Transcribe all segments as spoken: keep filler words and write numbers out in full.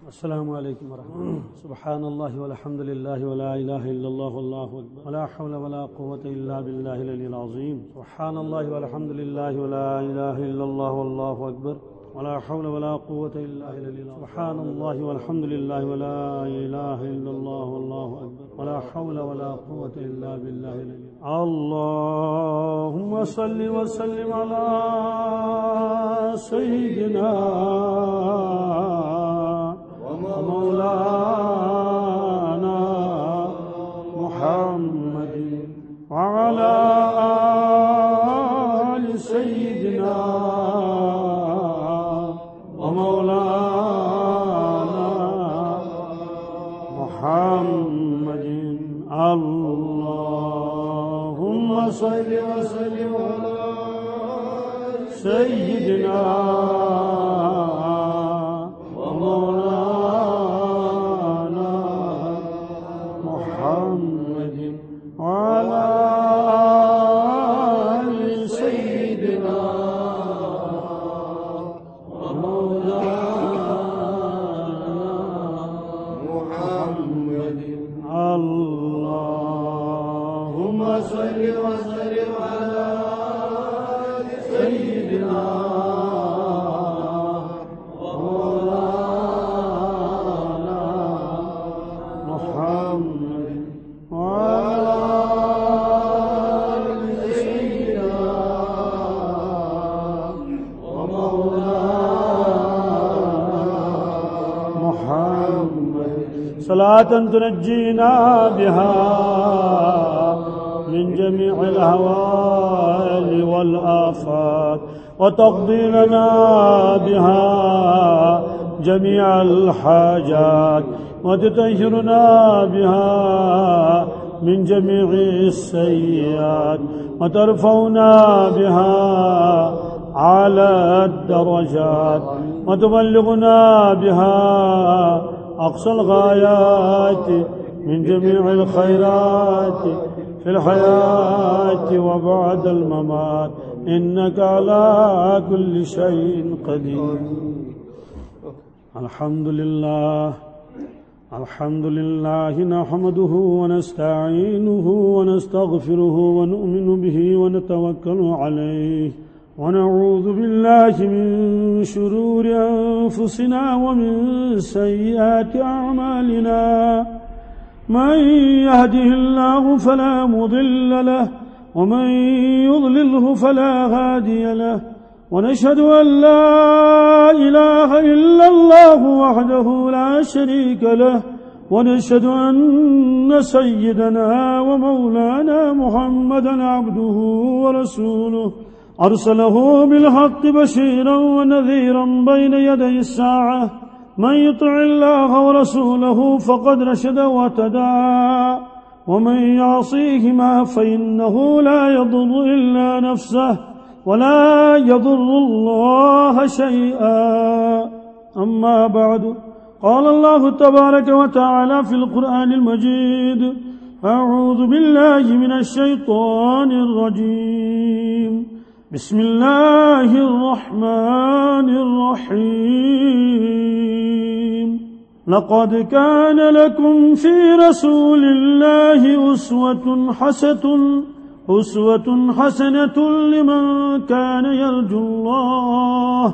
السلام عليكم ورحمة الله. سبحان الله والحمد لله ولا إله إلا الله والله أكبر، ولا حول ولا قوة إلا بالله العلي العظيم. سبحان الله والحمد لله ولا إله إلا الله والله أكبر، ولا حول ولا قوة إلا بالله العلي العظيم. سبحان الله والحمد لله ولا إله إلا الله والله أكبر، ولا حول ولا قوة إلا بالله العلي العظيم. اللهم صل وسلم على سيدنا ومولانا محمد وعلى آل سيدنا ومولانا محمد. اللهم صل وسلم على سيدنا ومولانا محمد وعلى آل سيدنا ومولانا محمد. اللهم صل وسلم على سيدنا ومولانا محمد وعلى آل سيدنا ومولانا محمد. صلاة تنجينا بها من جميع الأهوال والآفات، وتقضي لنا بها جميع الحاجات، وتطهرنا بها من جميع السيئات، وترفعنا بها على الدرجات، وتبلغنا بها أقصى الغايات من جميع الخيرات في الحياة وبعد الممات، إنك على كل شيء قدير. الحمد لله. الحمد لله نحمده ونستعينه ونستغفره ونؤمن به ونتوكل عليه، ونعوذ بالله من شرور أنفسنا ومن سيئات أعمالنا. من يهده الله فلا مضل له، ومن يضلله فلا هادي له. ونشهد أن لا إله إلا الله وحده لا شريك له، ونشهد أن سيدنا ومولانا محمدا عبده ورسوله، أرسله بالحق بشيرا ونذيرا بين يدي الساعة. من يطع الله ورسوله فقد رشد واهتدى، ومن يعصيهما فإنه لا يضر إلا نفسه ولا يضر الله شيئا. أما بعد، قال الله تبارك وتعالى في القرآن المجيد: أعوذ بالله من الشيطان الرجيم. بسم الله الرحمن الرحيم. لقد كان لكم في رسول الله أسوة حسنة، أسوة حسنة لمن كان يرجو الله،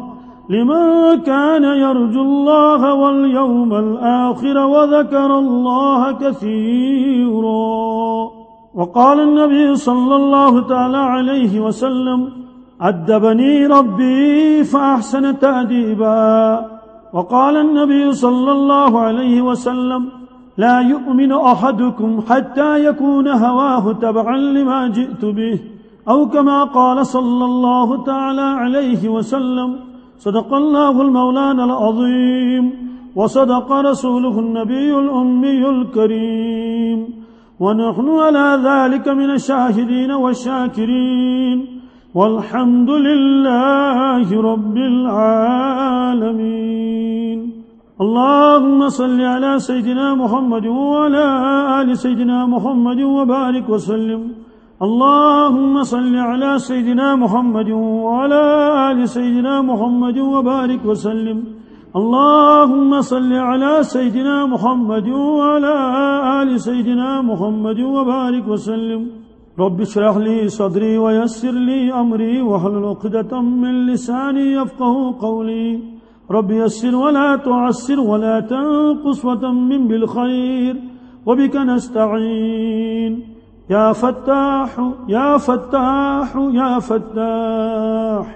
لمن كان يرجو الله واليوم الآخر وذكر الله كثيرا. وقال النبي صلى الله تعالى عليه وسلم: أدبني ربي فأحسن تأديبا. وقال النبي صلى الله عليه وسلم: لا يؤمن أحدكم حتى يكون هواه تبعا لما جئت به، أو كما قال صلى الله تعالى عليه وسلم. صدق الله المولانا العظيم، وصدق رسوله النبي الأمي الكريم، ونحن على ذلك من الشاهدين والشاكرين، والحمد لله رب العالمين. اللهم صل على سيدنا محمد وعلى آل سيدنا محمد وبارك وسلم. اللهم صل على سيدنا محمد وعلى آل سيدنا محمد وبارك وسلم. اللهم صل على سيدنا محمد وعلى آل سيدنا محمد وبارك وسلم. رب اشرح لي صدري ويسر لي أمري واحلل عقدة من لساني يفقه قولي. رب يسر ولا تعسر ولا تنقص وتمم بالخير وبك نستعين. يا فتاح، يا فتاح، يا فتاح.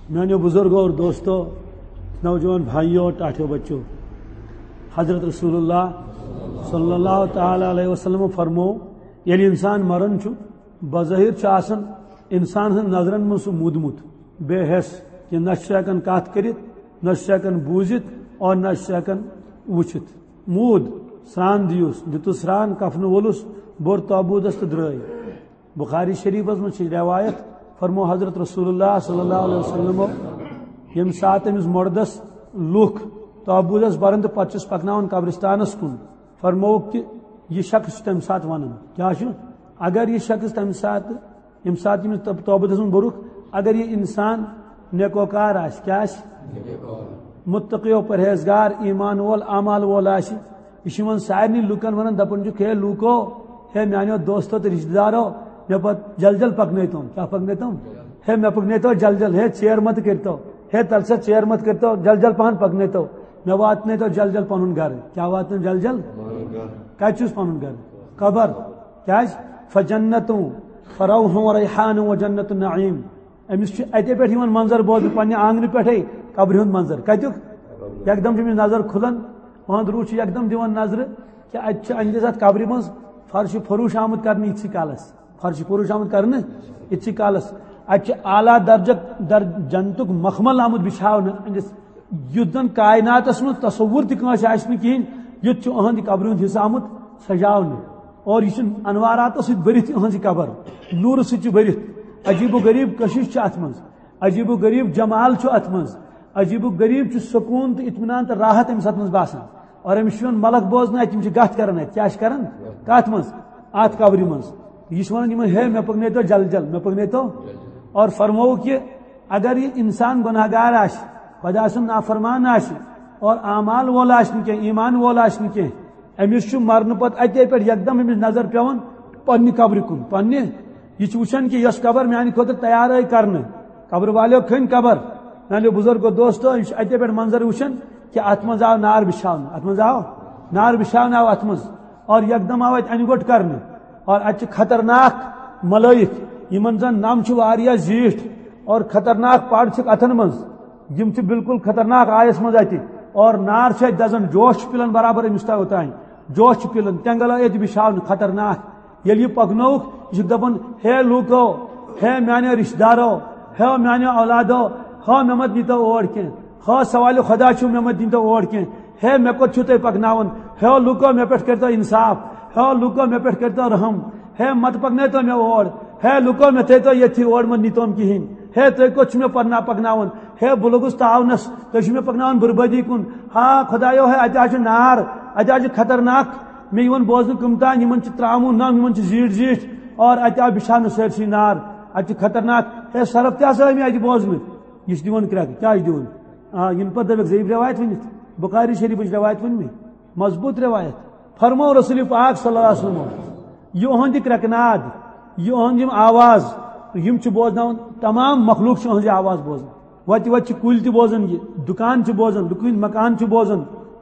میانیو بزرگو اور دوستو، نوجوان بھائیو، ٹاٹھیو بچو، حضرت رسول اللہ صلی اللہ تعالی علیہ وسلم فرمو، ییٚلہِ انسان مران چھُ، بظاہر چھُ آسان انسان ہٕنٛز نظرن منٛز سُہ مودمُت، بے حس، کہ نہ چھُ ہٮ۪کان کتھ کٔرِتھ، نہ چھُ ہٮ۪کان بوٗزِتھ اور نہ چھُ ہٮ۪کان وٕچھِتھ۔ موٗد، سرٛان دیُس، دیُتُس سرٛان، کفنہٕ وولُس، بوٚر تابوٗتس تہٕ درٛاے۔ بخاری شریفس منٛز چھِ روایت، فرمو حضرت رسول اللہ صلی اللہ علیہ وسلم، ییٚمہِ ساتہٕ أمِس مردس لُکھ تابوٗتس برن تہٕ پتہٕ چھِس پکناوان قبرستانس کُن، فرمووُکھ کہِ یہِ شخص چھُ تمہِ ساتہٕ ونان، کیٛاہ چھُ؟ اگر یہِ شخص تمہِ ساتہٕ، ییٚمہِ ساتہٕ ییٚمِس تب-، تابوٗتس منٛز بوٚرُکھ، اگر یہِ انسان نیکوکار آسہِ، کیٛاہ آسہِ؟ متقی و پرہیزگار، ایمان وول، اعمال وول آسہِ، یہِ چھُ یِمن سارنٕے لُکن ونان، دپان چھُکھ، ہے لوٗکو، ہے میانیو دوستو تہٕ رشتہٕ دارو، مےٚ پتہٕ جل جل پکنٲیتو۔ کیٛاہ پکنٲیتو؟ ہے مےٚ پکنٲیتو جل جل، ہے ژیر مت کٔرتو، ہے تلہٕ سا ژیر مت کٔرتو، جل جل پہن پکنٲیتو، مےٚ واتنٲیتو جل جل پنُن گرٕ۔ کیٛاہ واتنٲیِو جل جل؟ کتہِ چھُس پنُن گرٕ؟ قبر۔ کیٛازِ؟ فجنتوں فروح و ریحان و جنت النعیم۔ أمِس چھُ اَتے پٮ۪ٹھ یِوان منظر بوزنہٕ، پننہِ آنگنہٕ پٮ۪ٹھے قبرِ ہُنٛد منظر۔ کتیُک؟ یکدم چھِ أمِس نظر کھُلان، أہُنٛد روح چھُ یکدم دِوان نظرٕ کہِ اَتہِ چھُ أہٕنٛدِس اَتھ قبرِ منٛز فرش فروش آمُت کرنہٕ یِتھسٕے کالس۔ فرش فروش آمُت کرنہٕ یِتھسٕے کالس۔ اَتہِ چھُ اعلیٰ درجک در-، جنتُک مخمل آمُت بِچھاونہٕ أہٕنٛدِس، یُتھ زن کائناتس منٛز تصور تہِ کٲنٛسہِ آسہِ نہٕ کِہیٖنۍ، یُتھ چھُ أہٕنٛدِ قبرِ ہُنٛد حصہٕ آمُت سجاونہٕ۔ اور یہِ چھُ انواراتو سۭتۍ بٔرِتھ، یِہٕنٛز یہِ قبر نوٗرٕ سۭتۍ چھِ بٔرِتھ۔ عجیب و غریب کشش چھِ اتھ منٛز، عجیب و غریب جمال چھُ اتھ منٛز، عجیب و غریب چھُ سکوٗن تہٕ اطمینان تہٕ راحت أمِس اتھ منٛز باسان۔ اور أمِس چھُ یِوان ملک بوزنہٕ، اتہِ یِم چھِ کتھ کران، اتہِ کیٛاہ چھِ کران؟ کتھ منٛز؟ اتھ قبرِ منٛز۔ یہِ چھُ ونان یِمن، ہے مےٚ پکنٲیتو جل جل، مےٚ پکنٲیتو۔ اور فرمووُکھ یہِ، اگر یہِ انسان گناہ گار آسہِ، خۄدا سُنٛد نافرمان آسہِ، اور اعمال وول آسہِ نہٕ کینٛہہ، ایمان وول آسہِ نہٕ کینٛہہ، أمِس چھُ مرنہٕ پتہٕ اَتے پٮ۪ٹھ یکدم أمِس نظر پٮ۪وان پننہِ قبرِ کُن، پننہِ۔ یہِ چھُ وٕچھان کہِ یۄس قبر میانہِ خٲطرٕ تیار آیہِ کرنہٕ، قبرِ والیو کھٔنۍ قبر۔ میانیو بزرگو دوستو، یہِ چھُ اَتے پٮ۪ٹھ منظر وٕچھان کہِ اتھ منٛز آو نار بِچھاونہٕ، اتھ منٛز آو نار بِچھاونہٕ آو اتھ منٛز۔ اور یکدم آو اتہِ انہِ گوٚٹ کرنہٕ۔ اور اتہِ چھِ خطرناک ملٲیِک، یِمن زن نم چھِ واریاہ زیٖٹھ اور خطرناک پڑ چھِکھ اتھن منٛز۔ یِم چھِ بالکل خطرناک آیس منٛز اتہِ۔ اور نار چھِ اتہِ دزان، جوش چھُ پِلان برابر أمِس تام اوٚتام۔ جوش چھُ پِلان، تینگل آیہِ اتہِ بِچھاونہٕ، خطرناک۔ ییٚلہِ یہِ پکنووُکھ، یہِ چھُکھ دپان، ہے لوٗکو، ہے میانیو رشتہٕ دارو، ہے میانیو اولادو، ہا مےٚ مت نیٖتو اور کینٛہہ، ہا سوالِ خۄدا چھُو مےٚ مت نیٖتو اور کینٛہہ، ہے مےٚ کوٚت چھُو تُہۍ پکناوان، ہے لوٗکو مےٚ پٮ۪ٹھ کٔرۍتو انصاف، ہے لوٗکو مےٚ پٮ۪ٹھ کٔرۍتو رحم، ہے مت پکنٲیتو مےٚ اور، ہے لوٗکو مےٚ تھٲیتو ییٚتھی، اور مت نیٖتو کِہیٖنۍ، ہے تُہۍ کوٚت چھِو مےٚ پکناوناوان، ہے بہٕ لوٚگُس تاونس، تُہۍ چھِو مےٚ پکناوان بربٲدی کُن۔ ہا خۄدایو، ہے اتہِ حظ چھُ نار، اتہِ حظ چھُ خطرناک۔ مےٚ یِوان بوزنہٕ کٕم تام، یِمن چھِ ترٛاموٗ نم، یِمن چھِ زیٖٹھۍ زیٖٹھۍ، اور اتہِ آو بِچھاونہٕ سٲرسٕے نار، اتہِ چھُ خطرناک۔ ہے سرف تہِ ہسا آے مےٚ اتہِ بوزنہٕ۔ یہِ چھُ دِوان کرٛٮ۪کہٕ، کیٛاہ چھُ دِوان؟ آ، یِنہٕ پتہٕ دپکھ، ضعیف روایت ؤنِتھ، بخاری شریفٕچ روایت ؤنۍ مےٚ، مضبوٗط روایت۔ فرموو رسول پاک صلی اللہ علیہ وسلم، یہِ اُہُنٛد یہِ کرٛٮ۪کہٕ ناد، یہِ اُہُنٛد یِم آواز، یِم چھِ بوزناوان، تمام مخلوق چھِ اُہٕنٛز یہِ آواز بوزان۔ وتہِ وتہِ چھِ کُلۍ تہِ بوزان یہِ، دُکان چھِ بوزان، لُکہٕ ہٕنٛدۍ مکان چھِ بوزان،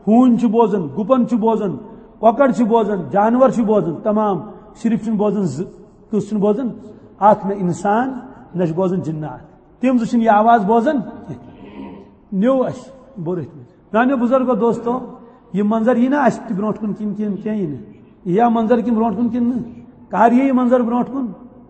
ہوٗنۍ چھِ بوزان، گُپن چھِ بوزان، کۄکر چھِ بوزان، جانور چھِ بوزان، تمام۔ صرف چھِنہٕ بوزان زٕ۔ کُس چھُنہٕ بوزان؟ اکھ نہ انسان، نہ چھِ بوزان جنات۔ تِم زٕ چھِنہٕ یہِ آواز بوزان کینٛہہ۔ نیوٗ اَسہِ بوٚر أتھۍ منٛز۔ میانیو بزرگو دوستو، یہِ منظر یی نہ اَسہِ تہِ برونٛٹھ کُن کِنہٕ کِنہٕ کینٛہہ یی نہٕ؟ یہِ یا منظر کِنہٕ برونٛٹھ کُن کِنہٕ نہٕ؟ کر یی یہِ منظر برونٛٹھ کُن؟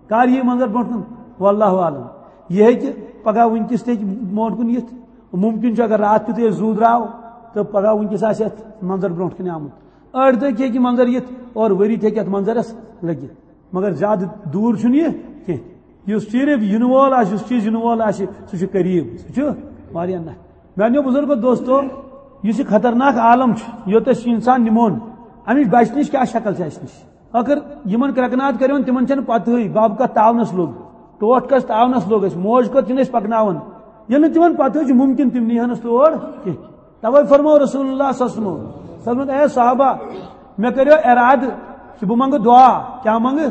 کر یی یہِ منظر برونٛٹھ کُن؟ واللہ عالم۔ یہِ ہیٚکہِ پگاہ وٕنکیٚس تہِ ہیٚکہِ برونٛٹھ کُن یِتھ۔ مُمکِن چھُ اگر راتھ کیُتھُے أسۍ زُو درٛاو تہٕ پگاہ وٕنکیٚس آسہِ اَتھ منظر برونٛٹھ کَنہِ آمُت۔ أڑۍ دۄہ تہِ ہیٚکہِ یہِ منظر یِتھ اور ؤری تہِ ہیٚکہِ اَتھ منظرَس لٔگِتھ۔ مگر زیادٕ دوٗر چھُنہٕ یہِ کینٛہہ۔ یُس صرف یِنہٕ وول آسہِ، یُس چیٖز یِنہٕ وول آسہِ، سُہ چھُ قریٖب، سُہ چھُ واریاہ نزدیٖک۔ میانیو بزرگو دوستو، یُس یہِ خطرناک عالم چھُ، یوٚت أسۍ یہِ انسان نِمون، اَمِچ بچنٕچ کیٛاہ شکل چھِ اَسہِ نِش؟ ٲخٕر یِمن کرٛٮ۪کناد کٔرِوُن، تِمن چھَنہٕ پتہٕے، بب کتھ تاونس لوٚگ، ٹوٹھ کس تاونس لوٚگ اَسہِ، موج کتھ چھِنہٕ أسۍ پکناوان۔ ییٚلہِ نہٕ تِمن پتہٕ چھُ مُمکِن، تِم نیہنس تور کینٛہہ۔ توے فرمو رسول اللہ صلی اللہ علیہ وسلم، فرموو، اے صحابہ، مےٚ کٔرِو ارادٕ کہِ بہٕ منٛگہٕ دعا۔ کیٛاہ منٛگہٕ؟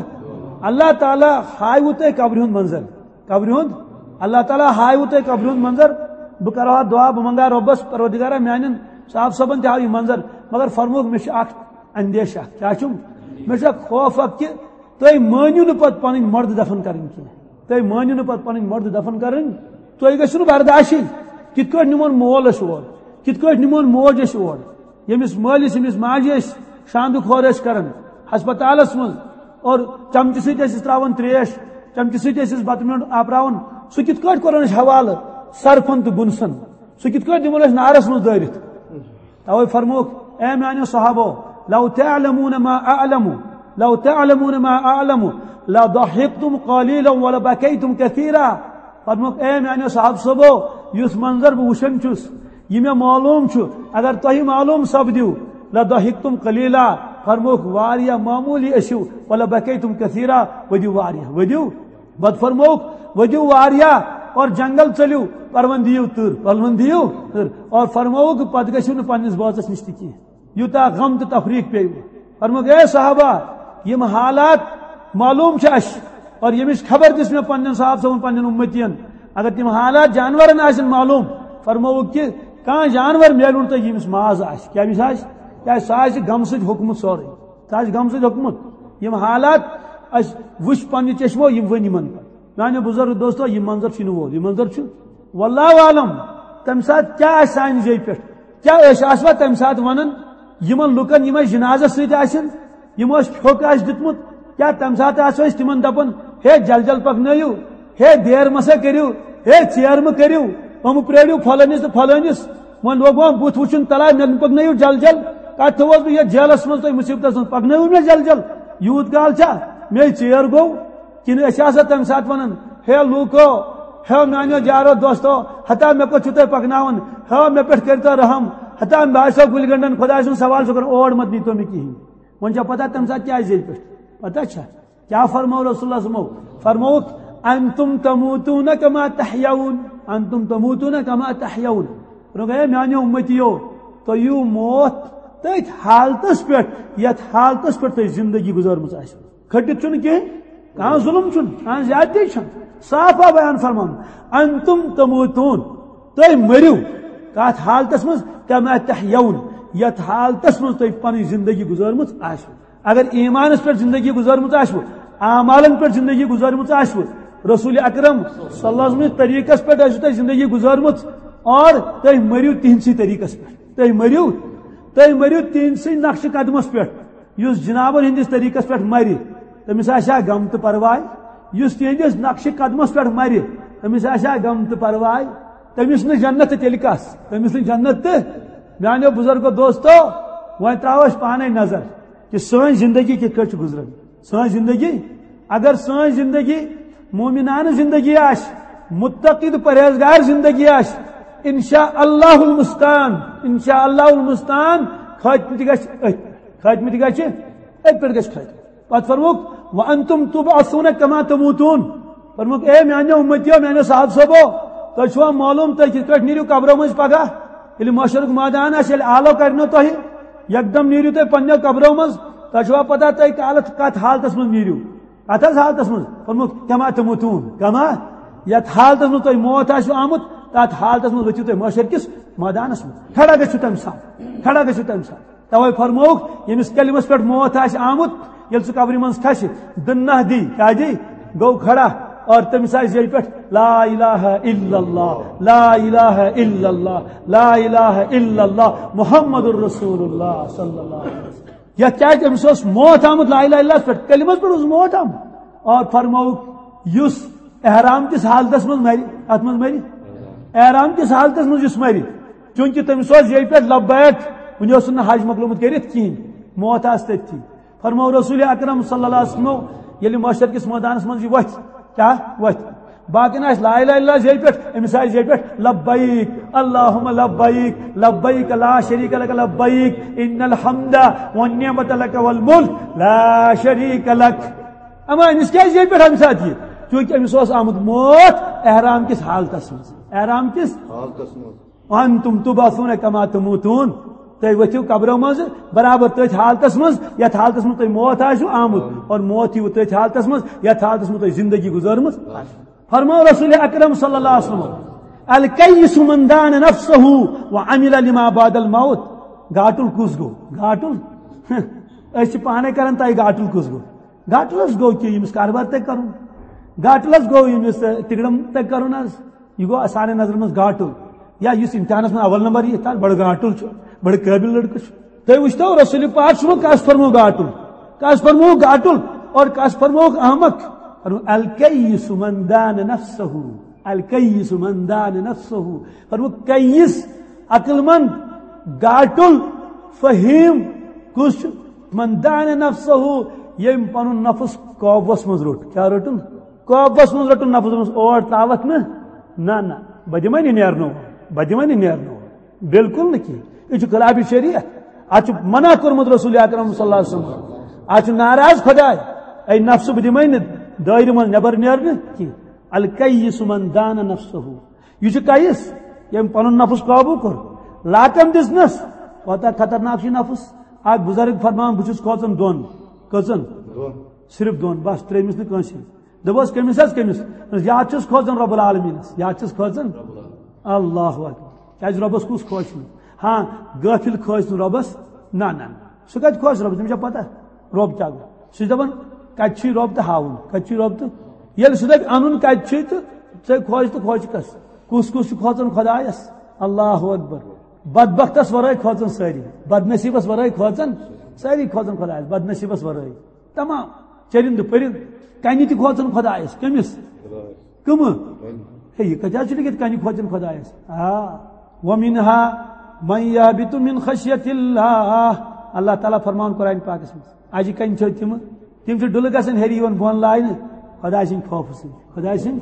اللہ تعالیٰ ہاوِ تۄہہِ قبرِ ہُنٛد منظر۔ قبرِ ہُنٛد، اللہ تعالیٰ ہاوِ تۄہہِ قبرِ ہُنٛد منظر۔ بہٕ کرٕ ہا دعا، بہٕ منٛگہٕ ہا رۄبس، پروردگارا، میانٮ۪ن صاحب صٲبن تہِ ہاو یہِ منظر۔ مگر فرمووُکھ، مےٚ چھُ اکھ اندیشہ۔ کیٛاہ چھُم؟ مےٚ چھُ اکھ خوف اکھ کہِ تُہۍ مٲنِو نہٕ پتہٕ پنٕنۍ مردٕ دفن کرٕنۍ کینٛہہ۔ تُہۍ مٲنِو نہٕ پتہٕ پنٕنۍ مردٕ دفن کرٕنۍ۔ تُہۍ گژھِو نہٕ برداشٕے۔ کِتھ کٲٹھۍ نِمون مول أسۍ اور؟ کِتھ کٲٹھۍ نِمون موج أسۍ اور؟ ییٚمِس مٲلِس، ییٚمِس ماجہِ أسۍ شاندٕ کھور ٲسۍ کران ہسپتالس منٛز، اور چمچہٕ سۭتۍ ٲسۍ أسۍ تراوان تریش، چمچہٕ سۭتۍ ٲسۍ أسۍ بتہٕ میوٚنٛڈ آپراوان، سُہ کِتھ کٲٹھۍ کوٚرُن أسۍ حوالہٕ سرپھن تہٕ گُنسن؟ سُہ کِتھ کٲٹھۍ دِمون أسۍ نارس منٛز دٲرِتھ؟ توے فرمووُکھ، اے میانیو صحابو، لو تعلمون ما اعلم، لو تعلمون ما اعلم، لضحکتم قلیلا ولبکیتم کثیرا۔ فرمووُکھ، اے میانیو صحابہٕ صٲبو، یُس منظر بہٕ وٕچھان چھُس، یہِ مےٚ معلوم چھُ، اگر تۄہہِ معلوم سپدِو، لضحکتم قلیلا، فرمووُکھ، واریاہ معموٗلی ٲسِو، ولبکیتم کثیرا، ؤدِو واریاہ، ؤدِو۔ پتہٕ فرمووُکھ، ؤدِو واریاہ اور جنگل ژٔلِو، پرون دِیِو تٕر، پرون دِیِو تٕر۔ اور فرمووُکھ، پتہٕ گٔژھِو نہٕ پننِس بٲژس نِش تہِ کینٛہہ۔ یوٗتاہ غم تہٕ تفریٖق پیٚیہِ۔ فرمووُکھ، اے صحابہ، یِم حالات معلوم چھِ اَسہِ، اور ییٚمِچ خبر دِژ مےٚ پننٮ۪ن صحابہٕ صٲبن، پننٮ۪ن اُمتین، اگر تِم حالات جانورن آسن معلوم، فرمووُکھ کہِ کانٛہہ جانور میلہِ نہٕ تۄہہِ ییٚمِس ماز آسہِ۔ کیٛاہ أمِس آسہِ؟ کیٛازِ سُہ آسہِ غمہٕ سۭتۍ ہوٚکھمُت سورُے۔ سُہ آسہِ غمہٕ سۭتۍ ہوٚکھمُت۔ یِم حالات اَسہِ وٕچھ پننہِ چشمو، یِم ؤنۍ یِمن پتہٕ۔ میانیو بُزرگ دوستو، یہِ منظر چھُنہٕ وول، یہِ منظر چھُ واللہ عالم، تَمہِ ساتہٕ کیٛاہ آسہِ سانہِ زیٚیہِ پٮ۪ٹھ؟ کیٛاہ أسۍ آسوا تَمہِ ساتہٕ وَنان یِمن لُکن، یِم اَسہِ جنازس سۭتۍ آسن، یِمو اَسہِ پھیوٚک آسہِ دیُتمُت، کیٛاہ تَمہِ ساتہٕ آسو أسۍ تِمن دَپان، ہے جل جل پَکنٲیِو، ہے دیر مہ سا کٔرِو، ہے ژیر مہ کٔرِو، یِم پرٛٲرِو پھلٲنِس تہٕ پھلٲنِس، وۄنۍ لوگ وۄنۍ بُتھ وٕچھُن، تَلے مےٚ پَکنٲیِو جل جل، کَتہِ تھوٚوُس بہٕ یَتھ جیلس منٛز تُہۍ مُصیبتس منٛز، پَکنٲیِو مےٚ جل جل، یوٗت کال چھا مے ژیر گوٚو؟ کِنہٕ أسۍ آسو تَمہِ ساتہٕ وَنان، ہے لوٗکو، ہے میٛانیو یارو دوستو، ہتا مےٚ کوٚت چھِو تُہۍ پَکناوان؟ ہے مےٚ پٮ۪ٹھ کٔرۍتو رحم، ہتا مےٚ آسیو گُلۍ گَنٛڈَن خۄداے سُنٛد سوال چھُ کَران، اور مَت نیٖتو مےٚ کِہیٖنۍ۔ وۄنۍ چھا پَتہ تَمہِ ساتہٕ کیٛاہ زیٚیہِ پٮ۪ٹھ؟ پَتہ چھا؟ کیٛاہ فرموو رسول اللہ صٲبو؟ فرمووُکھ، "انتم تموتون کما تحیون، انتم تموتون کما تحیون۔" فرمووُکھ، اے میٛانیو اُمتیو، تُہۍ یِیِو موت تٔتھۍ حالتَس پٮ۪ٹھ، یَتھ حالتَس پٮ۪ٹھ تۄہہِ زِندگی گُزٲرمٕژ آسِوٕ۔ کھٔٹِتھ چھُنہٕ کینٛہہ، کانٛہہ ظُلُم چھُنہٕ، کانٛہہ زیادتی چھَنہٕ۔ صاف آو بیان فرماونہٕ، "انتم تموتون"، تُہۍ مٔرِو کَتھ حالتَس منٛز؟ "کما تحیون"، یَتھ حالتَس منٛز تۄہہِ پَنٕنۍ زِندگی گُزٲرمٕژ آسِوٕ۔ اگر ایٖمانَس پٮ۪ٹھ زِندگی گُزٲرمٕژ آسِوٕ، اعمالَن پٮ۪ٹھ زِندگی گُزٲرمٕژ آسِوٕ، رسول اکرم صلی اللہ علیہ وسلم طریٖقَس پٮ۪ٹھ آسِوٕ تۄہہِ زِندگی گُزٲرمٕژ، اور تُہۍ مٔرِو تِہنٛدسٕے طریٖقَس پٮ۪ٹھ، تُہۍ مٔرِو، تُہۍ مٔرِو تِہنٛدسٕے نقشِ قدمَس پٮ۪ٹھ۔ یُس جنابن ہٕنٛدِس طریٖقس پٮ۪ٹھ مرِ، تٔمِس آسہِ ہا غم تہٕ پرواے۔ یُس تِہنٛدِس نقشِ قدمس پٮ۪ٹھ مرِ، تٔمِس آسہِ ہا غم تہٕ پرواے۔ تٔمِس نہٕ جنت تہٕ تیٚلہِ کس؟ تٔمِس نہٕ جنت تہٕ۔ میانیو بُزرگو دوستو، وۄنۍ ترٛاوو أسۍ پانے نظر کہِ سٲنۍ زندگی کِتھ کٲٹھۍ چھِ گُزران۔ سٲنۍ زندگی، اگر سٲنۍ زندگی مومنانہٕ زندگی آسہِ، متقی تہٕ پرہیزگار زندگی آسہِ، انشاء اللہ المستعان، انشاء اللہ المستعان، خٲتمہٕ تہِ گژھِ أتھۍ۔ خٲتمہٕ تہِ گژھِ، أتھۍ پٮ۪ٹھ گژھِ خٲتمہٕ۔ پتہٕ فرمووُکھ، "وانتم تبعثون کما تموتون۔" فرمووُکھ، اے میانیو اُمتیو، میانیو صاحب صٲبو، تۄہہِ چھُوا معلوم تُہۍ کِتھ پٲٹھۍ نیٖرِو قبرو مٔنٛزۍ پگاہ؟ ییٚلہِ محشرُک مٲدان آسہِ، ییٚلہِ آلو کڑنو تۄہہِ، یکدم نیٖرِو تُہۍ پننیو قبرو منٛز، تۄہہِ چھُوا پتہ تُہۍ کالہٕ کتھ حالتس منٛز نیٖرِو؟ کتھ حظ حالتس منٛز؟ فرمووُکھ، "کما تموتون، کما"، یتھ حالتس منٛز تۄہہِ موت آسہِ آمُت، تتھ حالتس منٛز ؤتھِو تُہۍ محشر کِس مٲدانس منٛز۔ کھڑا گٔژھِو تمہِ ساتہٕ، کھڑا گٔژھِو تمہِ ساتہٕ۔ توے فرمووُکھ، ییٚمِس کلمس پٮ۪ٹھ موت آسہِ آمُت، ییٚلہِ سُہ قبرِ منٛز کھسہِ، دٕنہٕ ناہ دی، کیٛاہ دی؟ گوٚو کھڑا، اور تٔمِس آسہِ زیٚیہِ پٮ۪ٹھ، "لا الہ الا اللہ، لا الہ الا اللہ، لا الہ الا اللہ، محمد رسول اللہ صلی اللہ علیہ وسلم۔" یتھ کیٛازِ أمِس اوس موت آمُت لا الہ الا اللہ پٮ۪ٹھ، کلمس پٮ۪ٹھ اوس موت آمُت۔ اور فرمووُکھ، یُس احرام کِس حالتس منٛز مرِ، اتھ منٛز مرِ، احرام کِس حالتس منٛز یُس مرِ، چونکہ تٔمِس اوس ییٚتہِ پٮ۪ٹھ لبیک، وُنہِ اوس نہٕ حج مۄکلومُت کٔرِتھ کِہینۍ، موت آسہِ تٔتھی۔ فرموو رسول اکرم صلی اللہ علیہ وسلمو، ییٚلہِ محشر کِس مٲدانس منٛز یہِ وۄتھِ، کیٛاہ وۄتھِ؟ باقین آسہِ لا الہ الا اللہ ییٚتہِ پٮ۪ٹھ، أمِس آسہِ ییٚتہِ پٮ۪ٹھ لبیک، اللہم لبیک، لبیک لا شریک لک لبیک، ان الحمد والنعمت لک والملک لا شریک لک۔ اما أمِس کیٛازِ ییٚتہِ پٮ۪ٹھ اَمہِ ساتہٕ یہِ؟ چونکہ أمِس اوس آمُت موت احرام کِس حالتس منٛز۔ احرام کِس حالتس منٛز۔ وَأَنتُمْ تُبْعَثُونَ كَمَا تَمُوتُونَ۔ تُہۍ ؤتھِو قبرو منٛز برابر تٔتھۍ حالتس منٛز، یتھ حالتس منٛز تۄہہِ موت آسِوٕ آمُت، اور موت یِیہِ تٔتھۍ حالتس منٛز، یتھ حالتس منٛز تۄہہِ زندگی گُزٲرمٕژ آسہِ۔ فرموو رسول اکرم صلی اللہ علیہ وسلم، "الکیس من دان نفسہ وعمل لما بعد الموت"۔ گاٹُل کُس گوٚو؟ گاٹُل؟ أسۍ چھِ پانے کران تۄہہِ گاٹُل کُس گوٚو؟ گاٹُل حظ گوٚو کہِ ییٚمِس کاربار تۄہہِ کرُن۔ گاٹُل حظ گوٚو ییٚمِس، اے، تِگڑم تۄہہِ کرُن حظ۔ یہِ گوٚو سانٮ۪ن نظرن منٛز گاٹُل۔ یا یُس امتحانس منٛز اول نمبر یِیہِ، تَتھ بڑٕ گاٹُل چھُ، بڑٕ قٲبِل لڑکہٕ چھُ۔ تُہۍ وٕچھتو رسول پاک صلی اللہ علیہ وسلم کس فرموو گاٹُل؟ کس فرموو گاٹُل؟ اور کس فرموو احمق؟ فرموو، "الکیس من دان نفسہ"۔ الکیس من دان نفسہ۔ فرموو، کیس، عقل مند، گاٹُل، فہیم کُس چھُ؟ من دان نفسہ، ییٚمۍ پنُن نفس قابوس منٛز روٚٹ۔ کیٛاہ روٚٹُن؟ قابوس منٛز روٚٹُن نفس، دوٚپُس، "اور ترٛاوَتھ نہٕ، نہ، نہ، بہٕ دِمَے نہٕ نیرنہٕ، بہٕ دِمَے نہٕ نیرنہٕ۔" بالکل نہٕ کینٛہہ۔ یہِ چھُ خلاف شریعت۔ اَتھ چھُ منع کوٚرمُت رسول اکرم صلی اللہ علیہ وسلم۔ اَتھ چھُ ناراض خداے، اے نفسہٕ، بہٕ دِمَے نہٕ دٲیرٕ منٛز نٮ۪بر نیرنہٕ کینٛہہ۔ الکیس من دان نفسہ۔ یہِ چھُ کیس، ییٚمۍ پنُن نفس قابو کوٚر، لاکم دِژنس۔ کوتاہ خطرناک چھُ یہِ نفس۔ اکھ بزرگ فرمان، "بہٕ چھُس کھوژان دۄن۔" کٔژن؟ دۄن۔ صرف دۄن، بس، ترٛیٚیمِس نہٕ کٲنٛسہِ۔ دوٚپُس، "کٔمِس حظ، کٔمِس؟" دوٚپُس، "یا چھُس کھوژان رب العالمینس، یا چھُس کھوژان۔" اللہ اکبر۔ کیازِ ربس کُس خۄش چھُنہٕ؟ ہاں، غٲفِل خۄش چھُنہٕ ربس۔ نہ، نہ، نہ۔ سُہ کتہِ خۄش ربس؟ تٔمِس چھا پتہ رب کیٛاہ گوٚو؟ سُہ چھُ دپان، کتہِ چھُے رب تہٕ ہاوُن، کتہِ چھُے رب تہٕ ییٚلہِ سُہ دپہِ، انُن کتہِ چھُے تہٕ ژےٚ خۄش تہٕ خۄش کس؟ کُس کُس چھُ کھوژان خۄدایس؟ اللہ اکبر۔ بدبختس ورٲے کھوژان سٲری، بدنصیبس ورٲے کھوژان سٲری، کھوژان خۄدایس بدنصیبس ورٲے۔ تمام چرندٕ پرندٕ، کنہِ تہِ کھوژان خۄدایس۔ کٔمِس؟ کٕمہٕ؟ ہے، یہِ کتہِ حظ چھُ لیکھِتھ کنہِ کھوژان خۄدایس؟ آ، "ومنها من يهبط من خشية الله"۔ اللہ تعالیٰ فرمان قرآن پاکس منٛز، اجہِ کنہِ چھِ تِمہٕ، تِم چھِ ڈُلہٕ گژھان ہیٚرِ یِوان بۄن لاینہٕ خۄداے سٕنٛدِ خوفہٕ سۭتۍ۔ خۄداے سٕنٛدِ،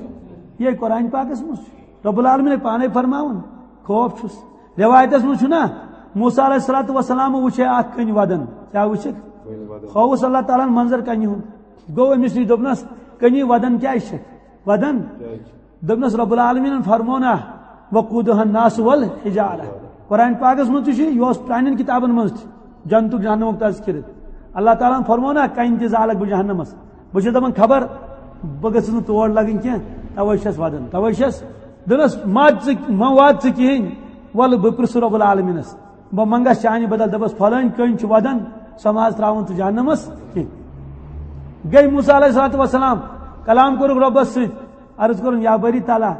یہِ قرآن پاکس منٛز چھُ رب العالمین پانے فرماوان، خوف چھُس۔ روایتس منٛز چھُنہ، موسیٰ علیہ الصلوۃ والسلام وٕچھے اکھ کٔنۍ ودان۔ کیٛاہ وٕچھکھ؟ کٔنۍ ودان۔ خوف اوس اللہ تعالیٰ ہن منظر کنہِ ہُنٛد۔ گوٚو أمِس نِش، دوٚپنس، "کٔنی ودان کیٛازِ چھکھ؟ ودان؟" کیٛازِ؟ دوٚپنس، "رب العالمینن فرموو نا، وقودها الناس والحجارہ۔" قرآن پاکس منٛز تہِ چھُ، یہِ اوس پرانٮ۪ن کتابن منٛز تہِ، جنتُک جہنمُک تذکرٕ۔ اللہ تعالیٰ ہن فرموو نا، "کنہِ تہِ زالکھ بہٕ جہنمس۔" بہٕ چھُس دپان، خبر بہٕ گٔژھٕس نہٕ تور لگٕنۍ کینٛہہ، توے چھس ودان، توے چھس۔ دوٚپنس، "مت ژٕ، مہ وات ژٕ کِہیٖنۍ، ولہٕ بہٕ پرژھٕ رب العالمینس، بہٕ منگس چانہِ بدل، دپس، فلٲنۍ کٔنۍ چھُ ودان، سۄ ما حظ ترٛاوُن ژٕ جہنمس کینٛہہ؟" گٔے موسیٰ علیہ الصلوۃ والسلام، کلام کوٚرُکھ رۄبس سۭتۍ، عرض کوٚرُن، "یا باری تعالیٰ،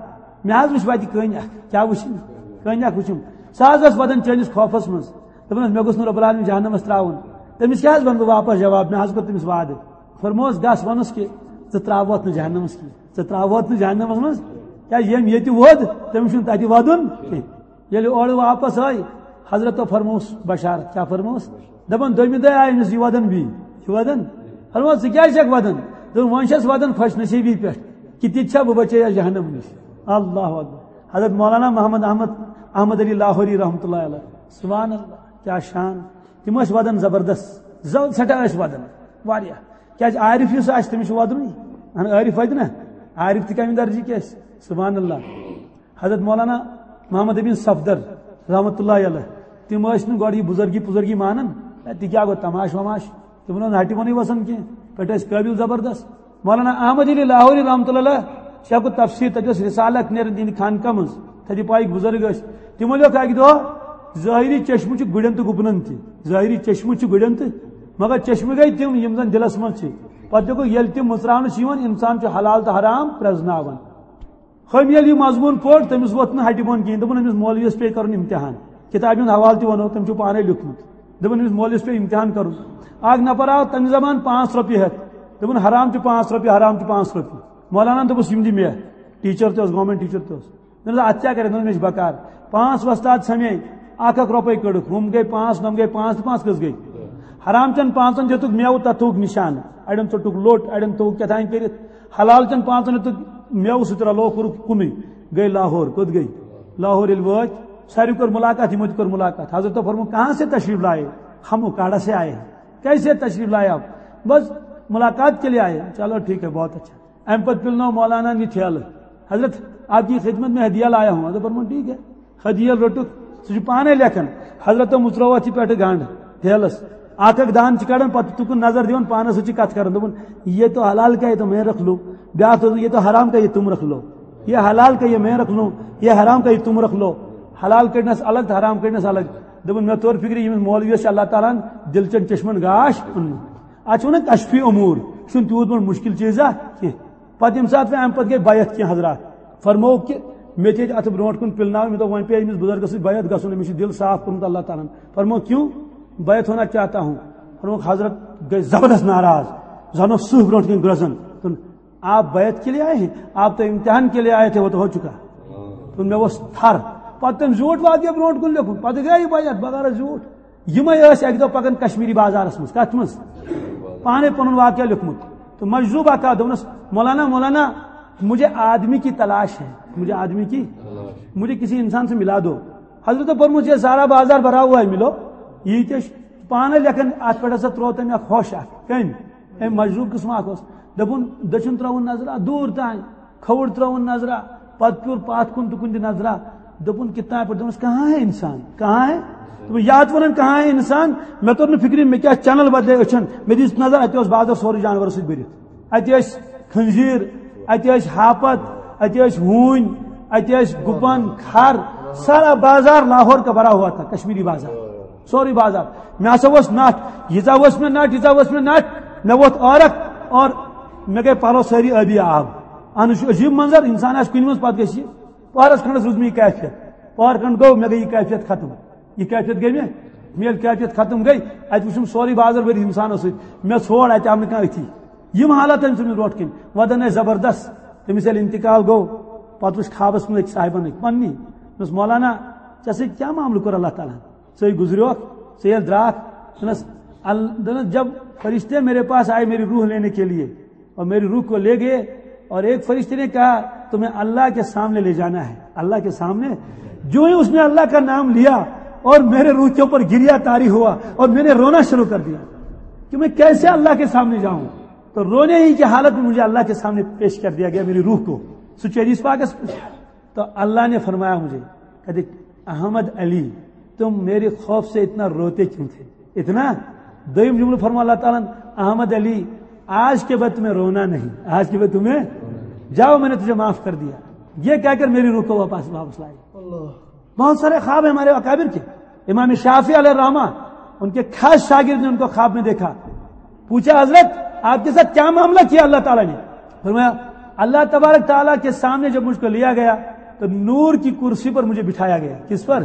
مےٚ حظ وٕچھ وتہِ کٔنۍ اکھ۔" کیٛاہ وٕچھِم؟ کٔنۍ اکھ وٕچھِم۔ سۄ حظ ٲس ودان چٲنِس خوفس منٛز۔ دوٚپنس، "مےٚ گوٚژھ نہٕ رب العالمین جہنمس ترٛاوُن۔" تٔمِس کیٛاہ حظ ونہٕ بہٕ واپس جواب؟ مےٚ حظ کوٚر تٔمِس وعدٕ۔ فرمووس، "گژھ وَنُس کہِ ژٕ ترٛاوَتھ نہٕ جہنمس کینٛہہ، ژٕ ترٛاوَتھ نہٕ جہنمس منٛز، کیٛازِ ییٚمۍ ییٚتہِ ووٚد، تٔمِس چھُنہٕ تَتہِ وَدُن کینٛہہ۔" ییٚلہِ اورٕ واپس آے، حضرتو فرمووُس بشارت۔ کیٛاہ فرمووُس؟ دَپان، "دوٚیمہِ دۄہہِ آے أمِس یہِ وَدُن بیٚیہِ، یہِ وَدُن۔" فرمووُس، "ژٕ کیٛازِ چھَکھ وَدُن؟" دوٚپُن، "وۄنۍ چھَس وَدُن خۄش نصیٖبی پٮ۪ٹھ کہِ تِتہِ چھا بہٕ بچے یَتھ جہنم نِش۔" اللہ اکبر۔ حضرت مولانا محمد احمد، احمد علی لاہوری رحمتہ اللہ علیہ، سبحان اللہ، کیٛاہ شان۔ تِم ٲسۍ وَدان زبردست، زو-، سٮ۪ٹھاہ ٲسۍ وَدان، واریاہ۔ کیٛازِ عارف یُس آسہِ، تٔمِس چھُ وَدنٕے۔ اہن عارف وَدِ نہ؟ عارف تہِ کَمہِ درجہِ کیٛاہ آسہِ؟ سبحان اللہ۔ حضرت مولانا محمد امین صفدر رحمتہ اللہ علیہ، تِم ٲسۍ نہٕ گۄڈٕ یہِ بُزرگی پُزرگی مانان۔ ہے، تہِ کیٛاہ گوٚو، تماش وماش؟ تِمن اوس نہٕ ہٹہِ بۄنٕے وَسان کینٛہہ، پٮ۪ٹھٕ ٲسۍ قٲبِل زبردست۔ مولانا احمد علی لاہوری رحمتہ اللہ علیہ، سُہ ہیٚکو تفسیٖر، تَتہِ ٲس رسالہ اکھ نیران تِہنٛدِ خانقاہ منٛز، تَتہِ پایِکۍ بُزرگ ٲسۍ۔ تِمو لیوٚکھ اَکہِ دۄہ، "ظٲہری چشمہٕ چھُ گُرٮ۪ن تہٕ گُپنن تہِ، ظٲہری چشمہٕ چھُ گُرٮ۪ن تہٕ، مگر چشمہٕ گٔے تِم یِم زن دِلس منٛز چھِ۔" پتہٕ لیوٚکھُکھ، "ییٚلہِ تِم مُژراونہٕ چھِ یِوان، انسان چھُ حلال تہٕ حرام پرٛزناوان۔" ہُمۍ ییٚلہِ یہِ مضموٗن پوٚر، تٔمِس ووٚتھ نہٕ ہٹہِ بۄن کِہیٖنۍ۔ دوٚپُن، "أمِس مولویَس پیٚیہِ کَرُن امتحان۔" کِتابہِ ہُنٛد حوالہٕ تہِ وَنو، تٔمۍ چھُ پانَے لیوٚکھمُت۔ دوٚپُن، "أمِس مولویَس پیٚیہِ امتحان کَرُن۔" اَکھ نفر آو تَمہِ زمانہٕ پانٛژھ رۄپیہِ ہٮ۪تھ۔ دوٚپُن، "حرام چھُ پانٛژھ رۄپیہِ، حرام چھُ پانٛژھ رۄپیہِ۔" مولانا دوٚپُس، "یِم دِ مےٚ۔" ٹیٖچَر تہِ اوس، گورمٮ۪نٛٹ ٹیٖچَر تہِ اوس۔ دوٚپُن، "اَتھ کیٛاہ کَرِ؟" دوٚپُن، "مےٚ چھِ بکار۔" پانٛژھ وۄستاد ژھٮ۪مے، اَکھ اَکھ رۄپَے کٔڑٕکھ، ہُم گٔے پانٛژھ، نۄم گٔے پانٛژھ تہٕ پانٛژھ کٔژ گٔے؟ حرام چٮ۪ن پانٛژَن دیُتُکھ مٮ۪وٕ، تَتھ تھوٚوُکھ نِشان، اَڑٮ۪ن ژوٚٹُکھ لوٚٹ، اَڑٮ۪ن تھوٚوُکھ کیٛاہ تام کٔرِتھ۔ حلال چٮ۪ن پانٛژن ہیوٚتُکھ مٮ۪وٕ سۭتۍ رلوو، کوٚرُکھ کُنُے، گٔے لاہور۔ کوٚت گٔے؟ لاہور ییٚلہِ وٲتۍ، ساروی کٔر مُلاقات، یِمو تہِ کٔر مُلاقات۔ حضرتو فرموو، "کہاں سے تشریف لائے؟" "ہم اکاڑا سے آئے ہیں۔" "کیسے تشریف لائے آپ؟" "بس ملاقات کے لیے آئے ہیں۔" "چلو ٹھیک ہے، بہت اچھا۔" امہِ پتہٕ پِلنوو مولانا یہِ ٹھیلہٕ، "حضرت، آپ کی خدمت میں ہدیہ لایا ہوں۔" حضرت فرموو، "ٹھیک ہے۔" ہدیہ روٚٹُکھ، سُہ چھُ پانے لیکھان۔ حضرت مُژروو اَتھ یہِ پٮ۪ٹھٕ گنٛڈ ٹھیلس۔ اکھ اکھ دانہٕ چھِ کڑان، پتہٕ تُکُن نظر دِوان، پانس سۭتۍ چھِ کتھ کران، دپان، "یہ تو حلال کا ہے تو میں رکھ لوں۔" بیاکھ دوٚپ، "یہ تو حرام کا ہے تم رکھ لو۔" یہ حلال کا یہ میں رکھ لوں، یہ حرام کا یہ تم رکھ لو۔ حلال کڑنس الگ تو حرام کڑنس الگ۔ دپان، مےٚ توٚر فکرِ، ییٚمِس مولویس چھُ اللہ تعالیٰ ہن دِلچن چشمن گاش اوٚنمُت۔ اتھ چھِ ونان کشفی امور، یہِ چھُنہٕ تیوٗت بوٚڑ مُشکِل چیٖزا کینٛہہ۔ پتہٕ ییٚمہِ ساتہٕ وۄنۍ امہِ پتہٕ گٔے بیعت کینٛہہ حضرات، فرمووُکھ کہِ مےٚ تہِ ٲسۍ اتھ برونٛٹھ کُن پِلناوٕنۍ، مےٚ دوٚپ، وۄنۍ پیٚیہِ أمِس بُزرگس سۭتۍ بیعت گژھُن، أمِس چھُ دِل صاف کوٚرمُت اللہ تعالیٰ ہن۔ فرمووُکھ، "کیوں؟ بیعت ہونا چاہتا ہوں۔" فرمووُکھ، حضرت گٔے زبردست ناراض، زن اوس سٕہہ برونٛٹھ کِنۍ گرٛزان۔ دوٚپُن، "آپ بیعت کے لیے آئے ہیں؟ آپ تو امتحان کے لیے آئے تھے، وہ تو ہو چکا۔" دوٚپُن، مےٚ ؤژھ تھر۔ پتہٕ تٔمۍ زیوٗٹھ واقعہ برونٛٹھ کُن لیوٚکھمُت، پتہٕ گٔے یہِ بیعت بغٲر زیوٗٹھ۔ یِمے ٲسۍ اکہِ دۄہ پکان کشمیری بازارس منٛز۔ کتھ منٛز؟ پانے پنُن واقعہ لیوٚکھمُت۔ تہٕ مجذوب اکھ آو، دوٚپنس، "مولانا، مولانا، مجھے آدمی کی تلاش ہے، مجھے آدمی کی، مجھے کسی انسان سے ملا دو۔" حضرت فرمووُس، "یہ سارا بازار بھرا ہوا ہے، ملو۔" یہِ تہِ ٲسۍ پانے لیکھان، اتھ پٮ۪ٹھ ہسا تروو تٔمۍ اکھ ہوش اکھ۔ کٔمۍ؟ أمۍ مجذوب قٕسم اکھ اوس۔ دوٚپُن، دٔچھُن ترٲوٕن نظرا، دوٗر تام۔ کھووُر ترٲوٕن نظرا، پتہٕ پیوٚر پتھ کُن تہٕ کُن تہِ نظرا۔ دوٚپُن، "کتنا ہے؟" پٲٹھۍ دوٚپنس، "کہاں ہے انسان؟ کہاں ہے؟" دوٚپُن، "یہِ اتھ ونان کہاں ہے انسان؟ مےٚ توٚر نہٕ فکرِ، مےٚ کیٛاہ چینل بدلے أچھن، مےٚ دِژ نظر، اتہِ اوس بازر سورُے جانورو سۭتۍ بٔرِتھ۔ اتہِ ٲسۍ خنزیر، اتہِ ٲسۍ ہاپت، اتہِ ٲسۍ ہوٗنۍ، اتہِ ٲسۍ گُپن، کھر، سارا بازار لاہور کا بھرا ہوا تھا، کشمیری بازار۔" سورُے بازار۔ مےٚ ہسا اوس نٹھ، ییٖژاہ ؤژھ مےٚ نٹھ، ییٖژاہ ؤژھ مےٚ نٹھ، مےٚ ووٚتھ عٲرق اور مےٚ گٔے پلو سٲری ٲبی آب۔ اہن، یہِ چھُ عجیٖب منظر، انسان آسہِ کُنہِ منٛز، پتہٕ گژھِ یہِ۔ پہرس کھنڈس روٗز مےٚ یہِ کیفیت۔ پہر کھنڈ گوٚو، مےٚ گٔے یہِ کیفیت ختم۔ یہِ کیفیت گٔے مےٚ، مےٚ ییٚلہِ کیفیت ختم گٔے، اتہِ وُچھُم سورُے بازر بٔرِتھ انسانو سۭتۍ۔ مےٚ ژھوڑ اتہِ، آو نہٕ کانٛہہ أتھی۔ یِم حالت أمۍ سٕنٛدۍ برونٛٹھ کِنۍ۔ وۄدن ٲسۍ زبردست۔ تٔمِس ییٚلہِ انتقال گوٚو، پتہٕ وُچھ خوابس منٛز أکۍ صاحبن أکۍ پننی۔ دوٚپنس، "مولانا، ژےٚ سۭتۍ کیٛاہ معاملہٕ کوٚر اللہ تعالیٰ ہن؟ ژٕ گُزریوکھ، ژٕ ییٚلہِ درٛاکھ۔" دوٚپنس، ال-، دوٚپنس، "جب فرشتے میرے پاس آئے میری روح لینے کے لیے اور میری روح کو لے گئے اور ایک فرشتے نے کہا، 'تمہیں اللہ کے سامنے لے جانا ہے، اللہ کے سامنے.' جو ہی اس نے اللہ کا نام لیا اور میرے روح کے اوپر گریا طاری ہوا اور میں نے رونا شروع کر دیا کہ میں کیسے اللہ کے سامنے جاؤں۔ تو رونے ہی کی حالت میں مجھے اللہ کے سامنے پیش کر دیا گیا، میری روح کو سچ حدیث پاک ہے۔" تو اللہ نے فرمایا مجھے، کہتے، "احمد علی، تم میرے خوف سے اتنا روتے کیوں تھے؟ اتنا؟" دویم جملہ فرما اللہ تعالیٰ نے، "احمد علی، آج کے بعد تمہیں رونا نہیں، آج کے بعد تمہیں، جاؤ، میں نے تجھے معاف کر دیا۔" یہ کہہ کر میری روح کو واپس، واپس لائی۔ بہت سارے خواب ہیں ہمارے اکابر کے۔ امام شافعی علیہ الرحمہ، ان کے خاص شاگرد نے ان کو خواب میں دیکھا۔ پوچھا، "حضرت، آپ کے ساتھ کیا معاملہ کیا اللہ تعالیٰ نے؟" فرمایا، "اللہ تبارک تعالیٰ کے سامنے جب مجھ کو لیا گیا تو نور کی کرسی پر مجھے بٹھایا گیا۔" کس پر؟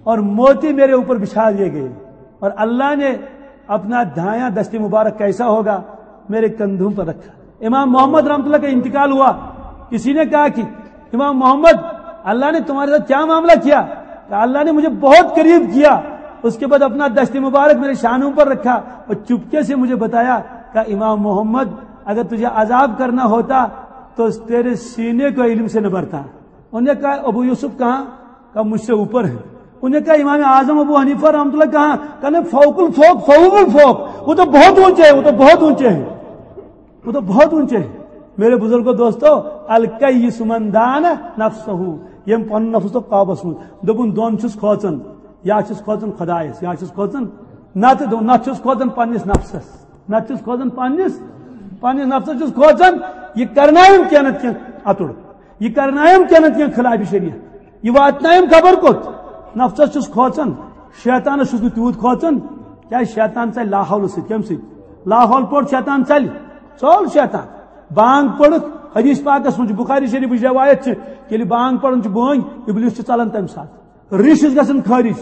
"اور موتی میرے اوپر بچھا دیے گئے اور اللہ نے اپنا دایاں دست مبارک کیسا ہوگا، میرے کندھوں پر رکھا۔" امام محمد رحمۃ اللہ کا انتقال ہوا، کسی نے کہا کہ امام محمد، اللہ نے تمہارے ساتھ کیا معاملہ کیا؟ کہا، "اللہ نے مجھے بہت قریب کیا، اس کے بعد اپنا دست مبارک میرے شانوں پر رکھا اور چپکے سے مجھے بتایا کہ امام محمد، اگر تجھے عذاب کرنا ہوتا تو تیرے سینے کو علم سے نہ بھرتا۔" انہوں نے کہا، "ابو یوسف کہاں؟" کہا، "مجھ سے اوپر ہے۔" انہوں نے کہا، "امام اعظم ابو حنیفہ رحمۃ اللہ کہاں؟" کہا، "نہیں، فوق الفوق، فوق الفوق، وہ تو بہت اونچے ہیں، وہ تو بہت اونچے ہیں۔" وہ تو بہت اونچے ہیں۔ میرے بزرگوں، دوستو، الکیس من دان نفسہ، ییٚمۍ پنُن نفس تو قابوس منٛز۔ دوٚپُن، دۄن چھُس کھوژان، یا چھُس کھوژان خۄدایس، یا چھُس کھوژان، نتہٕ دو-، نتہٕ چھُس کھوژان پننِس نفسس، نتہٕ چھُس کھوژان پننِس، پننِس نفسس چھُس کھوژان۔ یہِ کرنایم کینٛہہ نتہٕ کینٛہہ اَتُر، یہِ کرنایم کینٛہہ نتہٕ کینٛہہ خلاف شریعت، یہِ واتنایم خبر کوٚت۔ نفسس چھُس کھوژان، شیطانس چھُس نہٕ تیوٗت کھوژان، کیٛازِ شیطان ژلہِ لاحول سۭتۍ۔ کمہِ سۭتۍ؟ لاحول پوٚر شیطان ژلہِ، ژوٚل شیطان۔ بانگ پٔرٕکھ، حدیث پاکس منٛز چھُ، بخاری شریفٕچ روایت چھِ، ییٚلہِ بانگ پران چھُ بٲنۍ، ابلیس چھُ ژلان تمہِ ساتہٕ۔ ریش چھِ گژھان خٲرج،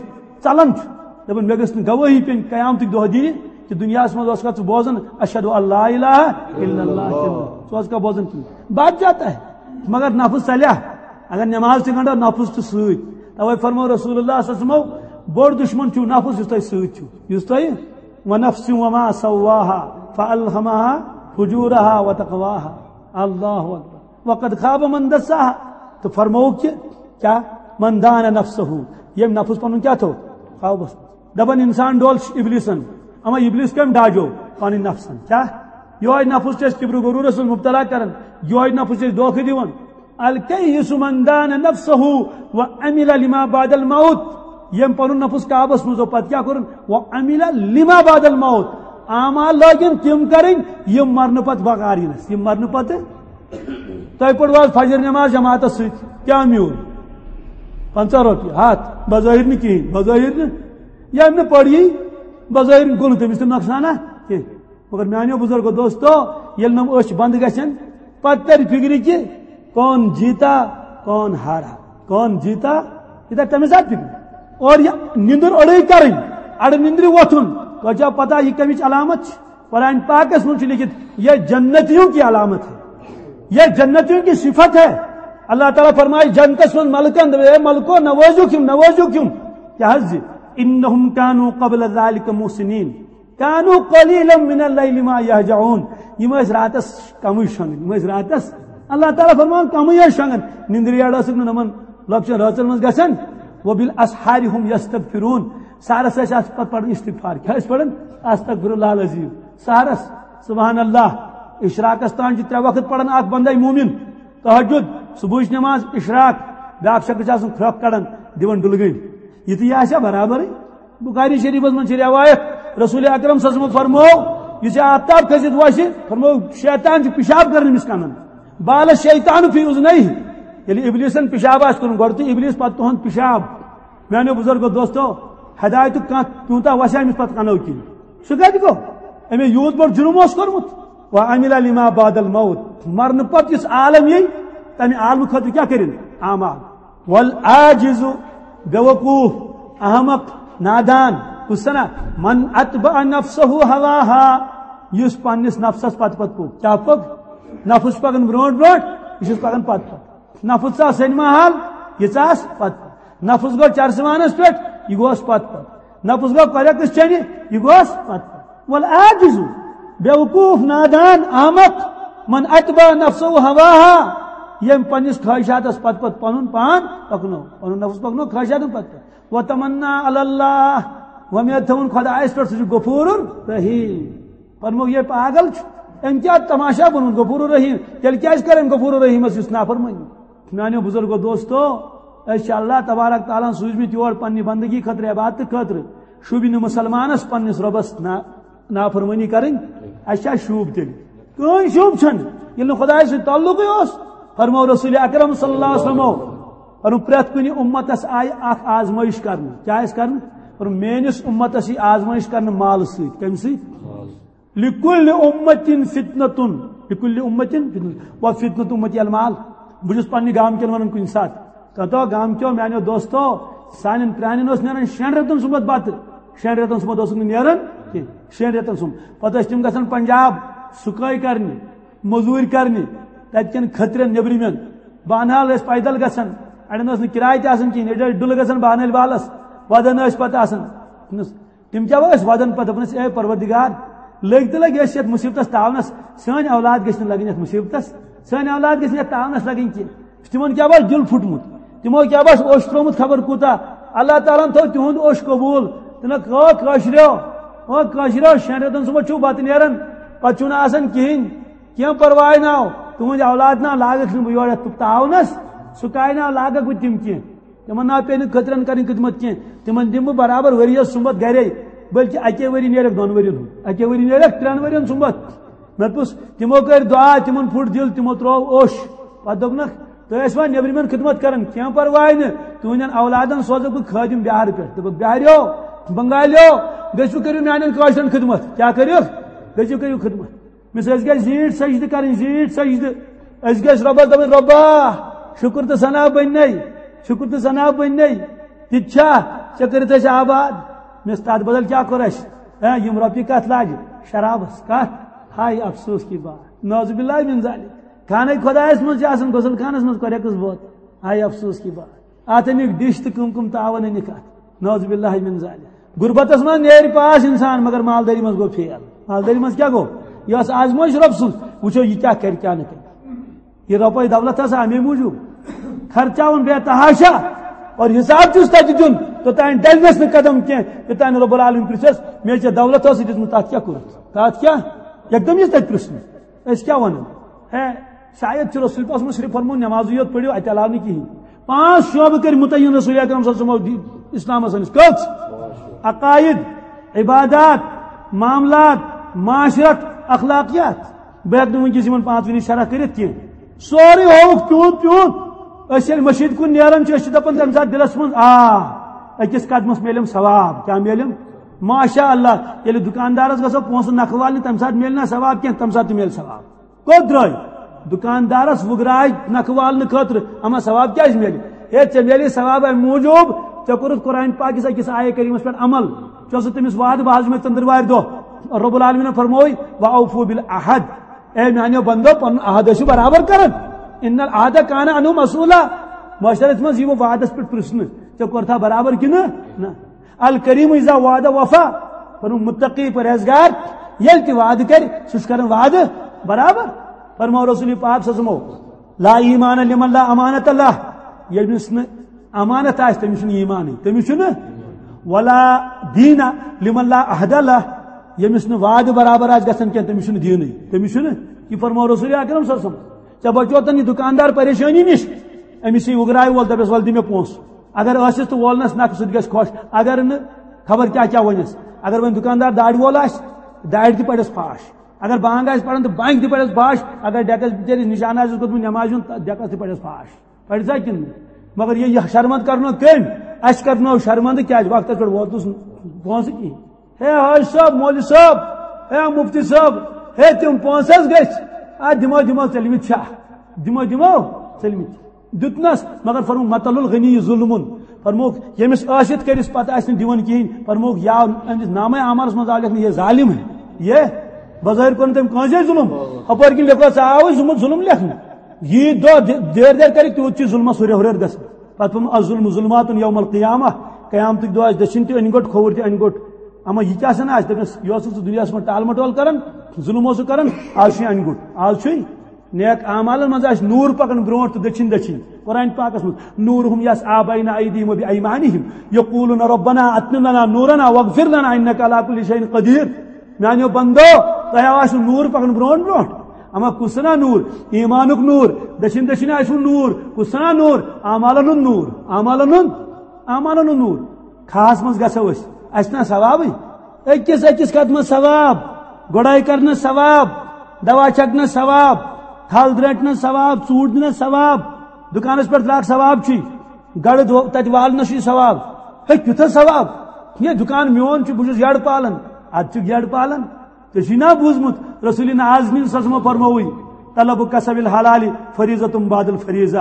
ژلان چھُ۔ دپان، مےٚ گٔژھ نہٕ گوٲہی پیٚنۍ قیامتٕکۍ دۄہ دِنہِ کہِ دُنیاہس منٛز اوسکھا ژٕ بوزان، "اشہد ان لا الہ الا اللہ"، کِنہٕ ژٕ اوسکھا بوزان کِنہٕ؟ بچ جاتا ہے۔ مگر نفس ژلیا، اگر نماز تہِ گنڈو، نفس چھُ سۭتۍ۔ توے فرمو رسول اللہ صلی اللہ علیہ وسلمو، بوٚڑ دشمن چھُو نفس، یُس تۄہہِ سۭتۍ چھُ، یُس تۄہہِ، "ونفس وما سواها فالهمها فجورها وتقواها۔" اللہ اکبر۔ "وقد خاب من دساها۔" تو فرمووُکھ کہِ کیا؟ "من دان نفسه"، ییٚمۍ نفس پنُن کیا تھوٚو؟ قابوس۔ دپان انسان ڈول ابلیسن، اما ابلیس کٔمۍ ڈاجو؟ پنٕنۍ نفسن۔ کیا؟ یہوے نفس چھُ اَسہِ کبر و غرورس منٛز مبتلا کران، یہوے نفس چھُ اَسہِ دھوکہٕ دِوان۔ الکیس من دان نفسہ وعمل لما بعد الموت۔ یم پنُن نفس قابس منٛز اوٚن، پتہٕ کیٛاہ کوٚرُن؟ وعمل لما بعد الموت۔ اعمال لٲگِن تِم کرٕنۍ، یِم مرنہٕ پتہٕ بکار یِنس، یِم مرنہٕ پتہٕ۔ تۄہہِ پٔروا آز فجر نماز جماعتس سۭتۍ، کیٛاہ میوٗل؟ پنٛژاہ رۄپیہِ، ہتھ، بظٲہر نہٕ کِہیٖنۍ، بظٲہر نہٕ۔ ییٚمۍ نہٕ پٔر یی، بظٲہر گوٚو نہٕ تٔمِس تہِ نۄقصانا کینٛہہ۔ مگر میانیو بزرگو دوستو، ییٚلہِ نہٕ أچھ بنٛد گژھن، پتہٕ ترِ فکرِ کہِ کون جیتا، کون ہارا، کون جیتا، یہ ترِ تمے ساتہٕ فکرِ۔ اور یہ نندر اڑے کرٕنۍ، اڑٕ نندرِ وۄتھُن، تۄہہِ چھا پتہ یہ کمِچ علامت چھِ؟ قرآن پاکس منٛز چھُ لیکھِتھ، یہ جنتیوں کی علامت ہے، یہ جنتیوں کی صفت ہے۔ اللہ تعالیٰ فرمائے جنتس منٛز ملکن، اے ملکو، نوٲزِو کِم، نوٲزِو کِم؟ کیٛاہ حظ؟ انہم کانوا قبل ذلک محسنین۔ کانوا قلیلا من اللیل ما یہجعون۔ یِم ٲسۍ راتس کمٕے شۄنٛگان، یِم ٲسۍ راتس، اللہ تعالیٰ فرماوان، کمٕے ٲسۍ شۄنٛگان۔ نِندرِ یٔڈ ٲسٕکھ نہٕ یِمن لۄکچن رٲژن منٛز گژھان۔ وبالاسحار هم یستغفرون۔ سحرس ٲسۍ اتھ پتہٕ پران استغفار۔ کیٛاہ ٲسۍ پران؟ استغفر اللہ العظیم۔ سحرس، سبحان اللہ۔ اشراقس تام چھِ ترٛےٚ وقت پران اکھ بندے مومن۔ تہجد، صبحٕچ نماز، اشراق، بیاکھ شخص چھُ آسان کھرٛکھ کڑان، دِوان ڈُلگٔنۍ۔ یہِ تہِ یہِ آسیا برابرٕے؟ بخاری شریفس منٛز چھِ روایت، رسول اکرم صلی اللہ علیہ وسلم فرموو، یُس یہِ آفتاب کھٔسِتھ وسہِ، فرموو، شیطان چھُ پِشاب کران أمِس کنن۔ بال الشیطان فی اذنیہ۔ ییٚلہِ ابلیسن پِشاب آسہِ کوٚرمُت، گۄڈٕ تُہۍ ابلیس، پتہٕ تُہُنٛد پِشاب۔ میانیو بزرگو دوستو، ہدایتُک کانٛہہ پیوٗنتاہ وسہِ أمِس پتہٕ کنو کِنۍ؟ سُہ کتہِ گوٚو؟ أمۍ یوٗت بوٚڑ جُرم اوس کوٚرمُت۔ وعمل لما بعد الموت۔ مرنہٕ پتہٕ یُس عالم یی، تمہِ عالمہٕ خٲطرٕ کیٛاہ کٔرِن؟ اعمال۔ والعاجز، بیوقوف، احمق، نادان، کُس سنا؟ من اتبع نفسہ ہواہا، یُس پننِس نفسس پتہٕ پتہٕ پوٚک۔ کیٛاہ پوٚک؟ نفس چھُ پکان برونٛٹھ برونٛٹھ، یہِ چھُس پکان پتہٕ پتہٕ۔ نفس ژاو سینما ہال، یہِ ژاس پتہٕ پتہٕ۔ نفس گوٚو چرسہٕ وانس پٮ۪ٹھ، یہِ گوس پتہٕ پتہٕ۔ نفس گوٚو کۄرٮ۪کس چنہِ، یہِ گوس پتہٕ پتہٕ۔ والعاجز، بیوقوف، نادان، احمق، من اتبع نفسہ ہواہا، ییٚمۍ پننِس خواہشاتس پتہٕ پتہٕ پنُن پان پکنو، پنُن نفس پکنو خواہشاتن پتہٕ پتہٕ۔ وتمنا علی اللہ، وۄمید تھٲوٕن خۄدایس پٮ۪ٹھ، سُہ چھُ غفور رحیم۔ فرموو، یہِ پاگل چھُ، أمۍ کیٛاہ تماشا بنوومُت غفور رحیم؟ تیٚلہِ کیٛازِ کَرِ أمۍ غفور رحیمس یُس نافرمٲنی؟ میانیو بزرگو دوستو، أسۍ چھِ اللہ تبارک تعالیٰ ہن سوٗزمٕتۍ یور پننہِ بندگی خٲطرٕ، عبادتہٕ خٲطرٕ۔ شوٗبہِ نہٕ مُسلمانس پننِس رۄبس نا-، نافرمٲنی کرٕنۍ۔ اَسہِ چھا شوٗب تیٚلہِ؟ کٕہٕنۍ شوٗب چھَنہٕ، ییٚلہِ نہٕ خۄدایہِ سۭتۍ تعلقٕے اوس۔ فرموو رسول اکرم صلی اللہ علیہ وسلمو، فرموو، پرٛٮ۪تھ کُنہِ اُمتس آیہِ اکھ آزمٲیش کرنہٕ۔ کیٛاہ آسہِ کرنہٕ؟ فرموو، میٲنِس اُمتس یی آزمٲیش کرنہٕ مالہٕ سۭتۍ۔ کمہِ سۭتۍ؟ لکل امتن فتنتن، لکل امتن فتنتن، و فتنت امتی المال۔ بہٕ چھُس پننہِ گامہٕ کٮ۪ن ونان کُنہِ ساتہٕ، کتو گامہٕ کیو میانیو دوستو، سانٮ۪ن پرانٮ۪ن اوس نیران شٮ۪ن رٮ۪تن سُمبتھ بتہٕ، شٮ۪ن رٮ۪تن سُمبتھ اوسُکھ نہٕ نیران کینٛہہ، شٮ۪ن رٮ۪تن سُمبتھ۔ پتہٕ ٲسۍ تِم گژھان پنجاب سُکٲے کرنہِ، مٔزوٗرۍ کرنہِ، تتہِ کٮ۪ن کھٔترٮ۪ن نیبرِمٮ۪ن۔ بانہال ٲسۍ پیدل گژھان، اڑٮ۪ن ٲس نہٕ کراے تہِ آسان کِہیٖنۍ، أڑۍ ٲسۍ ڈُلہٕ گژھان بانہال بالس، ودان ٲسۍ پتہٕ آسان۔ تِم کیٛاہ ٲسۍ وَدان پَتہٕ؟ دوٚپنَس، اے پروردگار، لٔگۍ تہٕ لٔگۍ أسۍ یَتھ مُصیبتَس تاونَس، سٲنۍ اولاد گٔژھۍ نہٕ لَگٕنۍ یَتھ مُصیبتَس، سٲنۍ اولاد گٔژھۍ نہٕ یَتھ تاونَس لَگٕنۍ کینٛہہ۔ تِمَن کیٛاہ باسہِ دِل پھُٹمُت، تِمو کیٛاہ باسہِ اوٚش ترٛوومُت خبر کوٗتاہ۔ اللہ تعالیٰ ہَن تھوٚو تِہُنٛد اوٚش قبوٗل۔ تِمَن کٲ-، کٲشریو، او کٲشریو، شٮ۪ن رٮ۪تَن سُمبتھ چھُو بَتہٕ نیران، پَتہٕ چھُو نہٕ آسان کِہیٖنۍ۔ کینٛہہ پرواے نہ ہو، تُہُنٛد اولاد نہ لاگَکھ نہٕ بہٕ یورٕ یَتھ تاونَس، سُہ کایناو لاگَکھ بہٕ تِم کینٛہہ۔ تِمن نہ پیٚیہِ نہٕ کھٔترن کرٕنۍ خدمت کینٛہہ، تِمن دِمہٕ بہٕ برابر ؤرۍ یَس سُمبتھ گرے، بلکہِ اَکے ؤری نیرَکھ دۄن ؤرین ہُنٛد، اَکے ؤری نیرَکھ ترٛٮ۪ن ؤرین سُمبتھ۔ مےٚ دوٚپُس، تِمو کٔرۍ دُعا، تِمن پھُٹ دِل، تِمو ترٛوو اوٚش۔ پتہٕ دوٚپنَکھ، تُہۍ ٲسوا نیٚبرِمٮ۪ن خدمت کران؟ کینٛہہ پرواے نہٕ، تُہٕنٛدٮ۪ن اولادن سوزَکھ بہٕ خٲدِم بِہارٕ پٮ۪ٹھ۔ دوٚپُکھ، بِہاریو، بنگالیو، گٔژھِو کٔرِو میٛانٮ۪ن کٲشرٮ۪ن خدمت۔ کیٛاہ کٔرِو؟ گٔژھِو کٔرِو خدمت۔ مِس أسۍ گژھِ زیٖٹھ سجدٕ کرٕنۍ، زیٖٹھ سجدٕ۔ أسۍ گژھِ رۄبس دپٕنۍ، "رۄبا، شُکر تہٕ ثنا بٔنۍ نے، شُکر تہٕ ثنا بٔنۍ نے۔ تہِ تہِ چھا؟ ژےٚ کٔرِتھ اَسہِ آباد۔" مِس تتھ بدل کیٛاہ کوٚر اَسہِ؟ ہے، یِم رۄپیہِ کتھ لاجہِ؟ شرابس۔ کتھ؟ ہاے افسوس کی بات۔ نعوذ باللہ من ذالک۔ خانہ خدایس منٛز چھِ آسان غسل خانس منٛز کۄرٮ۪کٕس بٲتھ۔ ہاے افسوس کی بات۔ اتھ أنِکھ ڈِش تہٕ کٕم کٕم تاوَن أنِکھ اتھ۔ نعوذ باللہ من ذالک۔ غربتس منٛز نیرِ پاس انسان، مگر مالدٲری منٛز گوٚو فیل۔ مالدٲری منٛز کیٛاہ گوٚو؟ یہِ ٲس آزمٲیش رۄب سٕنٛز۔ وٕچھو، یہِ کیٛاہ کرِ، کیٛاہ نہٕ کرِ۔ یہِ رۄپے دولت ہسا امے موٗجوٗب۔ خرچاوُن بے تحاشا، اور حساب چھُس تتہِ دیُن، توٚتام ڈلنس نہٕ قدم کینٛہہ، یوٚتام نہٕ رب العالمین پرژھس، مےٚ ژےٚ دولت ٲسٕے دِژمٕژ، تتھ کیٛاہ کوٚرُتھ؟ تتھ کیٛاہ؟ یکدم یہِ تتہِ پرژھنہٕ، أسۍ کیٛاہ ونو؟ ہے، شاید چھُ رسول پاکس منٛز صرف فرموو نمازٕے یوت پٔرِو، اتہِ علاوٕ نہٕ کِہیٖنۍ۔ پانٛژھ شعبہٕ کٔرۍ متعین رسول اکرم صلی اللہ علیہ وسلمو دی-، اسلامس سٲنِس۔ کٔژ؟ عقائد، عبادات، معاملات، معاشرت، اخلاقیات۔ بہٕ ہیٚکہٕ نہٕ وٕنکیٚس یِمن پانٛژوٕنی شرح کٔرِتھ کینٛہہ۔ سورُے ہووُکھ پیوٗنٛت پیوٗنٛت۔ أسۍ ییٚلہِ مٔشیٖد کُن نیران چھِ، أسۍ چھِ دپان تمہِ ساتہٕ دِلس منٛز، آ، أکِس قدمس میلیم ثواب۔ کیٛاہ میلیم؟ ماشاء اللہ، ییٚلہِ دُکاندارس گژھو پونٛسہٕ نکھٕ والنہِ، تمہِ ساتہٕ میلہِ نہ ثواب کینٛہہ، تمہِ ساتہٕ تہِ میلہِ ثواب۔ کوٚت درٛاے؟ دُکاندارس وُگراے نکھٕ والنہٕ خٲطرٕ، اما ثواب کیٛازِ میلہِ؟ ہے، ژےٚ میلہِ ثواب امہِ موٗجوٗب، ژےٚ کوٚرُتھ قرآن پاکِس أکِس آیہِ کریٖمس پٮ۪ٹھ عمل، ژےٚ اوسُتھ تٔمِس وعدٕ، بہٕ حظ یِمے ژٔنٛدٕروارِ دۄہ۔ رب العالمینن فرمووُے، "وأوفوا بالعہد"، اے میانیو بندو، پنُن عہد ٲسِو برابر کران۔ "ان العہد کان عنہ مسئولا"، معاشرس منٛز یِمو وعدس پٮ۪ٹھ پرژھنہٕ، ژےٚ کوٚرتھا برابر کِنہٕ نہ؟ الکریم اذا وعد وفا، پنُن متقی پرہیزگار ییٚلہِ تہِ وعدٕ کرِ، سُہ چھُ کران وعدٕ برابر۔ فرموو رسول پاک صلی اللہ علیہ وسلمو، "لا ایمان لمن لا امانت اللہ"، ییٚمِس نہٕ امانت آسہِ، تٔمِس چھُنہٕ ایمانٕے، تٔمِس چھُنہٕ۔ "ولا دین لمن لا عہد اللہ"، ییٚمِس نہٕ وعدٕ برابر آسہِ گژھان کینٛہہ، تٔمِس چھُنہٕ دیٖنٕے، تٔمِس چھُنہٕ۔ یہِ فرموو رسول اکرم صلی اللہ علیہ وسلم۔ ژےٚ بچوتن یہِ دُکاندار پریشٲنی نِش، أمِس یی وُگراے وول، دپٮ۪س، "ول دِ مےٚ پونٛسہٕ"۔ اگر ٲسِس تہٕ وولنس نکھٕ، سُہ تہِ گژھِ خۄش۔ اگر نہٕ، خبر کیٛاہ کیٛاہ ونٮ۪س۔ اگر وۄنۍ دُکاندار دارِ وول آسہِ، دارِ تہِ پرٮ۪س فاش۔ اگر بانگ آسہِ پران تہٕ بانگہِ تہِ پرٮ۪س فاش۔ اگر ڈیکس بِچٲرِس نشان آسٮ۪س گوٚمُت نمازِ ہُنٛد، تہٕ ڈیکس تہِ پرٮ۪س فاش۔ پرِ سا کِنہٕ نہٕ؟ مگر یہِ، یہِ شرمند کرنو کٔمۍ؟ اسہِ کرنو شرمند۔ کیٛازِ؟ وقتس پٮ۪ٹھ ووت نہٕ پونٛسہٕ کِہیٖنۍ۔ ہے حاج صٲب، مولوی صٲب، ہے مفتی صٲب، ہے تِم پونٛسہٕ حظ گٔژھۍ۔ آ، دِمو، دِمو، ژٔلمٕتۍ چھا؟ دِمو، دِمو، ژٔلمٕتۍ۔ دیُتنس، مگر فرمووُکھ، "مثل الغنی ظلم"۔ فرمووُکھ، ییٚمِس ٲسِتھ کٔرِس پتہٕ آسہِ نہٕ دِوان کِہیٖنۍ، فرمووُکھ، یا أمِس نامے اعمالس منٛز آو لیکھنہٕ، "یہ ظالم ہے، یہ"۔ بظٲہِر کوٚر نہٕ تٔمۍ کٲنٛسے ظلم۔ ہپٲرۍ کِنۍ لیکھو، ژےٚ آوُے ظلم، ظلم لیکھنہٕ۔ ییٖتۍ دۄہ دِ-، دیر دیر کرِ، تیوٗت چھُ ظلمس ہُرٮ۪ر ہُرٮ۪ر گژھان۔ پتہٕ فرموو، "الظلم ظلمات یوم القیامہ"، قیامتٕکۍ دۄہ آسہِ دٔچھِنۍ تہِ أنۍ گوٚٹ، کھووُر تہِ أنۍ گوٚٹ۔ اما یہِ کیٛاہ سا آسہِ؟ دٔپِس، یہِ اوسُکھ ژٕ دُنیاہس منٛز ٹال مٹول کران، ظلم اوسُکھ کران، آز چھُے اَنہِ گوٚٹ۔ آز چھُے نیک اعمالن منٛز آسہِ نوٗر پکان برونٛٹھ تہٕ دٔچھِنۍ دٔچھِنۍ۔ قرآن پاکس منٛز، "نورہم یسعی بین ایدیہم و بایمانہم یقولون ربنا اتمم لنا نورنا واغفر لنا انک علی کل شیء قدیر"۔ میانیو بندو، تۄہہِ آسہِ نوٗر پکان برونٛٹھ برونٛٹھ۔ اما کُس سنا نوٗر؟ ایمانُک نوٗر۔ دٔچھِنۍ دٔچھِنۍ آسہِ نوٗر۔ کُس سنا نوٗر؟ اعمالن ہُنٛد نوٗر۔ اعمالن ہُنٛد، اعمالن ہُنٛد نوٗر۔ کھہس منٛز گژھو أسۍ، اسہِ نا ثوابٕے؟ أکِس أکِس قدمس ثواب، گۄڈاے کرنس ثواب، دوا چھکنس ثواب، تھل درٹنس ثواب، ژوٗنٛٹھۍ دِنس ثواب، دُکانس پٮ۪ٹھ درٛاکھ ثواب چھُے، گڑٕ دو-، تتہِ والنس چھُے ثواب۔ ہے، کیُتھ حظ ثواب؟ یہِ دُکان میون چھُ، بہٕ چھُس یٔڑ پالان، اتھ چھُ یٔڑ پالان۔ ژےٚ چھُے نا بوٗزمُت رسول نازنین صلی اللہ علیہ وسلم فرمووُے، "طلب کسب الحلال فریضۃ بعد الفریضہ"۔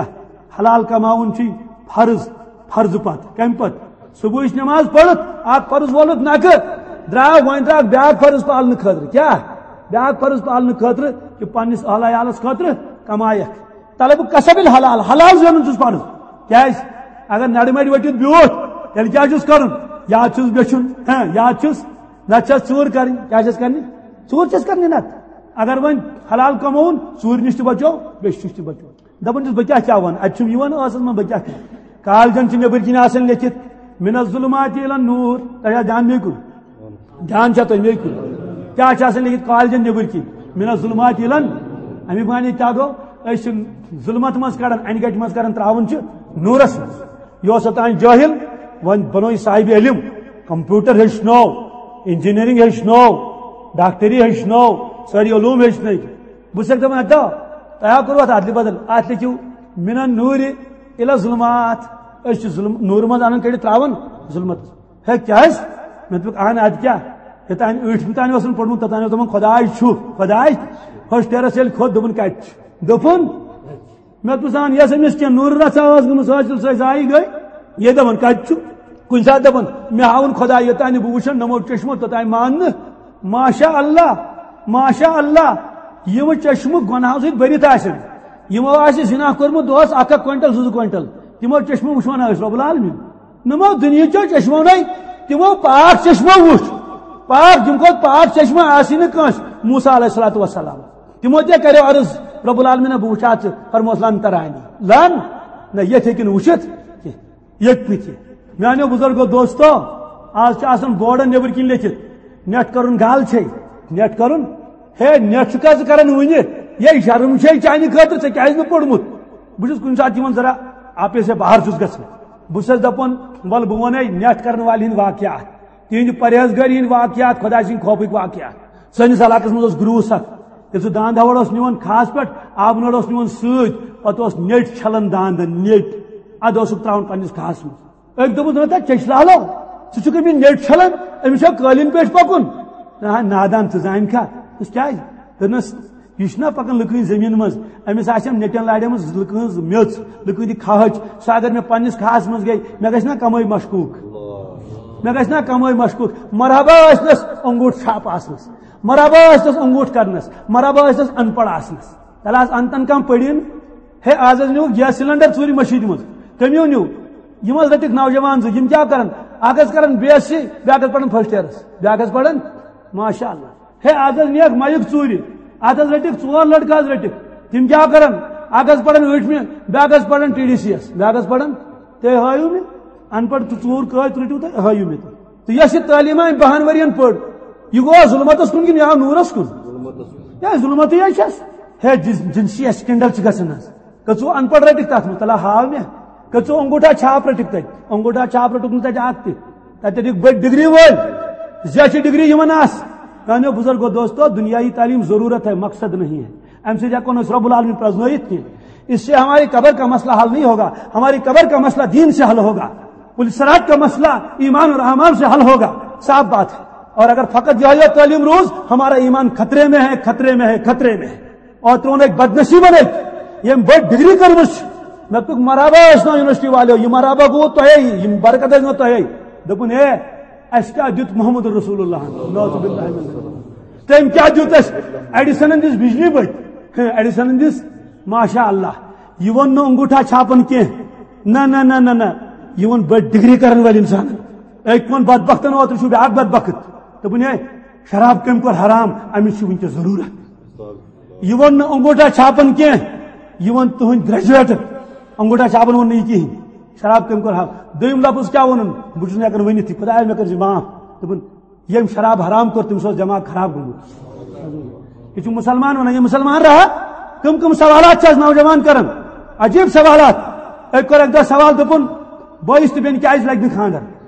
حلال کماوُن چھُے فرض، فرض پتہٕ۔ کمہِ پتہٕ؟ صبحٕچ نماز پٔرِتھ، اکھ فرض وولُتھ نکھٕ، درٛاو، وۄنۍ درٛاو بیٛاکھ فرض پالنہٕ خٲطرٕ۔ کیٛاہ؟ بیٛاکھ فرض پالنہٕ خٲطرٕ، کہِ پننِس اہل عیالس خٲطرٕ کمایکھ۔ طلب کسب الحلال، حلال زینُن چھُس فرض۔ کیٛازِ؟ اگر نرِ مَرِ ؤٹِتھ بیوٗٹھ، تیٚلہِ کیٛاہ چھُس کرُن؟ یا چھُس بیچھُن، ہاں، یا چھُس، نتہٕ چھس ژوٗر کرٕنۍ۔ کیٛاہ چھس کرنہِ؟ ژوٗر چھس کرنہِ نتہٕ۔ اگر وۄنۍ حلال کمووُن، ژوٗرِ نِش تہِ بچو، بیچھِ نِش تہِ بچو۔ دپان چھُس، بہٕ کیٛاہ کیٛاہ وَنہٕ؟ اَتہِ چھُم یِوان ٲسَس منٛز، بہٕ کیٛاہ کَرٕ؟ کالجَن چھِ نیٚبٕرۍ کِنۍ آسان لیٚکھِتھ، "من الظلمات الی النور"۔ تۄہہِ چھا دھیان مےٚ کُن؟ دھیان چھا تۄہہِ مےٚ کُن؟ کیٛاہ چھِ آسان لیٚکھِتھ کالجَن نیٚبٕرۍ کِنۍ؟ "من الظلمات الی"۔ اَمیُک معنی کیٛاہ گوٚو؟ أسۍ چھِ ظُلمَت منٛز کَڑان، اَنہِ گَٹہِ منٛز کَڑان، ترٛاوان چھِ نوٗرَس منٛز۔ یہِ اوس اوٚتام جٲہِل، وۄنۍ بَنوو یہِ صاحبِ علم، کمپیوٹر ہیٚچھنو، انجینئرنگ ہیٚچھنو، ڈاکٹری ہیٚچھنو، سٲری علوم ہیٚچھنٲوۍ۔ بہٕ چھُسَکھ دَپان، اَدٕ تۄہہِ ہا کوٚروٕ اَتھ اَدلہِ بدل، اَتھ لیکھِو من النور الی الظلمات۔ أسۍ چھِ ظُلم-، نوٗرٕ منٛز اَنان کٔڑِتھ ترٛاوان ظُلمَتَس۔ ہے کیٛازِ؟ مےٚ دوٚپُکھ، اَہَن اَدٕ کیٛاہ؟ یوٚتام أٹھمہِ تام اوس نہٕ پوٚرمُت، توٚتام اوس دَپان، "خۄداے چھُ، خۄداے"۔ first yearس ییٚلہِ کھوٚت، دوٚپُن، "کَتہِ چھُ؟" دوٚپُن، مےٚ دوٚپُس، "اَہَن، یۄس أمِس کینٛہہ نوٗرٕ رَژھا ٲس گٔمٕژ حٲصِل، سۄے زایہِ گٔے۔" یے دَپان، "کَتہِ چھُ؟" کُنہِ ساتہٕ دَپان، "مےٚ ہاوُن خۄداے، یوٚتام نہٕ بہٕ وٕچھَن نَمو چشمو، توٚتام مان نہٕ۔" ماشاء اللہ، ماشاء اللہ، یِم چشمہٕ گۄناہو سۭتۍ بٔرِتھ آسن، یِمو آسہِ زِنا کوٚرمُت دۄہَس اَکھ اَکھ کویِنٹل، زٕ زٕ کویِنٹل، تِمو چشمو وٕچھو نہٕ أسۍ رۄب العالمین۔ نَمو دُنیہٕچو چشمو نے، تِمو پاک چشمو وُچھ۔ پاک، تِم کھۄتہٕ پاک چشمہٕ آسہِ نہٕ کٲنٛسہِ۔ موسیٰ علیہ الصلوۃ والسلام، تِمو تہِ کریو عرض، "رب العالمین، بہٕ وٕچھِ اَتھ ژٕ۔" فرموس، "لن ترانی۔" لن، نہ، ییٚتہِ ہیٚکہِ نہٕ وٕچھِتھ کینٛہہ۔ ییٚتہِ نہٕ کینٛہہ۔ میانیو بزرگو دوستو، آز چھِ آسان بورڈن نیٚبٕرۍ کِنۍ لیٚکھِتھ، "نیٹ کرُن گال چھے، نیٹ کرُن ہے، نیٹ چھُکھا ژٕ کران وُنہِ؟ یے شرم چھے چانہِ خٲطرٕ، ژےٚ کیازِ نہٕ پوٚرمُت؟ بہٕ چھُس کُنہِ ساتہٕ یِمن ذرا آپے سے باہر چھُس گژھان۔ بہٕ چھُس دپان، ول بہٕ ونے نیٹ کرن والہِ ہٕنٛدۍ واقعات، تِہنٛدِ پرہیزگٲری ہٕنٛدۍ واقعات، خۄداے سٕنٛدِ خوفٕکۍ واقعات۔ سٲنِس علاقس منٛز اوس گروٗس اکھ، ییٚلہِ سُہ داند ہاوڑ اوس نِوان کھاہس پٮ۪ٹھ، آبہٕ نٲر اوس نِوان سۭتۍ، پتہٕ اوس نیٹ چھلان داندن، نیٹ۔ ادٕ اوسُکھ تراوان پننِس کھاہس منٛز۔ أکۍ دوٚپُس، "نہ تہٕ چیٚچھ لالو، ژٕ چھُکھ أمِس نیٚٹۍ چھلان، أمِس چھا قٲلیٖن پٮ۪ٹھ پَکُن؟" نہ، نادان، ژٕ زانکھا؟ دوٚپُس، "کیٛازِ؟" دوٚپنَس، "یہِ چھُنہ پَکان لُکہٕ ہٕنٛزِ زٔمیٖن منٛز، أمِس آسن نیٚٹٮ۪ن لاڑٮ۪مٕژ لُکہٕ ہٕنٛز میٚژ، لُکہٕ ہٕنٛدِ کھہٕچ، سُہ اگر مےٚ پنٛنِس کھہَس منٛز گٔے، مےٚ گژھِ نہ کَمٲے مشکوٗک؟ مےٚ گژھِ نہ کَمٲے مشکوٗک؟" مرحبا ٲسنَس انگوٗٹھ چھاپ آسنَس، مرحبا ٲسنَس انگوٗٹھ کَرنَس، مرحبا ٲسنَس اَن پَڑھ آسنَس۔ تَلہٕ آز اَن تَن کانٛہہ پٔرِن، ہے، آز حظ نیوٗکھ گیس سلینڈر ژوٗرِ مٔشیٖدِ منٛز۔ کٔمِو نیوٗ؟ یِم حظ رٔٹِکھ نوجوان زٕ، یِم کیٛاہ کرن؟ اکھ حظ کرن بی ایس سی، بیٛاکھ حظ پرن فرسٹ ایئرس، بیٛاکھ حظ پرن، ماشاء اللہ۔ ہے، آز حظ نِیَکھ مایِک ژوٗرِ، اتھ حظ رٔٹِکھ ژور لڑکہٕ حظ رٔٹِکھ۔ تِم کیٛاہ کرن؟ اکھ حظ پرن ٲٹھمہِ، بیٛاکھ حظ پرن ٹی ڈی سی یس، بیٛاکھ حظ پرن، تُہۍ ہٲیِو مےٚ، ان پڑھ تہٕ ژوٗر کۭتۍ رٔٹِو تُہۍ، ہٲیِو مےٚ تُہۍ۔ تہٕ یۄس یہِ تعلیٖم أمۍ بَہَن ؤرِین پٔر، یہِ گوٚو ظُلمتَس کُن کِنہٕ یہِ آو نوٗرَس کُن؟ یا ظُلمتٕے حظ چھَس۔ ہے، جنسی اسکینڈل چھِ گژھان حظ۔ کٔژوٕ ان پڑھ رٔٹِکھ تَتھ منٛز؟ تَلہ ہاو مےٚ۔ کٔژوٕ انگوٗٹھا چھاپ رٔٹِکھ تَتہِ؟ انگوٗٹھا چھاپ رٔٹُکھ نہٕ تَتہِ اَکھ تہِ۔ تَتہِ رٔٹِکھ بٔڑۍ ڈگری وٲلۍ۔ زیچھِ ڈگری یِمن آس۔ میٛانیو بُزرگو دوستو، دنیائی تعلیم ضرورت ہے، مقصد نہیں ہے۔ اَمہِ سۭتۍ ہٮ۪کو نہٕ أسۍ رب العالمین پرٛزنٲیِتھ کینٛہہ۔ اس سے ہماری قبر کا مسئلہ حل نہیں ہوگا، ہماری قبر کا مسئلہ دین سے حل ہوگا، پل صراط کا مسئلہ ایمان اور اعمال سے حل ہوگا، صاف بات ہے۔ اور اگر فقط یہی تعلیم روز، ہمارا ایمان خطرے میں ہے، خطرے میں ہے، خطرے میں ہے۔ اور ترٛوونَکھ بدنصیٖبَن أکۍ، ییٚمۍ بٔڑ ڈگری کٔرمٕژ چھِ۔ مےٚ دوٚپُکھ، "مرحبا ٲسۍ نا یونیورسٹی والیو، یہِ مرحبا گوٚو تۄہے، یِم برکت ٲسۍ نا تۄہے۔" دوٚپُن، "ہے، اَسہِ کیٛاہ دیُت محمد رسول اللہ؟ نعوذ باللہ من ذالک۔ تٔمۍ کیٛاہ دیُت اَسہِ؟ ایڈیسنن دِژ بجلی بٔتۍ، ہہ، ایڈیسنن دِژ، ماشاء اللہ۔" یہِ ووٚن نہٕ انگوٗٹھا چھاپن کینٛہہ۔ نہ، نہ، نہ، نہ، نہ۔ یہِ ووٚن بٔڑ ڈگری کرن وٲلۍ انسانن۔ أکۍ ووٚن بدبختن، اوترٕ چھُ بیٛاکھ بدبخت۔ دوٚپُن، "ہے، شراب کٔمۍ کوٚر حرام؟ أمِس چھِ وٕنکیٚس ضروٗرت۔" یہِ ووٚن نہٕ انگوٗٹھا چھاپن کینٛہہ، یہِ ووٚن تُہٕنٛدۍ گریجویٹن۔ انگوٗٹھا چھاپن ووٚن نہٕ یہِ کِہیٖنۍ۔ شراب کٔمۍ کوٚر حرام؟ دوٚیِم لفظ کیٛاہ ووٚنُن؟ بہٕ چھُس نہٕ ہیٚکان ؤنِتھ یہِ۔ خدایا، مےٚ کٔرۍ زِ معاف۔ دوٚپُن، ییٚمۍ شراب حرام کوٚر، تٔمِس اوس دٮ۪ماغ خراب گوٚمُت۔ یہِ چھُ مُسلمان وَنان، یہِ مُسلمان رہا؟ کٕم کٕم سوالات چھِ آز نوجوان کران؟ عجیٖب سوالات۔ أکۍ کوٚر اَکہِ دۄہ سوال، دوٚپُن، "بٲیِس تہٕ بیٚنہِ کیٛازِ لگہِ نہٕ خانٛدر؟"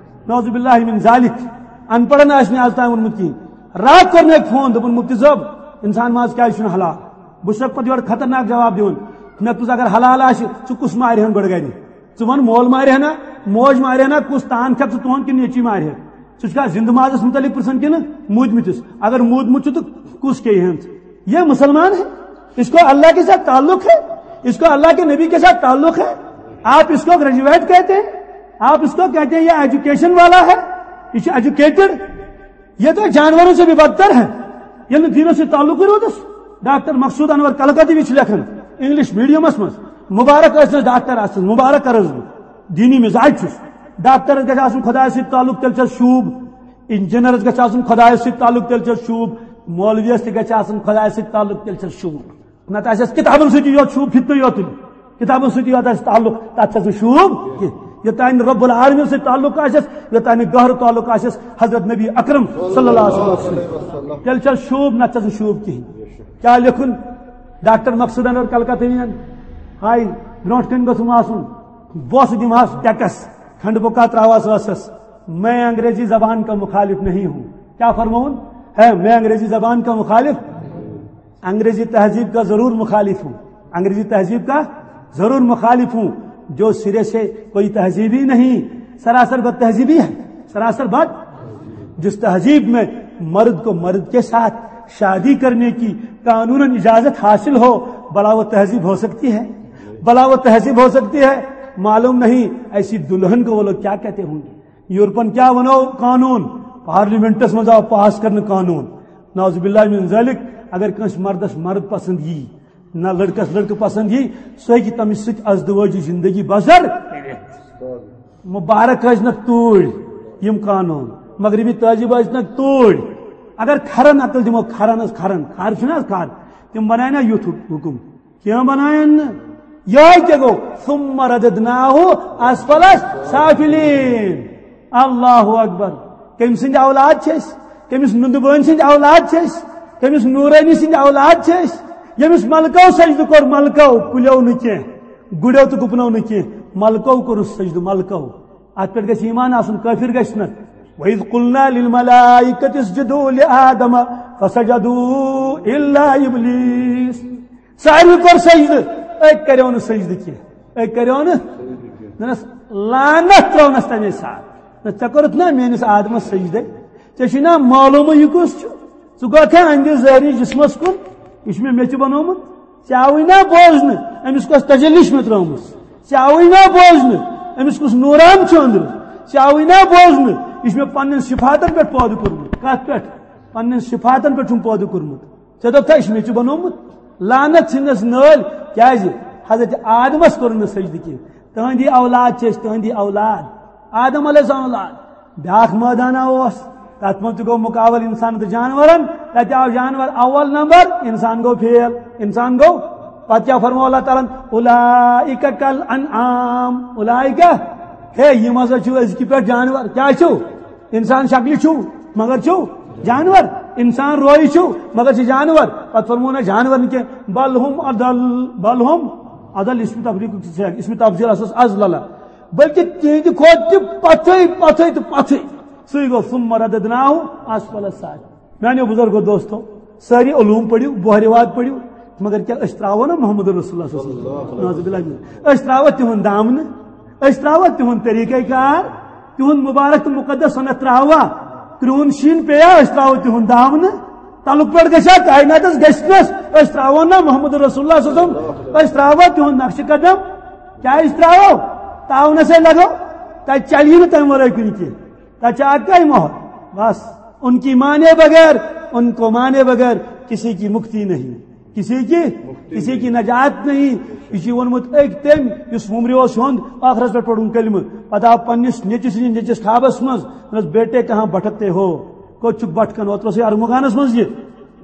نعوذ باللہ من ذالک۔ ان پڑھن آسہِ نہٕ آز تام ووٚنمُت کِہیٖنۍ۔ راتھ کوٚر مےٚ أکۍ فون، دوٚپُن، "مُفتی صٲب، اِنسان ما آز کیٛازِ چھُنہٕ حلال؟" بہٕ چھُسَکھ پَتہٕ یورٕ خطرناک جواب دِوان۔ مےٚ دوٚپُس، "اگر حلال آسہِ، ژٕ کُس مارِ ہَن گۄڈٕ گرِ؟ ژٕ وَن، مول مارِ ہَنا، موج مارِ ہَنا، کُس تان کھٮ۪کھ ژٕ تُہُنٛد کِنہٕ نیٚچی مارِ ہَن؟ ژٕ چھُکھا زِندٕ مازَس مُتعلِق پِرٛژھان کِنہٕ موٗدمٕتِس؟ اگر موٗدمُت چھُ تہٕ کُس کھیٚیہِ ہَن ژٕ؟ یہ مسلمان ہے؟ اس کو اللہ کے ساتھ تعلق ہے؟ اس کو اللہ کے نبی کے ساتھ تعلق ہے؟ آپ اس کو گریجویٹ کہتے ہیں؟ آپ اس کو کہتے ہیں یہ ایجوکیشن والا ہے؟ یہ ایجوکیٹڈ؟ یہ تو جانوروں سے بھی بدتر ہے۔" ییٚلہِ نہٕ دیٖنَس سۭتۍ تعلقٕے روٗدُس۔ ڈاکٹر مقصود انور کلکتی چھُ لیکھان انگلش میڈیمس منٛز، مبارک ٲسۍ نہٕ ڈاکٹر آسان، مبارک کرس بہٕ، دینی مزاج چھُس۔ ڈاکٹرس گژھِ آسُن خدایس سۭتۍ تعلق، تیٚلہِ چھس شوٗب۔ انجینئرس گژھِ آسُن خدایس سۭتۍ تعلق، تیٚلہِ چھس شوٗب۔ مولویس تہِ گژھِ آسُن خدایس سۭتۍ تعلق، تیٚلہِ چھس شوٗب۔ نتہٕ آسٮ۪س کِتابن سۭتی یوت شوٗب، فِتنہٕ یوتُے۔ کِتابن سۭتۍ یوت آسہِ تعلق، تتھ چھس نہٕ شوٗب کینٛہہ۔ یوٚتام نہٕ رب العالمین سۭتۍ تعلق آسٮ۪س، یوٚتام نہٕ گہرٕ تعلق آسٮ۪س حضرت نبی اکرم صلی اللہ علیہ وسلم سۭتۍ، تیٚلہِ چھس شوٗب، نتہٕ چھس نہٕ شوٗب کِہیٖنۍ۔ کیٛاہ لیکھُن ڈاکٹر مقصود انور کلکتہیَن؟ ہاے، برونٛٹھ کَنہِ گوٚژھُم آسُن، بوسہٕ دِمہَس ڈیکس، کھنڈ بُکا تراوہَس ٲسَس، "میں انگریزی زبان کا مخالف نہیں ہوں۔" کیا فرماؤن؟ ہے، "میں انگریزی زبان کا مخالف، انگریزی تہذیب کا ضرور مخالف ہوں، انگریزی تہذیب کا ضرور مخالف ہوں، جو سرے سے کوئی تہذیب ہی نہیں، سراسر بد تہذیبی ہے، سراسر بد۔" جس تہذیب میں مرد کو مرد کے ساتھ شادی کرنے کی قانوناً اجازت حاصل ہو، بھلا وہ تہذیب ہو سکتی ہے؟ بھلا وہ تہذیب ہو سکتی ہے؟ معلوم نہیں ایسی دلہن کو وہ لوگ کیا کہتے ہوں گے۔ یورپن کیا بناو قانون؟ پارلیمنٹس منٛز آو پاس کرنہٕ قانون۔ نعوذ باللہ من ذالک، اگر کٲنٛسہِ مردس مرد پسند یی، نہ لڑکس لڑکہٕ پسند یی، سُہ ہیٚکہِ تٔمِس سۭتۍ ازدوٲجی زندگی بسر کٔرِتھ۔ مبارک ٲسۍ نکھ توٗرۍ یِم قانون، مغربی تہذیب ٲسۍ نکھ توٗرۍ۔ اگر کھرن عقل دِمو، کھرن ٲس کھرن، کھر چھُنہٕ حظ کھر، تِم بنایہِ نا یُتھ حُ-، حُکُم؟ کینٛہہ بنایَن نہٕ۔ یِہوٚے تہِ گوٚو، "ثم رددناه اسفل سافلین۔" اللہ اکبر۔ کٔمۍ سٕنٛدۍ اولاد چھِ أسۍ؟ کٔمِس نُندٕ بٲنۍ سٕنٛدۍ اولاد چھِ أسۍ؟ کٔمِس نوٗرٲنی سٕنٛدۍ اولاد چھِ أسۍ؟ ییٚمِس ملکو سجدٕ کوٚر، ملکو، کُلیو نہٕ کینٛہہ، گُرٮ۪و تہٕ گُپنو نہٕ کینٛہہ، ملکو کوٚرُس سجدٕ، ملکو۔ اتھ پٮ۪ٹھ گژھِ ایمان آسُن، کٲفر گژھِ نہٕ۔ وَإِذْ قُلْنَا لِلْمَلَائِكَةِ اسْجُدُوا لِآدَمَ فَسَجَدُوا إِلَّا إِبْلِيسَ۔ ساروی کوٚر سجدٕ، أکۍ کریو نہٕ سجدٕ کینٛہہ، أکۍ کریو نہٕ۔ دوٚپنس، لعنت ترٲونس تمے ساتہٕ۔ نہ، ژےٚ کوٚرُتھ نا میٲنِس آدمس سجدے؟ ژےٚ چھُے نا معلومٕے یہِ کُس چھُ؟ ژٕ گوٚکھا أہنٛدِ ظٲہری جسمس کُن؟ یہِ چھُ مےٚ میٚژِ بنومُت۔ ژےٚ آوٕے نا بوزنہٕ أمِس کۄس تجلی چھِ مےٚ ترٲومٕژ؟ ژےٚ آوٕے نا بوزنہٕ أمِس کُس نوران چھُ أنٛدرٕ؟ ژےٚ آوٕے نا بوزنہٕ یہِ چھُ مےٚ پننٮ۪ن صفاتن پٮ۪ٹھ پٲدٕ کوٚرمُت؟ کتھ پٮ۪ٹھ؟ پننٮ۪ن صفاتن پٮ۪ٹھ چھُم پٲدٕ کوٚرمُت۔ ژےٚ دوٚپتھا یہِ چھُ میٚژِ بنومُت؟ لعنت ژھٕننس نٲلۍ۔ کیازِ؟ حضرت آدمس کوٚر نہٕ سجدٕ کینٛہہ۔ تہنٛدی اولاد چھِ أسۍ، تہنٛدی اولاد، آدم علیہ السلام اولاد۔ بیاکھ مٲدانہ اوس، تتھ منٛز تہِ گوٚو مقابلہٕ انسان تہٕ جانورن۔ تتہِ آو جانور اول نمبر، انسان گوٚو فیل۔ انسان گوٚو، پتہٕ کیٛاہ فرموو اللہ تعالیٰ ہن؟ "اولئک کالانعام"۔ اولئک، ہے، یِم ہسا چھِ أزکہِ پٮ۪ٹھ جانور۔ کیٛاہ چھِو؟ انسان شکلہِ چھِو، مگر چھِو جانور۔ انسان رویہِ چھِو، مگر چھِ جانور۔ پتہٕ فرموو نہ جانور نہٕ کینٛہہ، "بل ہم اضل"، "بل ہم اضل"، اسم تفریق، اسم تفضیل ہسا اضلل۔ بلکہ تِہنٛدِ کھۄتہٕ تہِ پتھٕے، پتھٕے تہٕ پتھٕے۔ سُے گوٚو، "ثم رددناہ اسفل سافلین۔" میانیو بزرگو دوستو، سٲری علوم پٔرِو، بحر واد پٔرِو، مگر کیٛاہ أسۍ ترٛاوو نا محمد رسول اللہ صلی اللہ علیہ وسلم؟ نعوذ باللہ من۔ أسۍ ترٛاوو تِہُنٛد دامنہٕ، أسۍ ترٛاوو تِہُنٛد طریٖقہ کار، تِہُنٛد مبارک تہٕ مقدس سنت ترٛاووا؟ کرٛہُن شیٖن پیٚیا، أسۍ ترٛاوو تِہُنٛد دامنہٕ؟ تلُک پٮ۪ٹھ گژھِ ہا کائناتس گژھنس، أسۍ ترٛاوو نا محمد رسول اللہ صلی اللہ علیہ وسلم؟ أسۍ ترٛاوو تِہُنٛد نقش قدم؟ کیٛازِ ترٛاوو؟ تاونسے لگو، تتہِ چلی نہٕ تمہِ ورٲے کُنہِ کینٛہہ۔ تتہِ چھِ اکے مۄہر، بس، ان کی مانے بغیر، ان کو مانے بغیر کسی کی مکتی نہیں، کسی کی، کسی کی نجات نہیں۔ یہِ چھُ ووٚنمُت أکۍ تٔمۍ یُس وُمرِ اوس ہیوٚنٛد، ٲخرس پٮ۪ٹھ پوٚرُن کلمہٕ۔ پتہٕ آو پننِس نیٚچوِ سٕنٛدِس نیٚچوِس خوابس منٛز، دوٚپنس، "بیٹے کہاں بھٹکتے ہو؟" کوٚت چھُکھ بھٹکان؟ اوترٕ اوسُے ارمغانس منٛز یہِ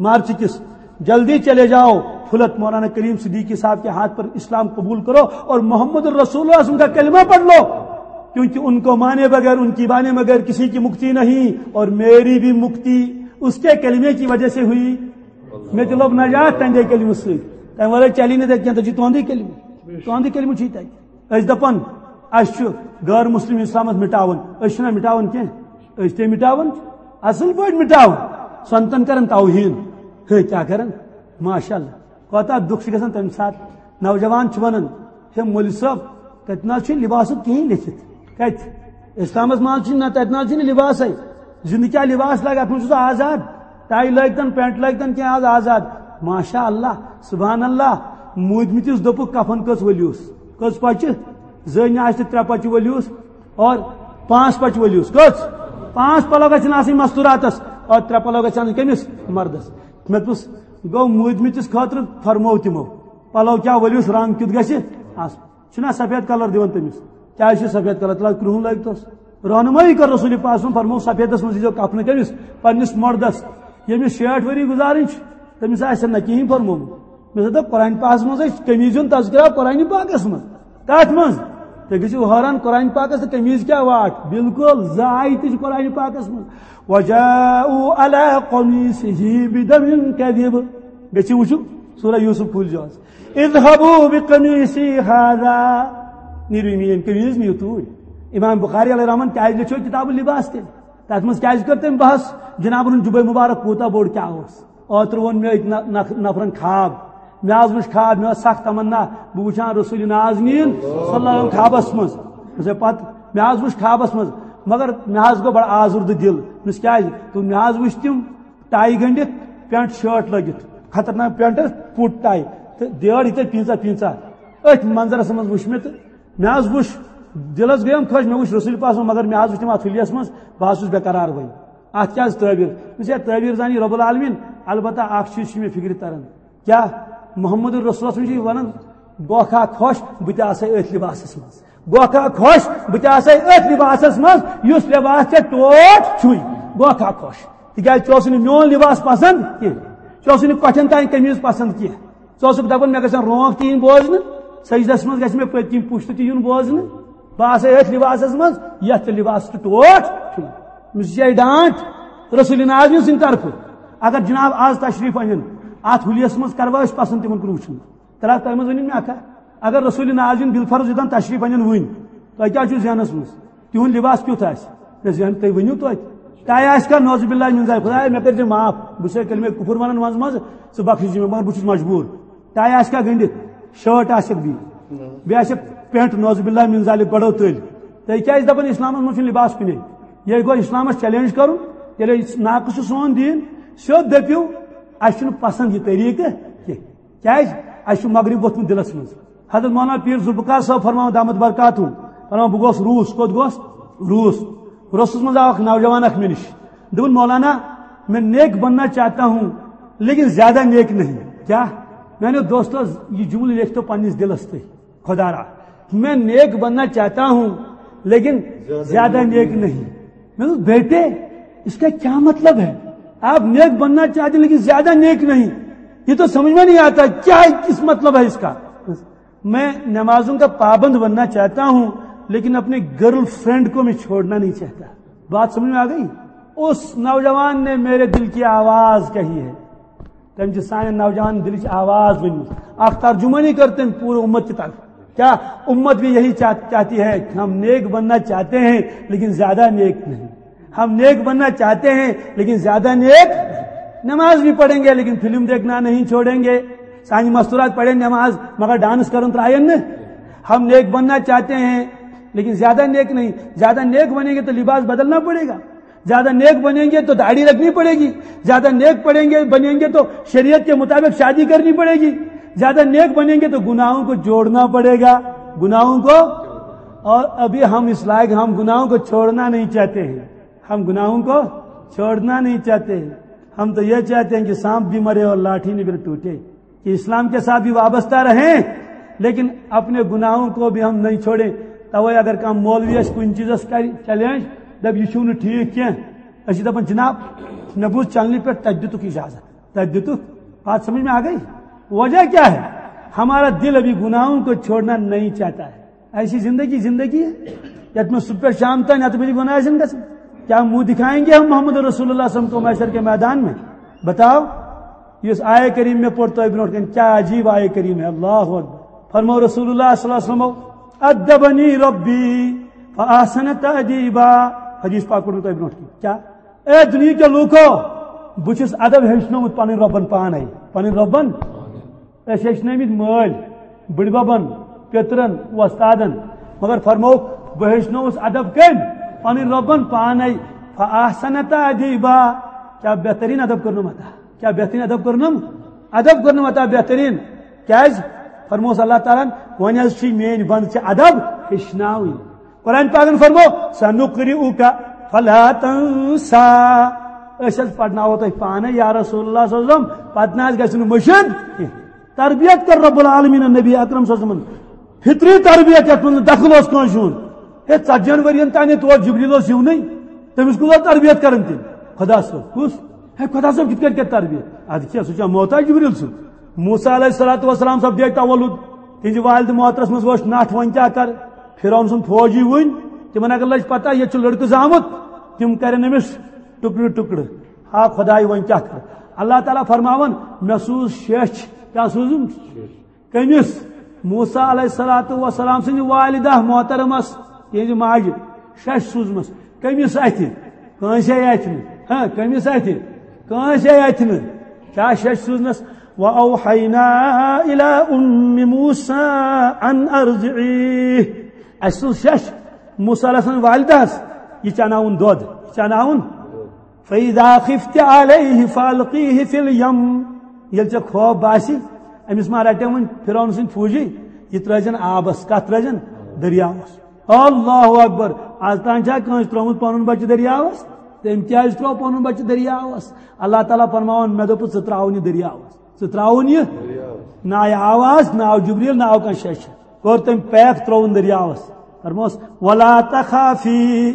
مارچ کِس۔ "جلدی چلے جاؤ، پھلت مولانا کریم صدیقی صاحب کے ہاتھ پر اسلام قبول کرو اور محمد رسول اللہ صلی اللہ علیہ وسلم کا کلمہ پڑھ لو، کیونکہ ان کو مانے بغیر، ان کی مانے بغیر کسی کی مکتی نہیں، اور میری بھی مکتی اس کے کلمے کی وجہ سے ہوئی۔" مےٚ تہِ لوٚب نجات تہنٛدے کلمہٕ سۭتۍ۔ تمہِ ورٲے چلی نہٕ تتہِ کینٛہہ، تتہِ چھُ تُہنٛدُے کلمہٕ۔ تُہنٛدُے کلمہٕ چھُے تتہِ۔ أسۍ دپان، اسہِ چھُ غٲر مسلم اسلامس مٹاوُن۔ أسۍ چھِنہ مٹاوان کینٛہہ، أسۍ تہِ مٹاوان، اصل پٲٹھۍ مٹاوان۔ سنتن کران توہین۔ ہے، کیٛاہ کران؟ ماشاء اللہ، کوتاہ دُکھ چھُ گژھان تمہِ ساتہٕ۔ نوجوان چھُ ونان، ہے مولوی صٲب، تتہِ نہ حظ چھُ لباسُک کِہیٖنۍ لیکھِتھ۔ کتہِ؟ اسلامس منٛز چھُ نہ، تتہِ نہ حظ چھُنہٕ لباسے۔ زندٕ کیٛاہ لباس لاگہِ؟ اتھ منٛز چھُ سُہ آزاد۔ ٹاے لٲگتن، پینٹ لٲگتن، کینٛہہ آز آزاد۔ ماشاء اللہ، سبحان اللہ۔ موٗدمٕتِس دوٚپُکھ، کفن کٔژ ؤلیوس؟ کٔژ پچہِ؟ زٔنۍ آسہِ تہٕ ترٛےٚ پچہِ ؤلیوس اور پانٛژھ پچہِ ؤلیوس۔ کٔژ؟ پانٛژھ پلو گژھن آسٕنۍ مستوراتس اور ترٛےٚ پلو گژھن آسٕنۍ کٔمِس؟ مردس۔ مےٚ دوٚپُس، گوٚو موٗدمٕتِس خٲطرٕ فرموو تِمو۔ پلو کیٛاہ ؤلیوس، رنگ کیُتھ گژھِ آسُن؟ چھُنہ سفید کلر دِوان تٔمِس؟ کیٛازِ چھُ سفید کلر؟ تیٚلہِ کرٛہُن لٲگتوس۔ رہنمٲیی کٔر رسول پاک صلی اللہ علیہ وسلم، فرموو، سفیدس منٛز ییٖزیو کفنہٕ کٔمِس؟ پننِس مردس، ییٚمِس شیٹھ ؤری گُزارٕنۍ چھِ، تٔمِس آسہِ نہ کِہیٖنۍ فرمومُت۔ مےٚ دوٚپ، قرآن پاکس منٛز ہے چھُ قمیٖض ہُنٛد تذکرہ، قرآن پاکس منٛز۔ کتھ منٛز؟ تُہۍ گٔژھِو حٲران، قرآن پاکس تہٕ قمیٖض کیٛاہ واٹھ؟ بالکل زٕ آیتہٕ چھِ قرآن پاکس منٛز۔ وجاءوا علی قمیصہ بدم کذب۔ گٔژھِو وٕچھِو، سورہ یوسف کھوٗلزیو آز۔ اذهبوا بقمیصی هذا۔ نیرِو میٲنۍ قمیٖض، نِیِو توٗرۍ۔ امام بخاری علیہ رحمان کیٛازِ لیٚچھو کتاب اللباس تیٚلہِ؟ تتھ منٛز کیٛازِ کٔر تٔمۍ بحث؟ جناب، جُبے مبارک کوٗتاہ بوٚڑ کیٛاہ اوس؟ اوترٕ ووٚن مےٚ أکۍ نہ-، نہ-، نفرن خواب۔ مےٚ حظ وٕچھ خواب، مےٚ ٲس سخ تمنا، بہٕ وٕچھان رسول نازنین صلی اللہ علیہ وسلم خوابس منٛز۔ مےٚ دوٚپ پتہٕ، مےٚ حظ وٕچھ خوابس منٛز، مگر مےٚ حظ گوٚو بڑٕ آزُردٕ دِل۔ مےٚ دوٚپُس، کیٛازِ؟ دوٚپُن، مےٚ حظ وٕچھ تِم ٹاے گٔنڈِتھ، پینٹ شٲٹ لٲگِتھ، خطرناک پینٹ، پُٹ ٹاے، تہٕ بیٲر یِتھے پینٛژاہ پینٛژاہ۔ أتھۍ منظرس منٛز وٕچھ مےٚ تہٕ مےٚ حظ وٕچھ، دِلس گٔیم خۄش، مےٚ وٕچھ رسول پاک صلی اللہ علیہ وسلم، مگر مےٚ حظ وٕچھ تِم اتھ حُلیس منٛز، بہٕ حظ چھُس بے قرار وۄنۍ۔ اتھ کیٛاہ حظ تعبیر؟ مےٚ دوٚپُس، ہے، تعبیر زانی رب العالمین، البتہ اکھ چیٖز چھُ مےٚ فکرِ تران۔ کیٛاہ؟ محمد رسول صلی اللہ علیہ وسلم چھُ یہِ ونان، گوکھا خۄش، بہٕ تہِ آسے أتھۍ لباسس منٛز۔ گوکھا خۄش، بہٕ تہِ آسے أتھۍ لباسس منٛز، یُس لباس ژےٚ ٹوٹھ چھُے۔ گوکھا خۄش۔ تِکیٛازِ ژےٚ اوسُے نہٕ میون لباس پسند کینٛہہ۔ ژےٚ اوسُے نہٕ کۄٹھٮ۪ن تانۍ قمیٖض پسند کینٛہہ۔ ژٕ اوسُکھ دَپان، مےٚ گژھن رونٛق تہِ یِنۍ بوزنہٕ، سجدس منٛز گژھِ مےٚ پٔتۍ کِنۍ پُشت تہِ یُن بوزنہٕ۔ بہٕ آسے أتھۍ لباسس منٛز، یتھ ژےٚ لباس تہٕ ٹوٹھ چھُے۔ أمِس چھِ یِہے ڈانٹ رسول نازنین سٕنٛدِ طرفہٕ۔ اگر جناب آز تشریف انن، اتھ حلیس منٛز کروا أسۍ پسند تِمن کُن وٕچھُن؟ ترا تۄہہِ منٛز ؤنِو مےٚ اکھا، اگر رسول نازِن بالفرض یوٚتام تشریف انن وٕنۍ، تۄہہِ کیٛاہ چھُو ذہنس منٛز؟ تِہُنٛد لباس کیُتھ آسہِ؟ مےٚ ذہن تُہۍ ؤنِو توتہِ۔ تۄہہِ آسہِ کھا نعوذ باللہ من ذالک، خدایا مےٚ کٔرۍ زِ معاف، بہٕ چھُسے کلمہ کفر ونان منٛزٕ منٛزٕ، ژٕ بخشی زِ مےٚ، مگر بہٕ چھُس مجبوٗر۔ تۄہہِ آسہِ کھا گٔنٛڈِتھ؟ شٲٹ آسٮ۪کھ بیٚیہِ، بیٚیہِ آسٮ۪کھ پینٹ نعوذ باللہ من ذالک گۄڈو تٔلۍ۔ تُہۍ کیٛازِ دپان اسلامس منٛز چھُنہٕ لباس کُنے؟ ییٚلہِ گوٚو اسلامس چیلنج کرُن، تیٚلہِ ناقص چھُ سون دیٖن، سیوٚد دٔپِو، اسہِ چھُنہٕ پسند یہِ طریٖقہٕ کینٛہہ۔ کیٛازِ؟ اسہِ چھُ مغرب ووٚتھمُت دِلس منٛز۔ حضرت مولانا پیر ذوالفقار صٲب فرماوان دامت برکاتہم، فرماوان، بہٕ گوس روٗس۔ کوٚت گوس؟ روٗس۔ روٗسس منٛز آو اکھ نوجوان اکھ مےٚ نِش۔ دوٚپُن، مولانا، میں نیک بننا چاہتا ہوں، لیکن زیادہ نیک نہیں۔ کیا؟ میانیو دوستو، یہِ جملہٕ لیکھتو پننِس دِلس تُہۍ۔ خدا را، میں نیک بننا چاہتا ہوں، لیکن زیادہ نیک نہیں۔ میں بولا، بیٹے، اس کا کیا مطلب ہے؟ آپ نیک بننا چاہتے ہیں، لیکن زیادہ نیک نہیں۔ یہ تو سمجھ میں نہیں آتا، کیا، کس مطلب ہے اس کا؟ میں نمازوں کا پابند بننا چاہتا ہوں، لیکن اپنی گرل فرینڈ کو میں چھوڑنا نہیں چاہتا۔ بات سمجھ میں آ گئی؟ اس نوجوان نے میرے دل کی آواز کہی ہے۔ تٔمۍ چھِ سانٮ۪ن نوجوانن دِلٕچ آواز ؤنمٕژ۔ اکھ ترجمٲنی کٔر تٔمۍ پوٗرٕ اُمت کہِ طرفہٕ۔ کیا امت بھی یہی چاہ-، چاہتی ہے کہ ہم نیک بننا چاہتے ہیں، لیکن زیادہ نیک نہیں؟ ہم نیک بننا چاہتے ہیں، لیکن زیادہ نیک۔ نماز بھی پڑھیں گے، لیکن فلم دیکھنا نہیں چھوڑیں گے۔ سانہِ مستورات پڑھیں نماز، مگر ڈانس کرن ترائیں نہ۔ ہم نیک بننا چاہتے ہیں، لیکن زیادہ نیک نہیں۔ زیادہ نیک بنیں گے تو لباس بدلنا پڑے گا۔ زیادہ نیک بنیں گے تو داڑھی رکھنی پڑے گی۔ زیادہ نیک پڑیں گے، بنیں گے تو شریعت کے مطابق شادی کرنی پڑے گی۔ زیادہ نیک بنیں گے تو گناہوں کو جوڑنا پڑے گا، گناہوں کو۔ اور ابھی ہم اس لائق، ہم گناہوں کو چھوڑنا نہیں چاہتے ہیں، ہم گناہوں کو چھوڑنا نہیں چاہتے ہیں۔ ہم تو یہ چاہتے ہیں کہ سانپ بھی مرے اور لاٹھی بھی ٹوٹے، کہ اسلام کے ساتھ بھی وابستہ رہیں، لیکن اپنے گناہوں کو بھی ہم نہیں چھوڑیں۔ توے اگر کانٛہہ مولوی اسہِ کُنہِ چیٖزس کرِ چیلنج، دپہِ، یہِ چھُو نہٕ ٹھیٖک کینٛہہ، أسۍ چھِ دپان، جناب، مےٚ بوٗز چینلہِ پٮ۪ٹھ، تۄہہِ دِتُکھ اجازت، تۄہہِ دِتُکھ۔ بات سمجھ میں آ گئی؟ وجہ کیا ہے؟ ہمارا دل ابھی گناہوں کو چھوڑنا نہیں چاہتا ہے۔ ایسی زندگی، زندگی ہے؟ یتھ منٛز صبح پٮ۪ٹھ شام تام یتھ منٛز گناہ آسن گژھان۔ کیا منہ دکھائیں گے ہم محمد رسول اللہ صلی اللہ علیہ وسلم کو محشر کے میدان میں؟ بتاؤ۔ یُس آیہ کریم مےٚ پوٚر تۄہہِ برونٛٹھ کَنہِ، کیا عجیب آیہ کریم ہے، اللہ اکبر۔ فرمو رسول اللہ صلی اللہ علیہ وسلم، ادبنی ربی فاحسن تأدیبا۔ حدیث پاک پوٚر مےٚ تۄہہِ برونٛٹھ کَنہِ۔ کیا؟ اے دُنیا کیو لوٗکو، بہٕ چھُس ادب ہیٚچھنومُت پنٕنۍ رۄبن پانے، پنٕنۍ رۄبن۔ أسۍ ہیٚچھنٲومٕتۍ مٲلۍ، بٕڈببن، پیٚترن، وۄستادن۔ مگر فرمووُکھ، بہٕ ہیٚچھنووُس ادب کٔمۍ؟ پنٕنۍ رۄبن پانے۔ فاحسن تأدیبا۔ کیا بہترین ادب کوٚرنم عطا؟ کیا بہترین ادب کوٚرنم؟ ادب کوٚرنم عطا بہترین۔ کیازِ؟ فرمووُس اللہ تعالیٰ ہن، وۄنۍ حظ چھُے میٲنۍ بندٕ ژےٚ ادب ہیٚچھناوٕنۍ۔ قرآن پاکن فرمو، سنقرئک فلا تنسا۔ أسۍ حظ پرناوو تۄہہِ پانے یا رسول اللہ صلی اللہ علیہ وسلم، پتہٕ نہ حظ گژھِ نہٕ مٔشِد کینٛہہ۔ تربیت کر رب العالمین نبی اکرم صلی اللہ علیہ وسلم۔ فطری تربیت یتھ منٛز نہٕ دخل اوس کٲنٛسہِ ہُنٛد۔ ہے، ژتجی ہن ؤرین تام ییٚتہِ اوس جبریل اوس یِونٕے، تٔمِس کُس اوس تربیت کران تیٚلہِ؟ خدا صٲب کُس؟ ہے، خدا صٲب کِتھ کٔنۍ کرِ تربیت؟ ادٕ کیٛاہ، سُہ چھا محتاج جبریل سُنٛد؟ موسیٰ علیہ الصلوۃ والسلام صٲب دِیے تولُد، تِہنٛزِ والدِ محترمس منٛز وٕچھ نٹھ، وۄنۍ کیٛاہ کر؟ فرعون سُنٛد فوجی وٕنۍ، تِمن اگر لٔج پتہ ییٚتہِ چھُ لڑکہٕ زامُت، تِم کرن أمِس ٹُکڑٕ ٹُکڑٕ۔ ہا خداے، وۄنۍ کیٛاہ کر؟ اللہ تعالیٰ فرماوان، مےٚ سوٗز شیٚچھ۔ کیٛاہ سوٗزُم؟ کٔمِس؟ موسیٰ علیہ الصلوۃ والسلام سٕنٛدِ والدہ محترمس، یِہنٛزِ ماجہِ، شیٚچھ سوٗزمٕژ۔ کٔمِس اَتھِ؟ کٲنٛسے اَتھِ نہٕ۔ ہاں، کٔمِس اَتھِ؟ کٲنٛسے اَتھِ نہٕ۔ کیٛاہ شیٚچھ سوٗزنَس؟ وَأَوْحَيْنَا إِلَىٰ أُمِّ مُوسَىٰ أَنْ أَرْضِعِيهِ۔ اَسہِ سوٗز شیٚچھ موسیٰ علیہ السلام والدہس، یہِ چاناوُن دۄد، یہِ چاناوُن۔ فَإِذَا خِفْتِ عَلَيْهِ فَأَلْقِيهِ فِي الْيَمِّ۔ ییٚلہِ ژےٚ خوف باسہِ، أمِس ما رَٹن وۄنۍ فرعون سٕنٛدۍ فوجی، یہِ ترٲوزٮ۪ن آبس۔ کتھ ترٲوزٮ۪ن؟ دٔریاوس۔ اللہ اکبر۔ از تام چھا کٲنٛسہِ ترٛوومُت پنُن بچہٕ دٔریاوس؟ تٔمۍ کیٛازِ ترٛوو پنُن بچہٕ دٔریاوس؟ اللہ تعالیٰ فرماوان، مےٚ دوٚپُس، ژٕ ترٛاوُن یہِ دٔریاوس۔ ژٕ ترٛاوُن یہِ؟ نہ آیہِ آواز، نہ آو جبریل، نہ آو کانٛہہ شیٚچھ۔ کوٚر تٔمۍ پیک، ترٛووُن دٔریاوس۔ فرموس، وَلَا تَخَافِي۔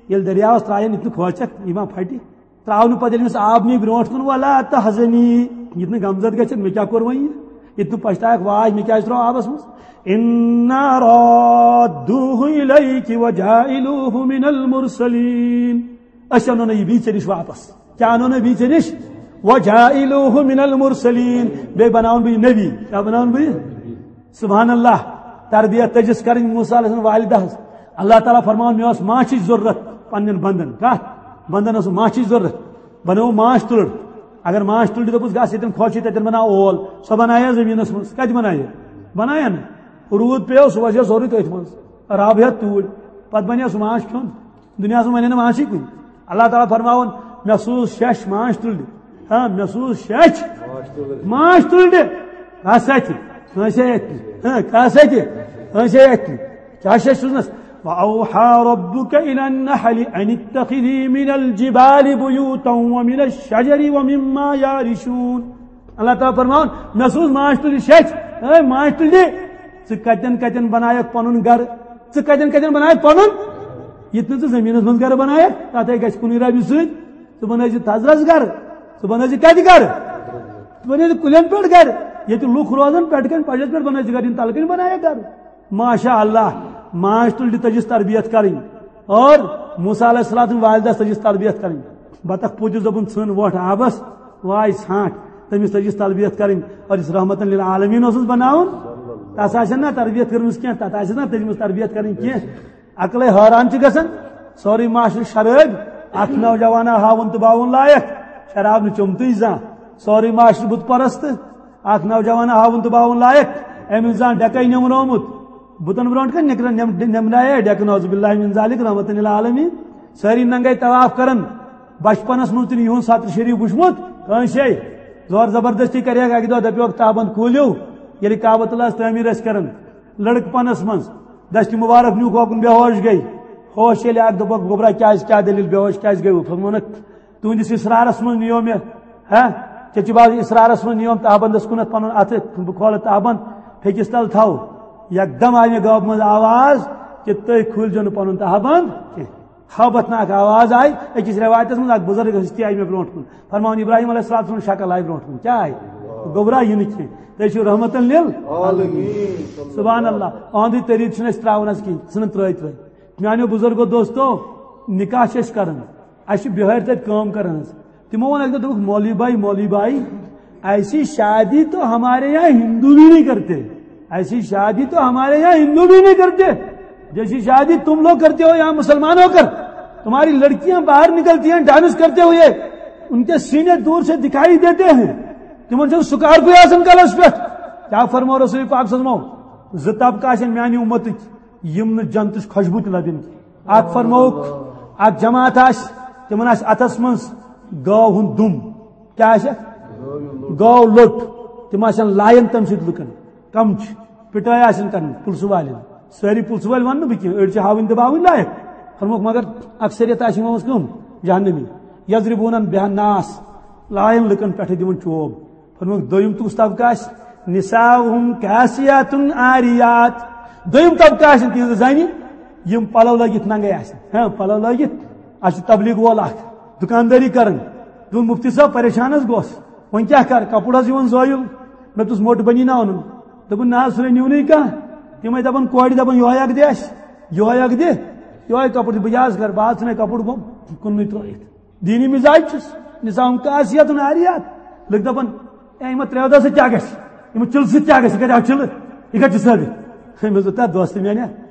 ییٚلہِ دٔریاوس ترٛایَن، یہِ تہِ نہٕ کھوژکھ، یہِ ما پھٹہِ۔ ترٛاونہٕ پتہٕ ییٚلہِ أمِس آب نی برونٛٹھ کُن، وَلَا تَحْزَنِی۔ یہِ تہِ نہٕ غمزد گژھِ، مےٚ کیٛاہ کوٚر وۄنۍ یہِ؟ یہِ تہِ نہٕ پچھتاوکھ، واے، مےٚ کیٛازِ ترٛوو آبس منٛز؟ إِنَّا رَادُّوهُ إِلَيْكِ وَجَاعِلُوهُ مِنَ الْمُرْسَلِينَ۔ أسۍ اَنو نہٕ یہِ بیٚیہِ ژےٚ نِش واپس۔ کیٛاہ اَنو نہٕ بیٚیہِ ژےٚ نِش؟ وجاعلوہ من المرسلین، بیٚیہِ بناوُن بہٕ یہِ نبی۔ کیٛاہ بناوُن بہٕ یہِ؟ سبحان اللہ۔ تربیت تٔجِس کرٕنۍ موسیٰ علیہ السلام والدہ ہس۔ اللہ تعالیٰ فرماوان، مےٚ ٲس ماچھِچ ضروٗرت پننٮ۪ن بندن۔ کتھ؟ بندن ٲس ماچھِچ ضروٗرت۔ بنٲو ماچھ تُلٕر۔ اگر ماچھ تُلٕر دوٚپُس، گژھ ییٚتٮ۪ن خۄش چھُ تتٮ۪ن بناو اول۔ سۄ بنایہِ زٔمیٖنس منٛز۔ کتہِ بنایہِ؟ بنایہِ نہٕ۔ روٗد پیوٚو، سُہ وسیو سورُے تٔتھۍ منٛز۔ رب ہٮ۪تھ توٗرۍ۔ پتہٕ بنیو سُہ ماچھ کھیوٚن۔ دُنیاہَس منٛز وَنہِ نہٕ ماچھٕے کُنہِ۔ اللہ تعالیٰ فرماوان، مےٚ سوٗز شیٚچھ ماچھ تُلنہِ۔ ہاں، مےٚ سوٗز شیٚچھ ماچھ تُلنہِ۔ کَس اَتھِ؟ کٲنٛسے اَتھِ۔ ہاں، کَس اَتھِ؟ کٲنٛسے اَتھِ۔ کیٛاہ شیٚچھ سوٗزنَس؟ وَأَوْحَىٰ رَبُّكَ إِلَى النَّحْلِ أَنِ اتَّخِذِي مِنَ الْجِبَالِ بُيُوتًا وَمِنَ الشَّجَرِ وَمِمَّا يَعْرِشُونَ۔ اللہ تعالیٰ فرماوان، مےٚ سوٗز ماچھ تُلنہِ شیٚچھ۔ اے ماچھ تُلنہِ، ژٕ کَتٮ۪ن کَتٮ۪ن بَنایَکھ پَنُن گَرٕ؟ ژٕ کَتٮ۪ن کَتٮ۪ن بَنایَکھ پَنُن؟ یہِ تہِ نہٕ ژٕ زٔمیٖنَس منٛز گَرٕ بَنایَکھ، تَتھ ہے گژھِ کُنُے رَبہِ سۭتۍ۔ ژٕ بَنٲوزِ تھزرَس گَرٕ، ژٕ بَنٲوزِ کَتہِ گَرٕ؟ ژٕ بَنٲوزِ کُلٮ۪ن پٮ۪ٹھ گَرٕ۔ ییٚتہِ لُکھ روزَن پٮ۪ٹھ کَنۍ، پَجَس پٮ۪ٹھ بَنٲوزِ گَرٕ، یِم تَلہٕ کَنۍ بَنایَکھ گَرٕ۔ ماشاء اللہ، ماچھ تُلنہِ تٔجِس تربیت کَرٕنۍ۔ اور موسیٰ علیہ السلام والدہ تٔجِس تربیت کَرٕنۍ۔ بطخ پوٗتِس دوٚپُن، "ژھٕن وۄٹھ آبَس، واے ژھانٛٹھ۔" تٔمِس تٔجِس تربیت کَرٕنۍ۔ اور یُس رحمتاً للعالمین اوسُس بَناوُن، تَس آسہِ نا تربیت کٔرمٕژ کینٛہہ، تَتھ آسہِ نا تٔجمٕژ تربیت کَرٕنۍ کینٛہہ۔ عقلے حٲران چھِ گژھان، سورُے معاشرٕ شرٲبۍ، اَکھ نوجوانا ہاوُن تہٕ باوُن لایق، شراب نہٕ چوٚمتُے زانٛہہ، سورُے معاشرٕ بُت پرست، اَکھ نوجوانا ہاوُن تہٕ باوُن لایق، أمِس زانٛہہ ڈٮ۪کَے نیمنومُت، بُتَن برونٛٹھ کَنہِ نِکران نٮ۪م-، نٮ۪منایے ڈٮ۪کہٕ، نعوذ باللہ من ذالک، رحمتاً للعالمین، سٲری ننٛگَے طواف کَران، بچپنَس منٛز تہِ نہٕ یِہُنٛد ستر شریف وٕچھمُت کٲنٛسے، زور زبردستی کَریکھ اَکہِ دۄہ، دَپیوکھ، "تابَن کوٗلِو"، ییٚلہِ کعبۃ اللہَس تعمیٖر ٲسۍ کَران، لڑکہٕ پنس منٛز دستہِ مبارک نیوٗکھ اوکُن، بے ہوش گٔے۔ ہوش ییٚلہِ آکھ، دوٚپُکھ، "گوٚبرا، کیٛازِ، کیٛاہ دٔلیٖل، بے ہوش کیٛازِ گٔیوٕ؟" فرموونکھ، "تُہنٛدِس اصرارس منٛز نِیو مےٚ، ہا، چچہِ باز اصرارس منٛز نِیوم تہبندس کُنتھ پنُن اَتھٕ، بہٕ کھولہٕ تہبند، پھیٚکِس تل تھاو۔" یکدم آیہِ مےٚ گٲبہٕ منٛز آواز کہِ، "تُہۍ کھوٗلزیو نہٕ پنُن تہبند کینٛہہ۔" ہٲبتھ ناک آواز آیہِ۔ أکِس رٮ۪وایتس منٛز اکھ بُزرگ ہستی آیہِ مےٚ برونٛٹھ کُن، فرماوان، "ابراہیم علیہ السلام سٕنٛز شکل آیہِ برونٛٹھ کُن، کیٛاہ آیہِ؟" گوٚبرا، یہِ نہٕ کینٛہہ، تُہۍ چھِو رحمتن لِل۔ سبحان اللہ۔ اہنٛدُے طریٖقہٕ چھُنہٕ اَسہِ ترٛاوُن حظ کینٛہہ، ژھٕنُن ترٛٲوِتھ ترٛٲوِتھ۔ میٛانیو بُزرگو دوستو، نِکاح چھِ أسۍ کران، اَسہِ چھِ بِہٲرۍ تَتہِ کٲم کران حظ۔ تِمو ووٚن اَکہِ دۄہ، دوٚپُکھ، "مولوی بھائی، مولوی بھائی، ایسی شادی تو ہمارے یہاں ہندو بھی نہیں کرتے، ایسی شادی تو ہمارے یہاں ہندو بھی نہیں کرتے، جیسی شادی تم لوگ کرتے ہو یہاں مسلمان ہو کر، تمہاری لڑکیاں باہر نکلتی ہیں ڈانس کرتے ہوئے، ان کے سینے دور سے دکھائی دیتے ہیں، تمن چھُنہٕ سُکار کُے آسان کلس پٮ۪ٹھ۔" کیٛاہ فرموو رسول پاک صلی اللہ علیہ وسلم؟ زٕ طبقہٕ آسن میانہِ اُمتٕکۍ، یِم نہٕ جنتٕچ خۄشبوٗ تہِ لبن کینٛہہ۔ اکھ فرمووُکھ، اکھ جماعت آسہِ، تِمن آسہِ اتھس منٛز گٲو ہُنٛد دُم۔ کیٛاہ آسہِ؟ گٲو لوٚٹ۔ تِم آسن لایان تمہِ سۭتۍ لُکن۔ کم چھِ؟ پِٹٲے آسن کرٕنۍ پُلسہٕ والٮ۪ن۔ سٲری پُلسہٕ وٲلۍ ونہٕ نہٕ بہٕ کینٛہہ، أڑۍ چھِ ہاوٕنۍ دباوٕنۍ لایق۔ فرمووُکھ، مگر اکثریت آسہِ یِمن منٛز کٕم؟ جہنمی۔ یضربون بها الناس، لایان لُکن پٮ۪ٹھٕ، دِوان چوب۔ فرمووُکھ، دوٚیِم تہٕ کُس طبقہٕ آسہِ؟ نساؤہم کاسیات عاریات۔ دوٚیِم طبقہٕ آسن تِہنٛزٕ زنہِ، یِم پلو لٲگِتھ ننگے آسن۔ ہاں، پلو لٲگِتھ۔ اَسہِ چھُ تبلیغ وول اکھ، دُکاندٲری کران۔ دوٚپُن، "مفتی صٲب، پریشان حظ گوس۔ وۄنۍ کیٛاہ کرٕ؟ کپُر حظ یِوان زٲیُل۔ مےٚ دوٚپُس، موٚٹ بنی نا اَنُن؟" دوٚپُن، "نہ حظ، سُہ نے نیونٕے کانٛہہ۔" تِمے دپان، "کورِ دپان، یِہوے اکھ دِ اَسہِ، یِہوے اکھ دِ، یِہوے کپُر دِ، بہٕ کیٛاہ حظ کرٕ؟ بہٕ حظ ژھٕنے کپُر بۄن کُنُے ترٲیِتھ۔" دینی مِزاج چھُس، نساء کاسیاتن عاریات۔ لُکھ دَپان، "اے، یِمن ترٛیو دۄہو سۭتۍ کیٛاہ گژھِ؟ یِمن چِلہٕ سۭتۍ کیٛاہ گژھِ؟ یہِ کَتہِ آو چِلہٕ؟ یہِ کَتہِ چھِ ثٲبِت؟" مےٚ دوٚپ، "تَتھ دوستہٕ میٛانہِ،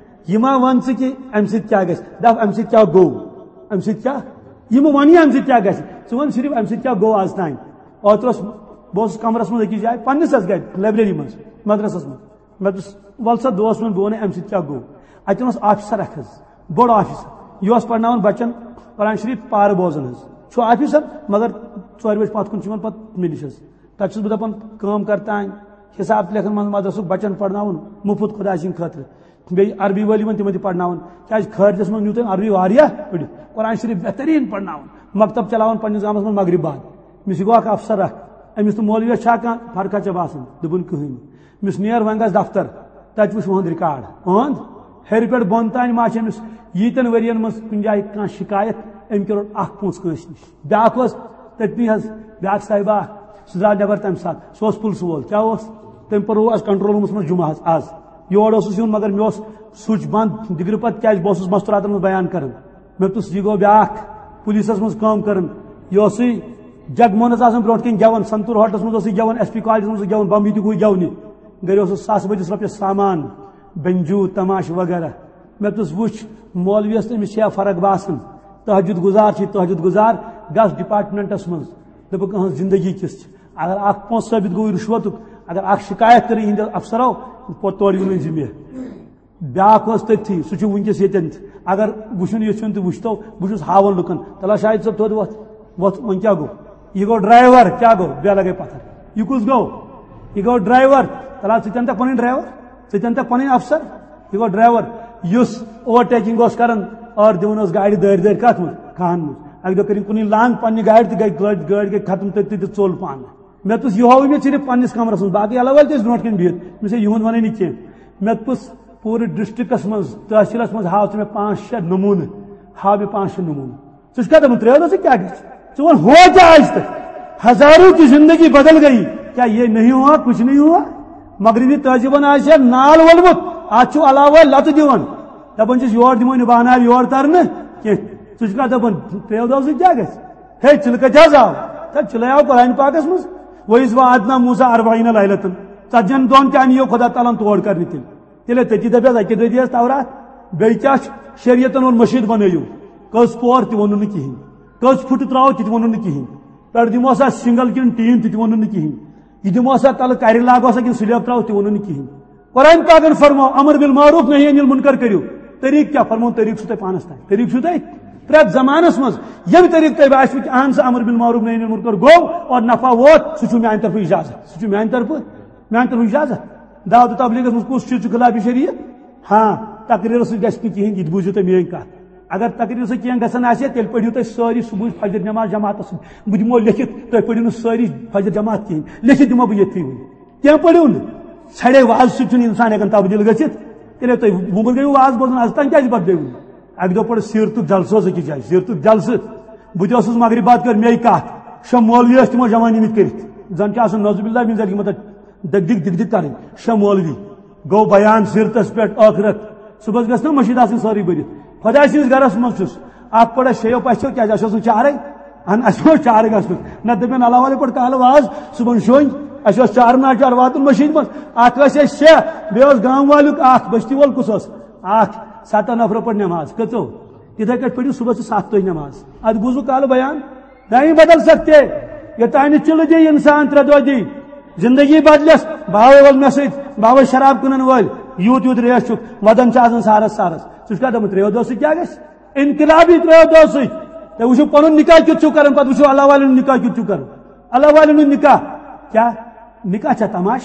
یہِ ما وَن ژٕ کہِ اَمہِ سۭتۍ کیٛاہ گژھِ؟ دَپ، اَمہِ سۭتۍ کیٛاہ گوٚو؟ اَمہِ سۭتۍ کیٛاہ؟ یہِ مہٕ وَن یہِ اَمہِ سۭتۍ کیٛاہ گژھِ۔ ژٕ وَن صرف اَمہِ سۭتۍ کیٛاہ گوٚو آز تام؟" اوترٕ اوس، بہٕ اوسُس کَمرَس منٛز أکِس جایہِ، پنٛنِس حظ گَرِ، لایبرٔری منٛز، مدرسَس منٛز۔ مےٚ دوٚپُس، "وَلہٕ سا دوس میون، بہٕ وَنَے اَمہِ سۭتۍ کیٛاہ گوٚو۔" اَتہِ اوس آفیسر اَکھ حظ، بوٚڑ آفیسر۔ یہِ اوس پَرناوان بَچَن قرآن شریٖف پارٕ بوزان حظ۔ چھُ آفیسر، مگر ژورِ بَجہِ پَتھ کُن چھُ یِوان پَتہٕ مےٚ نِش حظ۔ تَتہِ چھُس بہٕ دَپان کٲم کَر تام، حِساب تہِ لیکھان منٛزٕ مدرسُک، بَچَن پَرناوُن مُفُت خۄداے سٕنٛدِ خٲطرٕ۔ بیٚیہِ عربی وٲلۍ یِوان، تِمَن تہِ پَرناوان۔ کیٛازِ خٲرجَس منٛز نیوٗ تٔمۍ عربی واریاہ پٔرِتھ۔ قرآن شریٖف بہتریٖن پَرناوان۔ مکتب چلاوان پنٛنِس گامَس منٛز مغرب بعد۔ مےٚ چھِ گوٚو اَکھ افسر اَکھ، أمِس تہٕ مولویَس چھا کانٛہہ فرقہ ژےٚ باسان؟ دوٚپُن، "کٕہٕنۍ نہٕ۔" مےٚ ووٚنُس، "نیر وۄنۍ گژھ دفتر، تَتہِ وٕچھ اُہُنٛد ریکارڈ۔ اُہُنٛد ہیٚرِ پٮ۪ٹھ بۄن تام ما چھِ أمِس ییٖتٮ۪ن ؤرِیَن منٛز کُنہِ جایہِ کانٛہہ شِکایت، أمۍ کیٛاہ روٚٹ اَکھ پونٛسہٕ کٲنٛسہِ نِش؟" بیٛاکھ اوس تٔتنٕے حظ، بیٛاکھ صاحبہ، سُہ درٛاو نٮ۪بر تَمہِ ساتہٕ، سُہ اوس پُلسہٕ وول۔ کیٛاہ اوس؟ تٔمۍ پوٚرنوو اَسہِ کنٹرول روٗمَس منٛز جُمعہ حظ آز۔ یور اوسُس یُن، مگر مےٚ اوس سُچ بنٛد دِگرٕ پتہٕ، کیٛازِ بہٕ اوسُس مستوٗراتَن منٛز بیان کران۔ مےٚ دوٚپُس، یہِ گوٚو بیٛاکھ پُلیٖسَس منٛز کٲم کران۔ یہِ اوسُے جگ موہنس آسان برونٛٹھ کِنۍ گٮ۪وان، سنتور ہوٹلس منٛز اوس یہِ گٮ۪وان، ایس پی کالجس منٛز اوس گٮ۪وان، بمبی تہِ گوٚو گٮ۪ونہِ۔ گرِ اوسُس ساسہٕ بٔدِس رۄپیس سامان، بنجو، تماش وغیرہ۔ مےٚ دوٚپُس، وٕچھ، مولویس تہٕ أمِس چھےٚ فرق باسان۔ تہجد گزار چھِ تہجد گزار، گژھ ڈپارٹمنٹس منٛز۔ دوٚپُکھ، أہنٛز زندگی کِژھ چھِ؟ اگر اکھ پونٛسہٕ ثٲبت گوٚو رشوتُک، اگر اکھ شکایت کٔرٕن یِہنٛدِ افسرو، پوٚت تورٕ یِنُے زِ مےٚ۔ بیٛاکھ اوس تٔتھی، سُہ چھُ وٕنکیٚس ییٚتٮ۪ن تہِ۔ اگر وٕچھُن یژھِوُن تہٕ وٕچھتو، بہٕ چھُس ہاوان لُکن، تلہ شاہد صٲب، تھوٚد وۄتھ، وۄتھ، وۄنۍ کیٛاہ گوٚو؟ یہِ گوٚو ڈرایور، کیٛاہ گوٚو؟ بیلہ گٔے پتھر۔ یہِ کُس گوٚو؟ یہِ گوٚو ڈرایور۔ تلہ ژٕ تہِ اَنتکھ پنٕنۍ ڈرایور، ژٕ تہِ اَنتکھ پنٕنۍ افسر۔ یہِ گوٚو ڈرایور، یُس اوور ٹیکنگ اوس کران، ٲر دِوان اوس گاڑِ دٲرۍ دٲرۍ کتھ منٛز؟ کھہن منٛز۔ اکہِ دۄہ کٔرِن کُنُے لانگ پننہِ گاڑِ تہٕ گٔے گٲڑۍ، گٲڑۍ گٔے ختم تٔتھی تہٕ ژوٚل پانہٕ۔ مےٚ دوٚپُس، یہِ ہووُے مےٚ صرف پننِس کمرس منٛز، باقٕے علاوٕ ٲلۍ تہِ ٲسۍ برونٛٹھ کَنہِ بِہِتھ۔ مےٚ دوٚپُس، ہے، یِہُنٛد وَنَے نہٕ کینٛہہ۔ مےٚ دوٚپُس، پوٗرٕ ڈسٹرکٹس منٛز، تحصیلس منٛز ہاو ژٕ مےٚ پانٛژھ شےٚ نموٗنہٕ، ہاو مےٚ پانٛژھ شےٚ نموٗنہٕ۔ ژٕ چھُکھا دَپان، ترٛٲیِو نہ ژٕ کیٛاہ گژھِ؟ ژٕ وَن، ہو کیا آج تک؟ ہزاروں کی زندگی بدل گئی، کیا یہ نہیں ہوا، کچھ نہیں ہوا؟ مغربی تہذیٖبن آسہِ ہا نال وولمُت، اَتھ چھُ علاوٕ لَتہٕ دِوان، دَپان چھِس، یور دِمو نہٕ بہٕ اَنہٕ ہا یور ترنہٕ کینٛہہ۔ ژٕ چھُکھا دَپان، ترٛیو دۄہو سۭتۍ کیٛاہ گژھِ؟ ہے، چِلہٕ کَتہِ حظ آو؟ تَتہِ چِلَے آو قرآن پاکَس منٛز۔ وَإِذْ وَعَدْنَا مُوسَىٰ أَرْبَعِينَ لَيْلَةً۔ ژتجِہن دۄہن تہِ اَنہِ یہِ خۄدا تعالیٰ ہن تور کرنہِ تیٚلہِ۔ تیٚلہِ تٔتی دَپٮ۪س، اَکہِ دۄہ دِیَس تورات۔ بیٚیہِ کیٛاہ چھُ؟ شریعتن ووٚن مٔشیٖد بَنٲیِو۔ کٔژ پور تہِ ووٚنُن نہٕ کِہیٖنۍ۔ کٔژ پھُٹہٕ ترٛاوو تہِ تہِ ووٚنُن نہٕ کِہیٖنۍ۔ پٮ۪ٹھٕ دِمو سا سنگل کِنہٕ ٹیٖن تہِ تہِ ووٚنُن نہٕ کِہیٖنۍ۔ یہِ دِمو سا تَلہٕ کَرِ لاگو سا کِنہٕ سلیب ترٛاوو تہِ ووٚنُن نہٕ کِہیٖنۍ۔ قرآن پاکن فرموو، امر بالمعروف نہی عن المنکر کٔرِو۔ طریٖقہٕ کیٛاہ؟ فرموو، طریٖقہٕ چھُو تۄہہِ پانس تام۔ طریٖقہٕ چھُو تۄہہِ پرٛٮ۪تھ زمانس منٛز ییٚمہِ طریٖقہٕ تۄہہِ باسِوٕ کہِ اہن سا امر بالمعروف نہی عن المنکر گوٚو اور نفع ووت، سُہ چھُو میانہِ طرفہٕ اجازت، سُہ چھُ میانہِ طرفہٕ، میانہِ طرفہٕ اجازت۔ دعوت و تبلیغس منٛز کُس چیٖز چھُ خلاف شریعت؟ ہاں، تقریرس سۭتۍ گژھِ نہٕ کِہیٖنۍ، یہِ تہِ بوٗزِو تُہۍ میٲنۍ کتھ۔ اگر تقریرس سۭتۍ کینٛہہ گژھان آسہِ، تیٚلہِ پٔرِو تُہۍ سٲری صبحٕچ فجر نماز جماعتس سۭتۍ۔ بہٕ دِمو لیکھِتھ، تُہۍ پٔرِو نہٕ سٲری فجر جماعت کِہیٖنۍ، لیکھِتھ دِمو بہٕ ییٚتھی وٕنہِ۔ کینٛہہ پٔرِو نہٕ۔ ژھرے وازٕ سۭتۍ چھُنہٕ اِنسان ہٮ۪کان تبدیٖل گٔژھِتھ۔ تیٚلہِ تُہۍ وُمبُر گٔیِو واز بوزان، از تام کیٛازِ بدلیوٕ؟ اَکہِ دۄہ پوٚر سیٖرتُک جلسہٕ اوس أکِس جایہِ، سیٖرتُک جلسہٕ۔ بہٕ تہِ اوسُس مغرب بعد کٔر مے کَتھ۔ شےٚ مولوی ٲسۍ تِمو جمع نِمٕتۍ کٔرِتھ۔ زَن چھِ آسان نعوذ باللہ من ذالک، مطلب دِگ دِگ دِگ دِگ کَرٕنۍ۔ شےٚ مولوی۔ گوٚو بیان سیٖرتَس پٮ۪ٹھ ٲخرت۔ صُبحَس گژھِ نا مٔشیٖد آسٕنۍ سٲرٕے بٔرِتھ۔ خۄداے سٕنٛدِس گَرَس منٛز چھُس۔ اَکھ پوٚر اَسہِ شیٚیو پَژھیو، کیٛازِ اَسہِ اوس نہٕ چارَے۔ اہن، اَسہِ اوس چارٕ گژھنُک۔ نَتہٕ دَپن اللہ والے پٲٹھۍ کالہٕ واز، صُبحن شۄنٛگۍ۔ اَسہِ اوس چار ناچار واتُن مٔشیٖد منٛز۔ اَکھ ٲسۍ اَسہِ شےٚ، بیٚیہِ اوس گامہٕ والیُک اَکھ، بٔستی وول کُس اوس؟ اَکھ۔ سَتَن نفرو پٔر نٮ۪ماز۔ کٔژو؟ تِتھَے کٲٹھۍ پٔرِو صُبحس تہٕ سَتھ تُہۍ نٮ۪ماز۔ اَدٕ بوٗزوٕ کالہٕ بیان؟ نہیں بدل سکتے۔ یوٚتام نہٕ چِلہٕ دی اِنسان ترٛےٚ دۄہ دی۔ زندگی بدلٮ۪س، باوے وول مےٚ سۭتۍ، باوے شراب کٕنن وٲلۍ، یوٗت یوٗت ریش چھُکھ، وَدان چھِ آسان سارس سارس۔ ژٕ چھُکھ کیٛاہ دَپان، ترٛیٚیو دۄہو سۭتۍ کیٛاہ گژھِ؟ انقلابی ترٛیو دۄہو سۭتۍ۔ تُہۍ وٕچھِو پنُن نکاح کیُتھ چھُو کران، پتہٕ وٕچھِو اللہ والٮ۪ن ہُنٛد نکاح کیُتھ چھُو کران۔ اللہ والٮ۪ن ہُنٛد نکاح۔ کیٛاہ؟ نکاح چھا تماش؟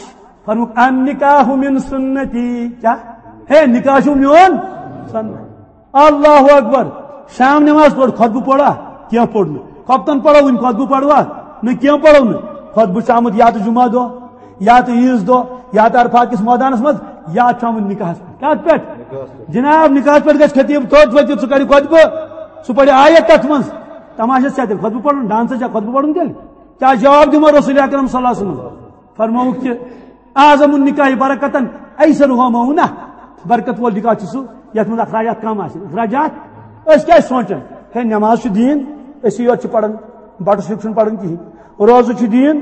فرموُکھ، "النکاح من سنتی۔" کیٛاہ؟ ہے، نکاح چھُ میون سنت۔ اللہ اکبر۔ شام نماز پٔر، خطبہٕ پوٚرا؟ کینٛہہ پوٚر نہٕ۔ خۄفتن پرو وُنہِ، خطبہٕ پروا؟ نہٕ، کینٛہہ پرو نہٕ۔ خطبہٕ چھُ آمُت یا تہٕ جمعہ دۄہ، یا تہٕ عیٖذ دۄہ، یا تہٕ عرفات کِس مٲدانس منٛز، یا چھُ آمُت نکاحس پٮ۪ٹھ۔ کتھ پٮ۪ٹھ؟ جناب، نکاحس پٮ۪ٹھ گژھِ خطیب توت وٲتِتھ، سُہ کرِ خطبہٕ، سُہ پرِ آیت تتھ منٛز۔ تماشس چھا تیٚلہِ خطبہٕ پرُن؟ ڈانسس چھا خطبہٕ پرُن تیٚلہِ؟ کیٛاہ جواب دِمو رسول اکرم صلی اللہ علیہ وسلم؟ فرمووُکھ کہِ اعظم النکاح برکتن ایسرہ مؤونہ۔ برکت وول نکاح چھُ سُہ یتھ منٛز اخراجات کم آسن۔ اخراجات؟ أسۍ کیٛاہ چھِ سونٛچان؟ ہے، نماز چھُ دیٖن، أسی یوت چھِ پران، بٹہٕ سیوٚد چھُنہٕ پران کِہیٖنۍ۔ روزٕ چھُ دیٖن،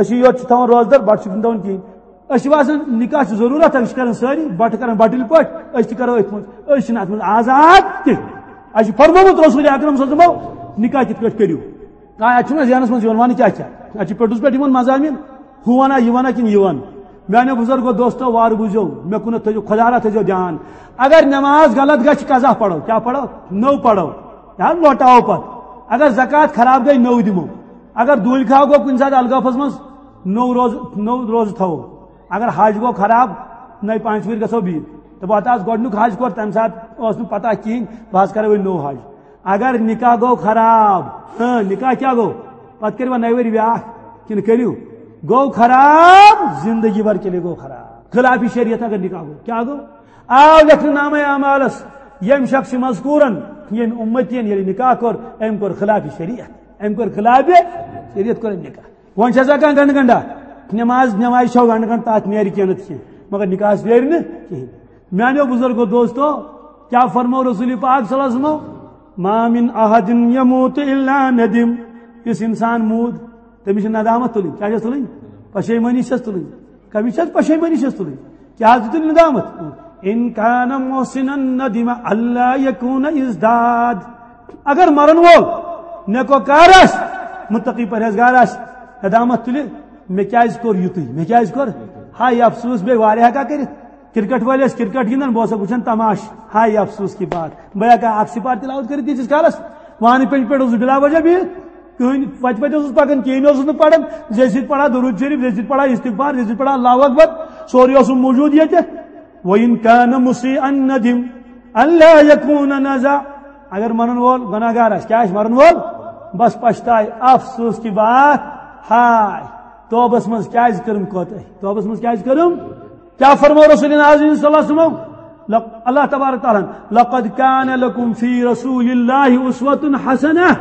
أسی یوت چھِ تھاوان روزٕ دار، بٹہٕ سیوٚد چھُنہٕ تھاوان کِہیٖنۍ۔ أسۍ چھِ باسان نکاح چھُ ضروٗرت، أسۍ چھِ کران سٲری، بٹہٕ کران بٹٕلۍ پٲٹھۍ، أسۍ تہِ کرو أتھۍ منٛز۔ أسۍ چھِنہٕ اتھ منٛز آزاد کینٛہہ۔ اَسہِ چھُ فرمومُت رسول اکرم صلی اللہ علیہ وسلمو، نکاح کِتھ پٲٹھۍ کٔرِو۔ آ، اَتہِ چھُنہٕ ذہنس منٛز یِوان، وَنہٕ کیٛاہ چھا؟ اَتہِ چھِ پٔٹِس پٮ۪ٹھ یِوان مضامین، ہُہ وَنا، یہِ وَنا کِنہٕ یہِ وَن؟ میٛانیو بُزرگو دوستو، وارٕ بوٗزِو، مےٚ کُنَتھ تھٲیزیو، خۄدا را تھٲیزیو دیان۔ اگر نٮ۪ماز غلط گژھِ، قضا پَرو، کیٛاہ پَرو؟ نٔو پَرو۔ یا لوٹاوو پَتہٕ۔ اگر زکوٰۃ خراب گٔے، نٔو دِمو۔ اگر دوٗنۍ کھاو گوٚو کُنہِ ساتہٕ الگٲفَس منٛز، نوٚو روزٕ، نوٚو روزٕ تھاوو۔ اگر حج گوٚو خراب، نَیہِ پانٛژِ وٕہٕرۍ گژھو بیٚیہِ۔ دَپو، ہَتہٕ آز گۄڈٕنیُک حج کوٚر، تَمہِ ساتہٕ ٲس نہٕ پَتہ کِہیٖنۍ، بہٕ حظ کَرٕ وۄنۍ نوٚو حج۔ اگر نکاح گوٚو خراب، ہاں، نکاح کیٛاہ گوٚو؟ پَتہٕ کٔرِوا نَیہِ ؤہٕرۍ بیٛاکھ کِنہٕ کٔرِو؟ گوٚو خراب، زندگی بھر کے لیے گوٚو خراب۔ خلاف شریعت اگر نکاح گوٚو، کیٛاہ گوٚو؟ آو لیکھنہٕ نامہ اعمالس، ییٚمہِ شخص مذکورن، ییٚمہِ اُمتی یَن ییٚلہِ نکاح کوٚر، أمۍ کوٚر خلاف شریعت، أمۍ کوٚر خلاف شریعت، کوٚر أمۍ نکاح۔ وۄنۍ چھا سا کانٛہہ گنڈٕ گنڈا؟ نماز، نماز چھو گنڈٕ گنڈ، تتھ نیرِ کینٛہہ نتہٕ کینٛہہ، مگر نکاحس نیرِ نہٕ کِہیٖنۍ۔ میانیو بزرگو دوستو، کیٛاہ فرموو رسول پاک صلی اللہ علیہ وسلمو؟ "ما من احد یموت الا ندم۔" یُس انسان موٗد، تٔمِس چھِ ندامت تُلٕنۍ۔ کیٛاہ چھَس تُلٕنۍ؟ پشیمٲنی چھَس تُلٕنۍ۔ کٔمِس چھَس پشیمٲنی چھَس تُلٕنۍ؟ کیٛاہ حظ دیُتُن ندامت؟ ان کان محسنا ندم الا یکون ازداد۔ اگر مرن وول نیکوکار آسہِ، متقی پرہیزگار آسہِ، ندامت تُلہِ، مےٚ کیٛازِ کوٚر یُتُے؟ مےٚ کیٛازِ کوٚر؟ ہاے افسوس، بیٚیہِ واریاہ ہٮ۪کا کٔرِتھ۔ کرکٹ وٲلۍ ٲسۍ کرکٹ گِنٛدان، بہٕ اوسُکھ وٕچھان تماشہٕ۔ ہاے افسوس کی بات، بہٕ ہٮ۪کا اکھ سِپار تلاوت کٔرِتھ ییٖتِس کالس؟ وانہٕ پٮ۪ٹھ پٮ۪ٹھ اوسُس بِلا وجہ بِہِتھ، کٕہٕنۍ وتہِ وتہِ اوسُس پکان، کِہیٖنۍ اوسُس نہٕ پران۔ زیٚیہِ سۭتۍ پران درود شریف، زیٚیہِ سۭتۍ پران استغفار، زیٚیہِ سۭتۍ پران اللہ اکبر، سورُے اوسُم موجود ییٚتہِ۔ وَإِنْ كَانَ مُسِيئًا نَدِمَ أَلَّا يَكُونَ نَزَعَ۔ اگر مرن وول گناہگار آسہِ، کیٛاہ آسہِ مرن وول؟ بس پشتاے، افسوس کی بات، ہاے، توبس منٛز کیٛازِ کٔرٕم کوتاہی؟ توبس منٛز کیٛازِ کٔرٕم؟ کیٛاہ فرمو رسول نازنین صلی اللہ علیہ وسلم؟ لق-، اللہ تبارک تعالیٰ ہن، لقد کان لکم فی رسول اللہ اسوۃ حسنہ۔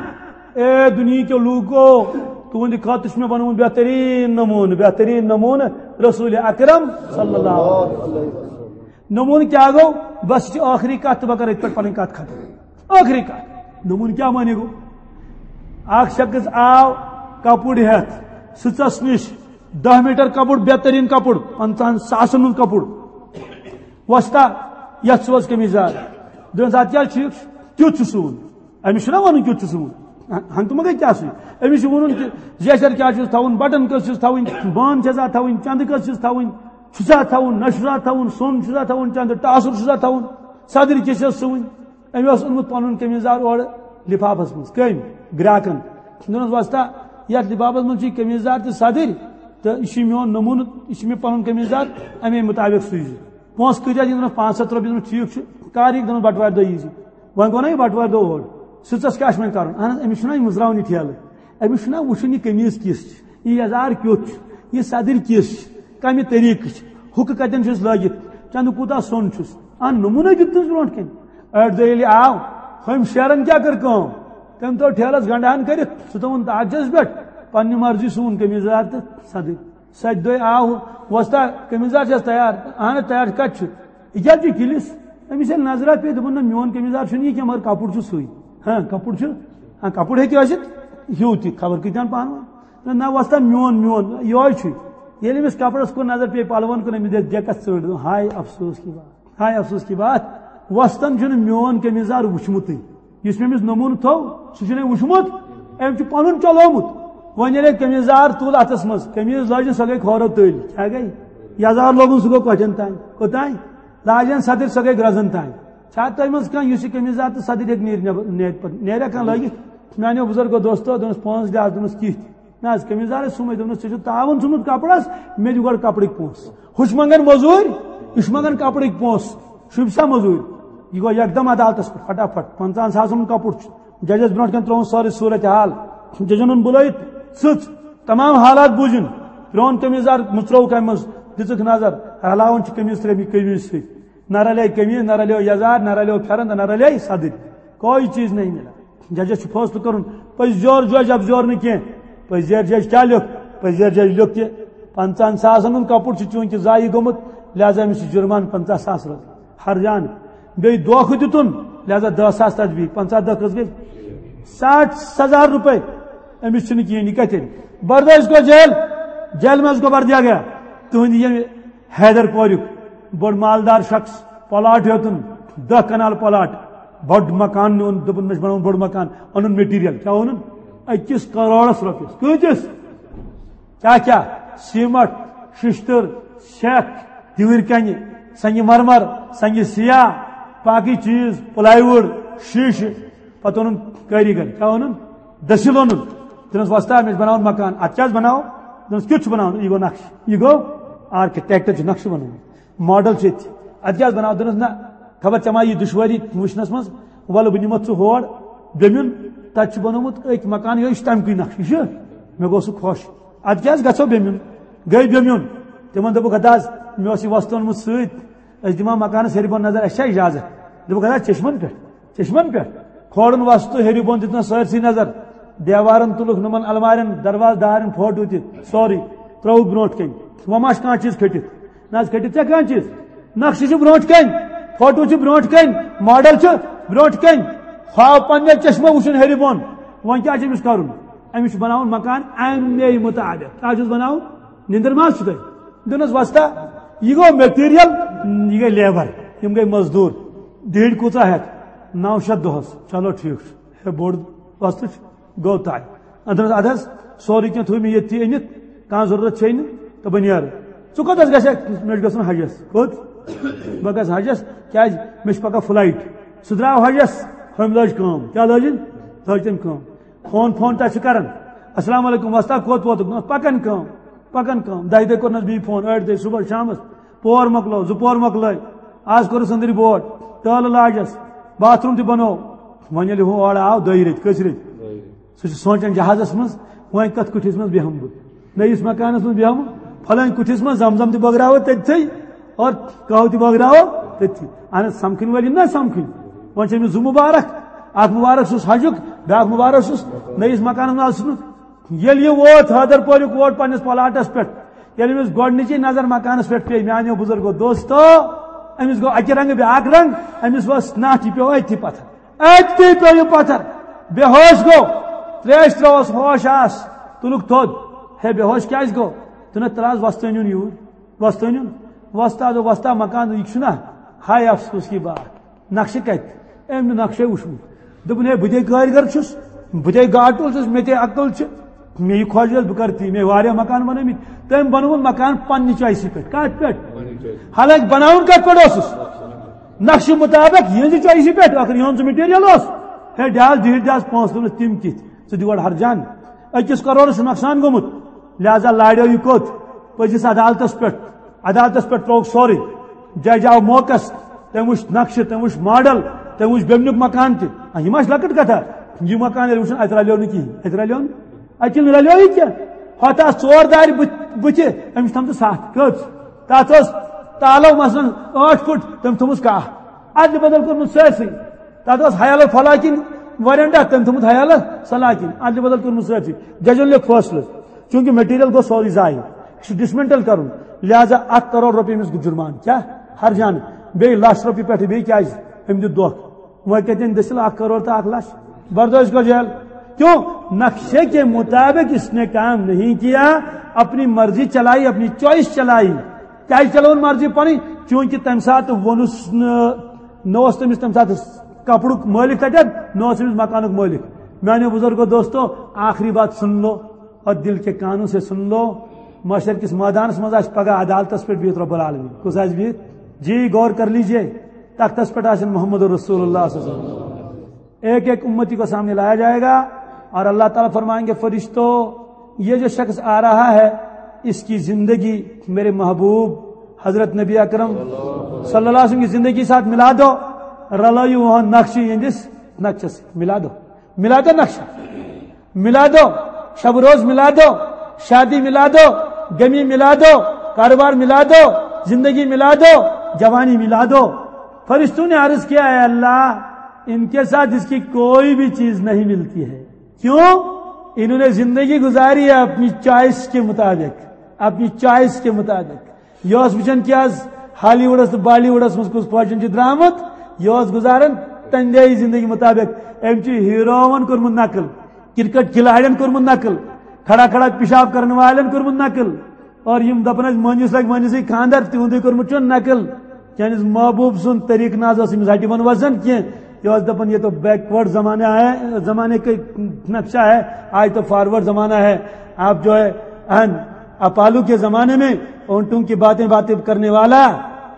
اے دُنیہکیو لوٗکو، تُہنٛدِ خٲطرٕ چھُ مےٚ بنومُت بہتریٖن نموٗنہٕ، بہتریٖن نموٗنہٕ رسول اکرم صلی اللہ علیہ وسلم۔ نموٗنہٕ کیٛاہ گوٚو؟ بس یہِ چھِ ٲخری کتھ تہٕ بہٕ کرٕ ییٚتہِ پٮ۪ٹھ پنٕنۍ کتھ ختم۔ ٲخری کتھ۔ نموٗنہٕ کیٛاہ معنی گوٚو؟ اکھ شخص آو کپُر ہٮ۪تھ سٕژس نِش، دَہ میٖٹر کپُر، بہتریٖن کپُر، پنٛژاہن ساسن ہُنٛد کپُر۔ وۄستا، یتھ سوز قمیٖض یزار۔ دوٚپنس، اتھ کیٛاہ چھُ؟ کیُتھ چھُ سُوُن؟ أمِس چھُنہ ونُن کیُتھ چھُ سُوُن؟ ہنٛگتہٕ منٛگے کیٛاہ سُوِ؟ أمِس چھُ وَنُن کہِ زیچھر کیٛاہ چھُس تھاوُن، بٹن کٔژ چھِس تھاوٕنۍ، بان چھَسا تھاوٕنۍ، چندٕ کٔژ چھِس تھاوٕنۍ، چھُسا تھاوُن، نہ چھُسا تھاوُن، سۄن چھُسا تھاوُن، چندٕ ٹاسُر چھُسا تھاوُن، صدٕرۍ کیٛاہ چھَس سُوٕنۍ؟ أمۍ اوس اوٚنمُت پنُن قمیٖض یزار اورٕ لفافس منٛز۔ کٔمۍ؟ گراکن۔ دوٚپنس، وۄستا، یتھ لفافس منٛز چھُ یہِ قمیٖض یزار تہِ صدٕرۍ، تہٕ یہِ چھُ میون نموٗنہٕ، یہِ چھُ مےٚ پنُن قمیٖض یزار، امے مطابق سُوزِ۔ پونٛسہٕ کۭتیاہ دِنَس؟ پانٛژھ ہَتھ رۄپیہِ۔ دوٚپمَس، ٹھیٖک چھُ، کر یِکھ؟ دوٚپمَس، بَٹوارِ دۄہ ییٖزِ۔ وۄنۍ گوٚو نہ یہِ بَٹوارِ دۄہ اور۔ سٕژَس کیٛاہ چھُ وۄنۍ کَرُن؟ اَہَن حظ، أمِس چھُنہ یہِ مٕژراوُن یہِ ٹھیلہٕ۔ أمِس چھُنہ وٕچھُن یہِ قمیٖض کِژھ چھِ، یہِ یَزار کیُتھ چھُ، یہِ صدٕرۍ کِژھ چھِ، کَمہِ طریٖقہٕ چھِ، ہُکہٕ کَتٮ۪ن چھُس لٲگِتھ، چَندٕ کوٗتاہ سۄن چھُس۔ اَہَن، نموٗنے دیُت تٔمِس برونٛٹھ کَنہِ۔ أڑۍ دۄہ ییٚلہِ آو، ہُمۍ شیرَن کیٛاہ کٔر کٲم؟ تٔمۍ تھوٚو ٹھیلَس گنٛڈٕ ہَن کٔرِتھ، سُہ تھوٚوُن تاجَس پٮ۪ٹھ، پنٛنہِ مرضی سُوُن قمیٖض یزار تہٕ صدٕرۍ۔ سَتہِ دۄہہِ آو وۄستا، قمیٖض یزار چھَس تیار؟ اَہَن تیار، کَتہِ چھُ؟ یہِ کیٛازِ چھُ کِلِس؟ أمِس ییٚلہِ نظرہ پیٚیہِ، دوٚپُن، نہ، میون قمیٖض یزار چھُنہٕ یہِ کینٛہہ، مگر کَپُر چھُ سُے۔ ہاں، کَپُر چھُ، ہاں، کَپُر ہیٚکہِ ٲسِتھ ہیوٗ تہِ، خبر کۭتیٛاہَن پانہٕ ؤنۍ۔ نہ، نہ، وۄستا، میون، میون، یِہوٚے چھُے۔ ییٚلہِ أمِس کَپرَس کُن نظر پیٚیہِ، پَلوَن کُن، أمِس دِژ ڈٮ۪کَس ژٔٹ، دوٚپُن، ہاے افسوس کی بات، ہاے افسوس کی بات۔ وۄستَن چھُنہٕ میون قمیٖض یزار وٕچھمُتٕے۔ یُس مےٚ أمِس نموٗنہٕ تھوٚو، سُہ چھُنہٕ أمۍ وٕچھمُت، أمۍ چھُ پَنُن چلومُت۔ وۄنۍ ییٚلہِ أمۍ قمیٖض یزار تُل اَتھَس منٛز، قمیٖض لٲجِن، سۄ گٔے کھورو تٔلۍ۔ کیٛاہ گٔے؟ یزار لوگُن، سُہ گوٚو کۄٹھٮ۪ن تام۔ کوٚتام؟ لاجَن صدٕرۍ، سۄ گٔے گرٛزَن تام۔ چھا تۄہہِ منٛز کانٛہہ یُس یہِ قمیٖض یزار تہٕ صدٕرۍ ہیٚکہِ نیٖرِتھ نٮ۪بر، نیرِ پَتہٕ؟ نیرِ ہا کانٛہہ لٲگِتھ؟ میٛانیو بُزرگو دوستو، دوٚپنَس، پانٛژھ لحاظ، دوٚپنَس، کِتھ؟ نہ حظ، قمیٖض یزارَے سُمٕے۔ دوٚپنَس، ژےٚ چھُتھ تاوُن ژھُنمُت کَپرَس، مےٚ دِ گۄڈٕ کَپرٕکۍ پونٛسہٕ۔ ہُہ چھُ منٛگان مٔزوٗرۍ، یہِ چھُ منٛگان کَپرٕکۍ پونٛسہٕ۔ شوٗبہِ سا مٔزوٗرۍ؟ یہِ گوٚو یکدم عدالتَس پٮ۪ٹھ، فٹافٹ، پنٛژاہَن ساسَن ہُنٛد کَپُر چھُ۔ ججَس برونٛٹھ کَنہِ ترٛووُن سٲرٕے صوٗرت حال۔ ججَن اوٚن بُلٲیِتھ، ژٕژ، تمام حالات بوٗزِن۔ پرٛون قمیٖض یزار مٕژرٲوُکھ اَمہِ منٛز، دِژٕکھ نظر، رلاوان چھِ قمیٖض ترٛےٚ قمیٖض سۭتۍ۔ نہ رلے قمیٖض، نہ رلیو یزار، نہ رلیو پھٮ۪رن تہٕ نہ رلے صدٕرۍ۔ کوئی چیز نہیں ملا۔ ججس چھُ فٲصلہٕ کرُن، پٔزۍ یور جج، اپزور نہٕ کینٛہہ۔ پٔزۍ یور جج کیٛاہ لیوٚکھ؟ پٔزۍ یور جج لیوٚکھ کہِ پنٛژاہن ساسن ہُنٛد کپُر چھُ چوٗنٛکہِ ضایع گوٚمُت، لہذا أمِس چھُ جُرمان پنٛژاہ ساس رۄپیہِ۔ ہرجان۔ بیٚیہِ دھوکہٕ دیُتُن، لہذا دَہ ساس تجبیٖر، پنٛژاہ دَہ کٔژ گٔے؟ ساٹھ ہزار رۄپے۔ أمِس چھُنہٕ کِہیٖنۍ، یہِ کتہِ اَنہِ؟ بردٲش گوٚو جیل، جیل منٛز گوٚو بردیا گیا۔ تُہٕنٛدِ ییٚمہِ حیدر پوریُک بوٚڑ مالدار شخص، پلاٹ ہیوٚتُن، دَہ کنال پلاٹ، بوٚڑ مکان نیوٗن، دوٚپُن، مےٚ چھُ بناوُن بوٚڑ مکان، اوٚنُن مٹیریل، کیٛاہ اوٚنُن؟ أکِس کروڑس رۄپیس۔ کۭتِس؟ کیٛاہ کیٛاہ؟ سیمٹ، ششتٕر، سیکھ، دِوِرۍ کنہِ، سنگہِ مرمر، سنگہِ سیاہ، باقٕے چیٖز، پلاے وُڈ، شیٖشہٕ۔ پتہٕ اوٚنُن کٲریٖگر، کیٛاہ اوٚنُن؟ دٔسِل اوٚنُن۔ دوٚپنَس، وۄستا، مےٚ چھُ بناوُن مکان۔ اَتھ کیٛاہ حظ بناوو؟ دوٚپنَس، کیُتھ چھُ بناوُن؟ یہِ گوٚو نقشہٕ، یہِ گوٚو architect چھُ نقشہٕ بنومُت۔ ماڈل چھُ ییٚتہِ۔ اَدٕ کیٛاہ حظ بناو؟ دوٚپنَس، نہ، خبر ژےٚ ما یی دُشوٲری وٕچھنَس منٛز، وَلہٕ بہٕ نِمَتھ ژٕ ہور بیٚمیُن، تَتہِ چھُ بنومُت أکۍ مکان، یِہوٚے چھُ تَمہِ کُے نقشہٕ، یہِ چھُ، مےٚ گوٚو سُہ خۄش۔ اَدٕ کیٛاہ حظ گژھو بیٚمیُن؟ گٔے بیٚمیُن۔ تِمَن دوٚپُکھ، ہتا حظ، مےٚ اوس یہِ وۄستہٕ اوٚنمُت سۭتۍ، أسۍ دِمو مکانَس ہیٚرِ بۄن نظر، اَسہِ چھا اِجازت؟ دوٚپُکھ، ہتا، چشمَن پٮ۪ٹھ، چشمَن پٮ۪ٹھ۔ کھولُن وۄستہٕ ہیٚرِ بۄن، دیُتنَس سٲرسٕے نظر، دیوارَن تُلُکھ، نُمَن المارٮ۪ن، دروازٕ دارٮ۪ن فوٹو تہِ، سورُے ترٛووُکھ برونٛٹھ کَنہِ۔ وۄنۍ ما چھُ کانٛہہ چیٖز کھٔٹِتھ؟ نہ حظ، کھٔٹِتھ چھا کانٛہہ چیٖز؟ نقشہٕ چھُ برونٛٹھ کَنہِ، فوٹو چھُ برونٛٹھ کَنہِ، ماڈل چھُ برونٛٹھ کَنہِ۔ خواب پننیو چشمو وٕچھُن ہیٚرِ بۄن۔ وۄنۍ کیٛاہ چھُ أمِس کَرُن؟ أمِس چھُ بناوُن مکان اَمے مُطابِق۔ کیٛاہ چھُس بناوُن؟ نِندٕر ما چھُ تۄہہِ؟ دوٚپنَس، وۄستا، یہِ گوٚو مٹیریل، یہِ گٔے لیبر، یِم گٔے مزدوٗر۔ دِہِڑۍ کۭژاہ ہٮ۪کھ؟ نَو شیٚتھ دۄہَس۔ چلو، ٹھیٖک چھُ۔ ہے، بوٚڑ وۄستہٕ چھُ، گوٚو طے۔ اَدٕ حظ، اَدٕ حظ، سورُے کینٛہہ تھوٚو مےٚ ییٚتھی أنِتھ، کانٛہہ ضروٗرت چھے نہٕ، تہٕ بہٕ نیرٕ۔ ژٕ کوٚت حظ گژھکھ؟ مےٚ چھُ گژھُن حجس۔ کوٚت؟ بہٕ گژھٕ حجس۔ کیٛازِ؟ مےٚ چھِ پگاہ فلایٹ۔ سُہ درٛاو حجس، ہُمۍ لٲج کٲم۔ کیٛاہ لٲجِن؟ لٲج تٔمۍ کٲم۔ فون، فون تۄہہِ چھِ کران۔ السلام علیکم، وۄستا، کوٚت ووتُکھ؟ نہ، پکان کٲم، پکان کٲم۔ دَہہِ دۄہہِ کوٚرنَس بیٚیہِ فون، ٲٹھِ دۄہہِ، صبح شامَس، پور مۄکلو، زٕ پور مۄکلٲے۔ آز کوٚرُس أنٛدٕرۍ بوٹ، ٹٲلہٕ لاجَس، باتھ روٗم تہِ بنوو۔ وۄنۍ ییٚلہِ ہُہ اورٕ آو، دۄیہِ ریٚتۍ، کٔژِ ریٚتۍ؟ سُہ چھُ سونٛچان جہازَس منٛز، وۄنۍ کَتھ کُٹھِس منٛز بیٚہمہٕ بہٕ؟ نٔیِس مکانَس منٛز بیٚہمہٕ، فلٲنۍ کُٹھِس منٛز، زم زم تہِ بٲگراوو تٔتھٕے اور قہوٕ تہِ بٲگراوو تٔتھٕے۔ اہن حظ، سمکھٕنۍ وٲلۍ یِن نا سمکھٕنۍ۔ وۄنۍ چھِ أمِس زٕ مُبارک، اکھ مُبارک چھُس حجُک، بیٛاکھ مُبارک چھُس نٔیِس مکانَس منٛز اَژنُک۔ ییٚلہِ یہِ ووت حٲدر پوریُک، ووت پنٛنِس پلاٹَس پٮ۪ٹھ، ییٚلہِ أمِس گۄڈٕنِچی نظر مکانَس پٮ۪ٹھ پیٚیہِ، میٛانیو بُزرگو دوستو، أمِس گوٚو اَکہِ رنٛگہٕ بیٛاکھ رنٛگ، أمِس ؤژھ نَٹھ، یہِ پیوٚو أتھی پتھر۔ أتی پیوٚو یہِ پتھر، بے ہوش گوٚو، تریش ترٲوس، ہوش آس، تُلُکھ تھوٚد۔ ہے، بے ہوش کیازِ گوٚو؟ دوٚپنَس، تَلہٕ حظ وۄستہٕ أنِوُن یوٗرۍ، وۄستہٕ أنِوُن۔ وۄستہٕ آو، دوٚپ، وۄستا، مکان یہِ چھُنہ؟ ہاے افسوس کی بات، نقشہٕ کتہِ؟ أمۍ نہٕ نقشے وُچھمُت۔ دوٚپُن، ہے، بہٕ تے کٲرۍ گر چھُس، بہٕ تے گاٹُل چھُس، مےٚ تے عقل چھِ، مےٚ یہِ خۄش گژھِ بہٕ کرٕ تی، مےٚ واریاہ مکان بنٲومٕتۍ۔ تٔمۍ بنووُن مکان پننہِ چویسہِ پٮ۪ٹھ۔ کتھ پٮ۪ٹھ؟ حالانکہِ بناوُن کتھ پٮ۪ٹھ اوسُس؟ نقشہٕ مطابق یِہنٛزِ چویسہِ پٮ۪ٹھ، ٲخٕر یِہُنٛد سُہ مٹیریل اوس۔ ہے، دِ حظ، دِیِو، دِ حظ پونٛسہٕ۔ دوٚپنَس، تِم کِتھ؟ ژٕ دِ گۄڈٕ ہرجان، أکِس کرورَس چھُ نۄقصان گوٚمُت، لہذا لاریو یہِ کوٚت؟ پٔزِس عدالتَس پٮ۪ٹھ۔ عدالتَس پٮ۪ٹھ ترٛووُکھ سورُے۔ جج آو موقعس، تٔمۍ وٕچھ نقشہٕ، تٔمۍ وٕچھ ماڈل، تٔمۍ وٕچھ بیٚمنیُک مکان تہِ۔ آ، یہِ ما چھِ لۄکٕٹ کتھا؟ یہِ مکان ییٚلہِ وٕچھُن، اَتہِ رلیو نہٕ کِہیٖنۍ، اَتہِ رلیو نہٕ۔ اَتہِ چھُنہٕ رلیوٕے کینٛہہ۔ ہۄتھ آسہٕ ژور دارِ بُتھ-، بُتھِ، أمِس تھٲمژٕ ستھ۔ کٔژ؟ تَتھ اوس تالو مثلاً ٲٹھ فُٹ، تٔمۍ تھوٚمُت کاہ۔ اَدلہِ بدل کوٚرمُت سٲرسٕے۔ تَتھ اوس حیالہٕ فلاکِن ورنڈا، تٔمۍ تھوٚمُت حیالہٕ سلاکِن۔ اَدلہِ بدل کوٚرمُت سٲرسٕے۔ ججن لیوٚکھ فٲصلہٕ، چوٗنٛکہِ مٹیریل گوٚو سورُے ضایع، یہِ چھُ ڈسمینٹل کرُن، لہذا اکھ کرور رۄپیہِ أمِس جُرمان۔ کیٛاہ؟ ہرجانہٕ۔ بیٚیہِ لچھ رۄپیہِ پٮ۪ٹھٕ، بیٚیہِ کیٛازِ؟ أمۍ دیُت دھوکہٕ۔ وۄنۍ کتٮ۪ن دٔسِل اکھ کرور تہٕ اکھ لچھ؟ بردٲش گوٚو جیل۔ کیوں؟ نقشے کے مطابق اس نے کام نہیں کیا، اپنی مرضی چلائی، اپنی چوائس چلائی۔ کیٛازِ چلٲوٕن مرضی پنٕنۍ؟ چوٗنٛکہِ تمہِ ساتہٕ ووٚنُس نہٕ، نہ اوس تٔمِس تمہِ ساتہٕ کپرُک مٲلِک تتٮ۪ن، نہ اوس أمِس مکانُک مٲلِک۔ میانیو بزرگو دوستو، آخری بات سن لو اور دل کے کانوں سے سن لو۔ محشر کِس مٲدانس منٛز آسہِ پگاہ عدالتس پٮ۪ٹھ بِہِتھ رب العالمین۔ کُس آسہِ بِہِتھ؟ جی، غور کر لیجئے، تختس پٮ۪ٹھ آسن محمد رسول اللہ صلی اللہ علیہ وسلم۔ ایک ایک امتی کو سامنے لایا جائے گا اور اللہ تعالیٰ فرمائیں گے، فرشتو، یہ جو شخص آ رہا ہے، اس کی زندگی میرے محبوب حضرت نبی اکرم صلی اللہ علیہ وسلم کی زندگی ساتھ ملا دو، رلٲیِو وۄنۍ نقشہٕ یِہنٛدِس نقشس سۭتۍ، ملا دو، ملا دو نقشہ، ملا دو شب روز، ملا دو شادی، ملا دو غمی، ملا دو کاروبار، ملا دو زندگی، ملا دو جوانی، ملا دو۔ فرشتوں نے عرض کیا، اے اللہ، ان کے ساتھ اس کی کوئی بھی چیز نہیں ملتی ہے۔ کیوں؟ انہوں نے زندگی گزاری ہے اپنی چوائس کے مطابق، اپنی چوائس کے مطابق۔ یہِ اوس وٕچھان کہِ آز ہالی وُڈس تہٕ بالی وُڈس منٛز کُس فیشن چھُ درٛامُت، یہِ اوس گُزاران تَمہِ آیہِ زندگی مطابق۔ أمۍ چھُ ہیٖرووَن کوٚرمُت نقل، کرکٹ کھلاڑٮ۪ن کوٚرمُت نقل، کھڑا کھڑا پیشاب کرن والٮ۪ن کوٚرمُت نقل، اور یِم دَپان ٲسۍ، مٲنِس لگہِ مٲنِسٕے خانٛدر، تِہُنٛدُے کوٚرمُت چھُ نقل۔ چٲنِس محبوب سُنٛد طریٖقہٕ نہ حظ اوس أمِس ہٹہِ بۄن وَسان کینٛہہ۔ یہِ اوس دَپان، یہ تو بیکورڈ زمانہ ہے، زمانے کا نقشہ ہے، آج تو فارورڈ زمانہ ہے۔ آپ جو ہے، اہن، اپالو کے زمانے میں اونٹوں کی باتیں باتیں کرنے والا،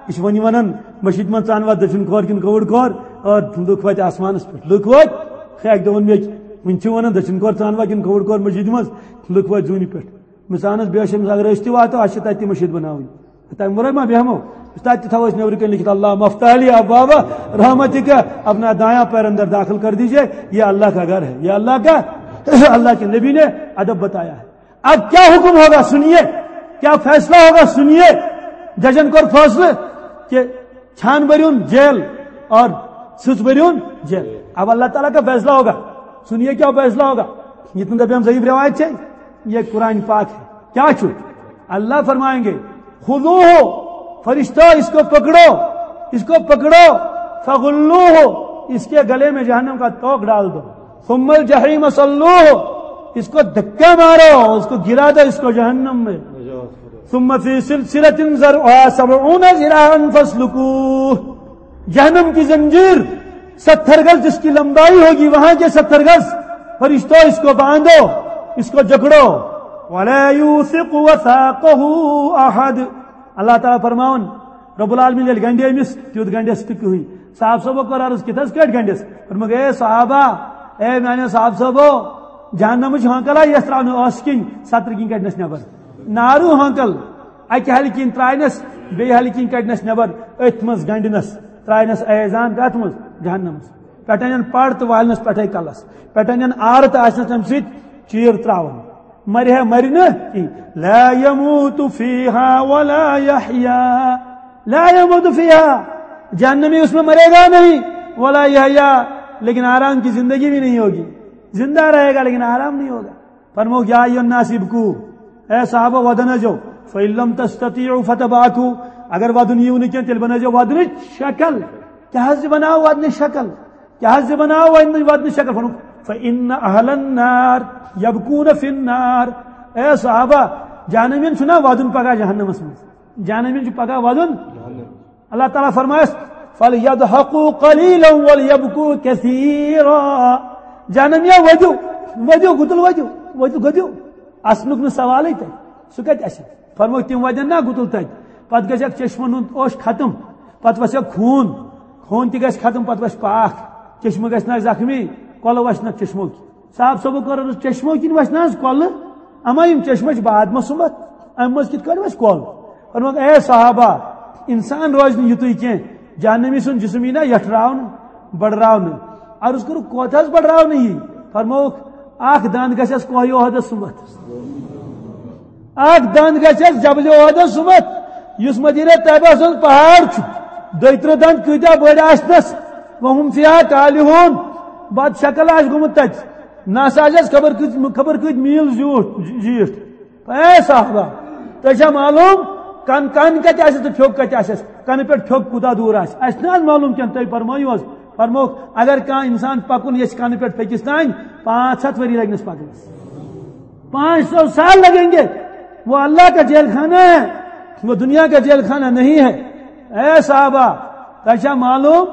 یہِ چھُ وۄنۍ ونان، مٔشیٖد منٛز ژٕ انوا دٔچھُن کھور کِنہٕ کھووُر کھور؟ اور لُکھ وٲتۍ آسمانس پٮ۪ٹھ، لُکھ وٲتۍ۔ ہے، اکہِ دۄہ ووٚن مےٚ أکۍ، وۄنۍ چھِ ونان دٔچھُن کھور ژٕ انوا کِنہٕ کھووُر کھور مٔشیٖد منٛز؟ لُکھ وٲتۍ زوٗنہِ پٮ۪ٹھ۔ مےٚ ژٕ انس بے شک، اگر أسۍ تہِ واتو، اسہِ چھِ تتہِ تہِ مٔشیٖد بناوٕنۍ۔ تمہِ ورٲے ما بیٚہمو؟ تتہِ تہِ تھاوو أسۍ نیٚبرٕ کنہِ لیکھِتھ، اللہ مفتح علی ابواب رحمتک، اپنا دایاں پیر اندر داخل کر دیجئے، یہ اللہ کا گھر ہے، یہ اللہ کا، اللہ کے نبی نے ادب بتایا ہے۔ اب کیا حکم ہوگا سنیے، کیا فیصلہ ہوگا سنیے۔ ججن کوٚر فٲصلہٕ کہ چھان بٔرِوُن جیل اور سٕژ بٔرِوُن جیل۔ اب اللہ تعالیٰ کا فیصلہ ہوگا، سنیے کیا فیصلہ ہوگا۔ یہ تم دپیان ضعیف روایت ہے، یہ قرآن پاک ہے۔ کیا چھُ؟ اللہ فرمائیں گے، خذوہ، فرشتہ اس کو پکڑو، اس کو پکڑو، فغلوہ، اس کے گلے میں جہنم کا توق ڈال دو، ثم الجحیم صلوہ، اس کو دھکا مارو، اس کو گرا دو، اس کو جہنم میں۔ ثم فی سلسلة ذرعها سبعون ذراعا فاسلکوہ۔ جہنم کی زنجیر، ستر گز جس کی لمبائی ہوگی، وہاں کے ستر گز۔ فرشتوں، اس کو باندھو، اس کو جکڑو۔ ولا یوثق وثاقه احد۔ اللہ تعالیٰ فرماون، رب العالمین ییٚلہِ گنڈِ أمِس، تیُتھ گنڈٮ۪س نہٕ کٕہٕنۍ۔ صاحب صٲبو کوٚر عرض، کِتھ حظ کٲٹھۍ گنڈٮ۪س؟ فرمووُکھ، اے صحابہ، اے میانیو صاحب صٲبو، جہنمٕچ ہانکل آیہِ یتھ تراونہٕ ٲسہٕ کِنۍ، سترٕ کِنۍ کڑنس نٮ۪بر۔ نارو ہانکل، اکہِ ہلہِ کِنۍ تراینس، بیٚیہِ ہلہِ کِنۍ کڑنس نٮ۪بر، أتھۍ منٛز گنڈنس، تراینس ایزان کتھ منٛز؟ جہنمس۔ پٮ۪ٹھٕ انن پڑ تہٕ والنس پٮ۪ٹھے کلس، پٮ۪ٹھٕ انن آرٕ تہٕ آسنس تمہِ سۭتۍ چیٖر تراوان۔ مرِ ہے مرِ نہٕ کِہیٖنۍ۔ لا یموت فیہا ولا یحیا۔ لا یموت فیہا، جہنمی اس میں مرے گا نہیں، ولا یحیا، لیکن آرام کی زندگی بھی نہیں ہوگی، زندہ رہے گا لیکن آرام نہیں ہوگا۔ فرمووُکھ، یا ایھا الناس ابکو، اے صحابہ، ودن ٲسۍزیو، فإن لم تستطیعوا فتباکو، اگر ودُن یِیو نہٕ کینٛہہ، تیٚلہِ بنٲیزیو ودنٕچ شکل۔ کیٛاہ حظ چھِ بناوو ودنٕچ شکل؟ کیٛاہ حظ چھِ بناوو ودنٕچ، ودنٕچ شکل؟ فرمووُکھ، فإن أهل النار يبكون في النار۔ اے صحابہ، جہنمین چھُنہ ودُن پگاہ جہنمس منٛز؟ جہنمین چھُ پگاہ ودُن۔ اللہ تعالیٰ فرمایس، فَلْيَضْحَكُوا قَلِيلًا وَلْيَبْكُوا كَثِيرًا۔ جہنمیا ودِو، ودِو، گُتُل ودِو، ودِو، گٔدِو۔ اسنُک نہٕ سوالٕے تتہِ، سُہ کتہِ اسہِ؟ فرموو، تِم ودن نا گُتُل تتہِ، پتہٕ گژھکھ چشمن ہُنٛد اوٚش ختم، پتہٕ وسٮ۪کھ خوٗن، خوٗن تہِ گژھِ ختم، پتہٕ وسہِ پاکھ، چشمہٕ گژھِ نہ زخمی، کۄلہٕ وسہِ نہ چشمو کِنۍ۔ صاحب صٲبو کوٚر عرض، چشمو کِنۍ وسہِ نہ حظ کۄلہٕ؟ اما یِم چشمہٕ چھِ باد منٛز سُمبتھ، امہِ منٛز کِتھ کٲٹھۍ وسہِ کۄل؟ فرمووُکھ، اے صحابہ، انسان روزِ نہٕ یُتُے کینٛہہ، جہنمی سُنٛد جسم یی نہ یٹھراونہٕ، بڑراونہٕ۔ عرض کوٚرُکھ، کوتاہ حظ بڑراونہٕ یی؟ فرمووُکھ، اکھ دند گژھٮ۪س کوہہِ احدس سُمبتھ، اکھ دند گژھٮ۪س جبلِ احدس سُمبتھ، یُس مدینہ طیبہ سُنٛد پہاڑ چھُ۔ دۄیہِ ترٕٛہ دند کۭتیاہ بٔڑۍ آسنس؟ وَهُمْ فِيهَا كَالِحُونَ۔ بد شکل آسہِ گوٚمُت تتہِ، نس آسٮ۪س خبر کۭتۍ، خبر کۭتۍ میٖل زیوٗٹھ، زیٖٹھ۔ اے صحابہ، تۄہہِ چھا معلوم، کن، کن کتہِ آسٮ۪س تہٕ پھیوٚک کتہِ آسٮ۪س؟ کنہٕ پٮ۪ٹھ پھیوٚک کوٗتاہ دوٗر آسہِ؟ اسہِ نہ حظ معلوم کینٛہہ، تُہۍ فرمٲیِو حظ۔ فرمووُکھ، اگر کانٛہہ انسان پکُن یژھِ کنہٕ پٮ۪ٹھ پھیٚکِس تام، پانٛژھ ہتھ ؤری لگنس پکنس۔ پانچ سو سال لگیں گے۔ وہ اللہ کا جیل خانہ ہے، وہ دنیا کا جیل خانہ نہیں ہے۔ اے صحابہ، تۄہہِ چھا معلوم،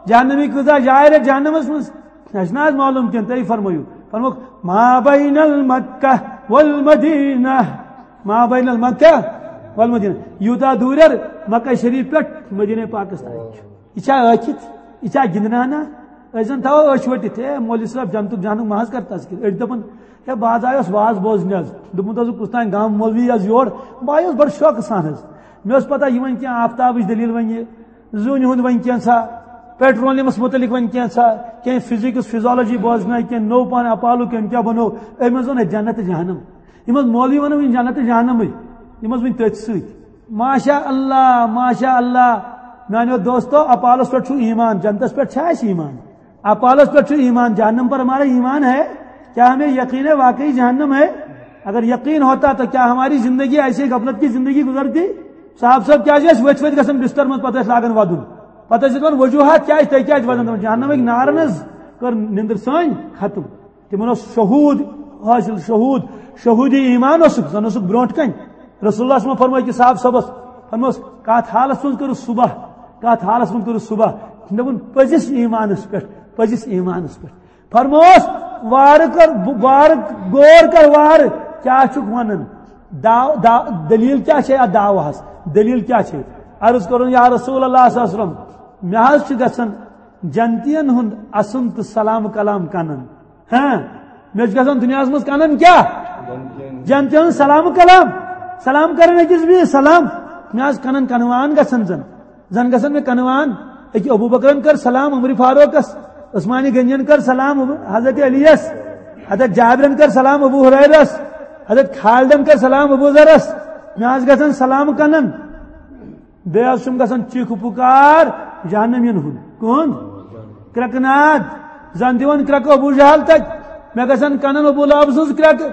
جہنمی کۭژاہ جاے رٹہِ جہنمس منٛز؟ اسہِ نہ حظ معلوم کینٛہہ، تُہۍ فرمٲیِو۔ فرمووُکھ، ما بین المکہ والمدینہ، ما بین المکہ والمدینہ، یوٗتاہ دوٗریر مکہ شریف پٮ۪ٹھ مدینہ پاکس تام چھُ۔ یہِ چھا ٲکھِتھ؟ یہِ چھا گِنٛدنانا؟ أسۍ زن تھاوو أچھ ؤٹِتھ، ہے مولوی صٲب، جنتُک جہنُک ما حظ کرتس کِنہٕ؟ أڑۍ دپان، ہے بہٕ حظ آیوس واز بوزنہِ حظ، دوٚپمُت حظ کُس تام گام مولوی حظ یور، بہٕ آیوس بڑٕ شوقہٕ سان حظ۔ مےٚ ٲس پتہ یہِ ونہِ کینٛہہ آفتابٕچ دٔلیٖل ونہِ یہِ، زوٗنہِ ہُنٛد ونہِ کینٛژھا، پیٹرولمس متعلق ونہِ کینٛژھا، کینٛہہ فزکس، فزیالوجی بوزنایہِ، کینٛہہ نوٚو پان اپالو کٔمۍ کیٛاہ بنوو، أمۍ حظ ووٚن اَسہِ جنت تہٕ جہنم۔ یِم حظ مولوی ونان وۄنۍ جنت تہٕ جہنمٕے، یِم حظ وۄنۍ تٔتھۍ سۭتۍ۔ ماشاء اللہ، ماشاء اللہ۔ میانیو دوستو، اپالس پٮ۪ٹھ چھُ ایمان، جنتس پٮ۪ٹھ چھا اَسہِ ایمان؟ اپالس پٮ۪ٹھ چھُ ایمان، جہنم پر ہمارا ایمان ہے؟ کیا ہمیں یقین ہے واقعی جہنم ہے؟ اگر یقین ہوتا تو کیا ہماری زندگی ایسی غفلت کی زندگی گزرتی؟ صاحب صٲب، کیٛازِ ٲسۍ ؤتھۍ ؤتھۍ گژھان بستر منٛز، پتہٕ ٲسۍ لاگان ودُن؟ پتہٕ ٲسۍ دپان وجوہات کیٛاہ ٲسۍ، تُہۍ کیٛازِ ودان؟ دپان، جہنمٕکۍ نارن حظ کٔر نِندٕر سٲنۍ ختم۔ تِمن اوس شہوٗد حٲصِل، شہوٗد، شہوٗدی ایمان اوسُکھ، زن اوسُکھ برونٛٹھ کنہِ۔ رسول اللہ صلی اللہ علیہ وسلم فرمٲے کہِ صاحب صٲبس، فرموس، کتھ حالس منٛز کٔرٕس صبح، کتھ حالس منٛز کٔرٕس صبح؟ دوٚپُن، پٔزِس ایمانس پٮ۪ٹھ، پٔزِس ایمانس پٮ۪ٹھ۔ فرموس، وارٕ کر، وارٕ غور کر، وارٕ کیٛاہ چھُکھ ونان؟ داو-، دا-، دلیل کیٛاہ چھے اتھ دعوہس؟ دلیل کیٛاہ چھے؟ عرض کرُن، یا رسول اللہ صلی اللہ علیہ وسلم، مےٚ حظ چھُ گژھان جنتین ہُنٛد اسُن تہٕ سلام کلام کنن۔ ہاں، مےٚ چھُ گژھان دُنیاہس منٛز کنن کیٛاہ؟ جنتین ہُنٛد سلام کلام۔ سلام کرن أکِس بیٚیِس سلام۔ مےٚ حظ کنن کنوان گژھان زن۔ زن گژھن مےٚ کنوان۔ أکہِ ابو بکرن کٔر سلام عمر فاروقس، عثمان غنین کٔر سلام ابو-، حضرت علیس، حضرت جابرن کٔر سلام ابو ہریرس، حضرت خالدن کٔر سلام ابو ذرس۔ مےٚ حظ گژھن سلام کنن۔ بیٚیہِ حظ چھُم گژھان چیٖخ پُکار جہنمین ہُنٛد۔ کٕہُنٛد؟ کرٛٮ۪کہٕ ناد۔ زن دِوان کرٛٮ۪کہٕ ابو جہل تتہِ۔ مےٚ گژھن کنن ابو لہب سٕنٛز کرٛٮ۪کہٕ،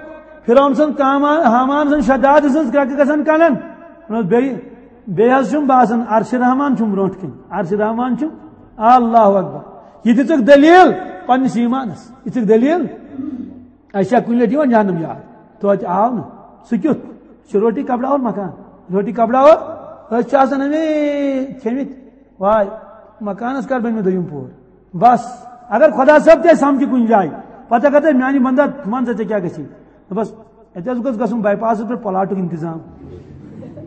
فرعون سٕنٛز، کامان، ہامان سٕنٛز، شداد سٕنٛز کرٛٮ۪کہٕ گژھن کنن۔ بیٚیہِ، بیٚیہِ حظ چھُم باسان عرشِ رحمان چھُم برونٛٹھ کنہِ۔ عرشِ رحمان چھُم۔ اللہ اکبر۔ یہِ دِژٕکھ دٔلیٖل پننِس ایمانس۔ یہِ دِژٕکھ دٔلیٖل۔ اَسہِ چھا کُنہِ لَٹہِ یِوان جہنم یاد؟ توتہِ آو نہٕ۔ سُہ کیُتھ؟ سُہ چھُ روٹی کپڑا اور مکان۔ روٹی کپڑا اور أسۍ چھِ آسان اَمے کھیٚمٕتۍ۔ واے، مکانس کر بنہِ مےٚ دوٚیِم پور؟ بس، اگر خۄدا صٲب تہِ سمکھِ کُنہِ جایہِ، پتہٕ اگر تۄہہِ میانہِ بندہ، مان ژٕ ژےٚ کیٛاہ گژھی؟ بس، اَتہِ حظ گوٚژھ گژھُن باے پاسس پٮ۪ٹھ پلاٹُک انتظام۔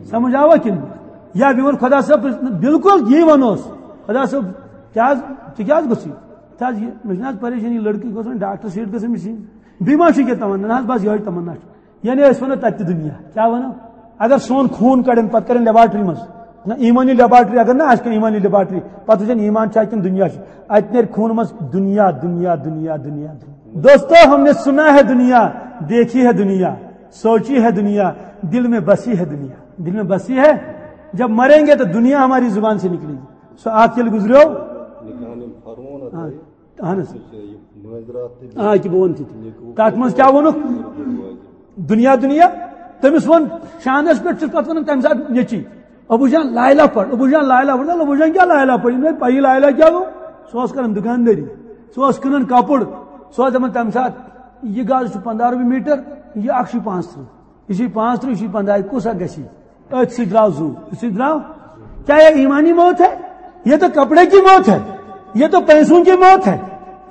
سمجھ آوا کِنہٕ؟ یا بیٚیہِ ووٚن خۄدا صٲب، بالکل یی وَنوس۔ خۄدا صٲب، کیٛاہ حظ، ژٕ کیٛاہ حظ گوٚژھ یہِ؟ تہٕ حظ یہِ، مےٚ چھِنہٕ حظ پریشٲنی، لٔڑکہٕ گوٚژھ وۄنۍ ڈاکٹر سیٖٹ گٔژھٕم مِشیٖن۔ بیٚیہِ ما چھُ کینٛہہ تمنا؟ نہ حظ، بس یِہوٚے تمنا چھُ۔ یعنی أسۍ وَنو تَتہِ تہِ دُنیا۔ کیٛاہ وَنو؟ اگر سون خوٗن کَڑن، پَتہٕ کَرن لیبارٹری منٛز۔ نہ، ایٖمٲنی لیبارٹری، اگر نہ آسہِ کانٛہہ ایٖمٲنی لیبارٹری، پَتہٕ وٕچھن ایٖمان چھا کِنہٕ دُنیا چھُ۔ اَتہِ نیرِ خوٗنہٕ منٛز دُنیا، دُنیا، دُنیا، دُنیا، دُنیا۔ دوستو، ہم نے سنا ہے دنیا، دیکھی ہے دنیا، سوچی ہے دنیا، دل میں بسی ہے دنیا۔ دل میں بسی ہے۔ جب مریں گے تو دنیا ہماری زبان سے نکلے گی۔ سُہ اَکھ ییٚلہِ گُزریو۔ نِکانٕے فرموو نہ ہاں۔ تۄہہِ۔ اہن حظ۔ یہِ مٲنٛزِ راتھ تہِ آ، یہِ کہِ بہٕ وَنہٕ تہِ۔ نیٚکو تَتھ منٛز کیٛاہ ووٚنُکھ؟ دُنیا، دُنیا۔ تٔمِس ووٚن، شانَس پٮ۪ٹھ چھُس پَتہٕ وَنان تَمہِ ساتہٕ نیٚچی، "ابو جان، لایلا پَر، ابو جان، لایلا پَر۔" دَپان، "ابو جان، کیٛاہ لایلا پَر؟ یہِ نہٕ پَیی لایلا کیٛاہ گوٚو؟" سُہ اوس کَران دُکاندٲری، سُہ اوس کٕنان کَپُر، سُہ اوس دَپان تَمہِ ساتہٕ، "یہِ گز چھُ پنٛداہ رۄپیہِ میٖٹر، یہِ اَکھ چھُ پانٛژھ تٕرٛہ، یہِ چھُ پانٛژھ تٕرٛہ، یہِ چھُ پنٛداہ، کُس اَکھ گژھِ؟" أتھۍ سۭتۍ درٛاو زُو، أتھۍ سۭتۍ درٛاو۔ کیا یہ ایمانی موت ہے؟ یہ تو کپڑے کی موت ہے، یہ تو پیسوں کی موت ہے۔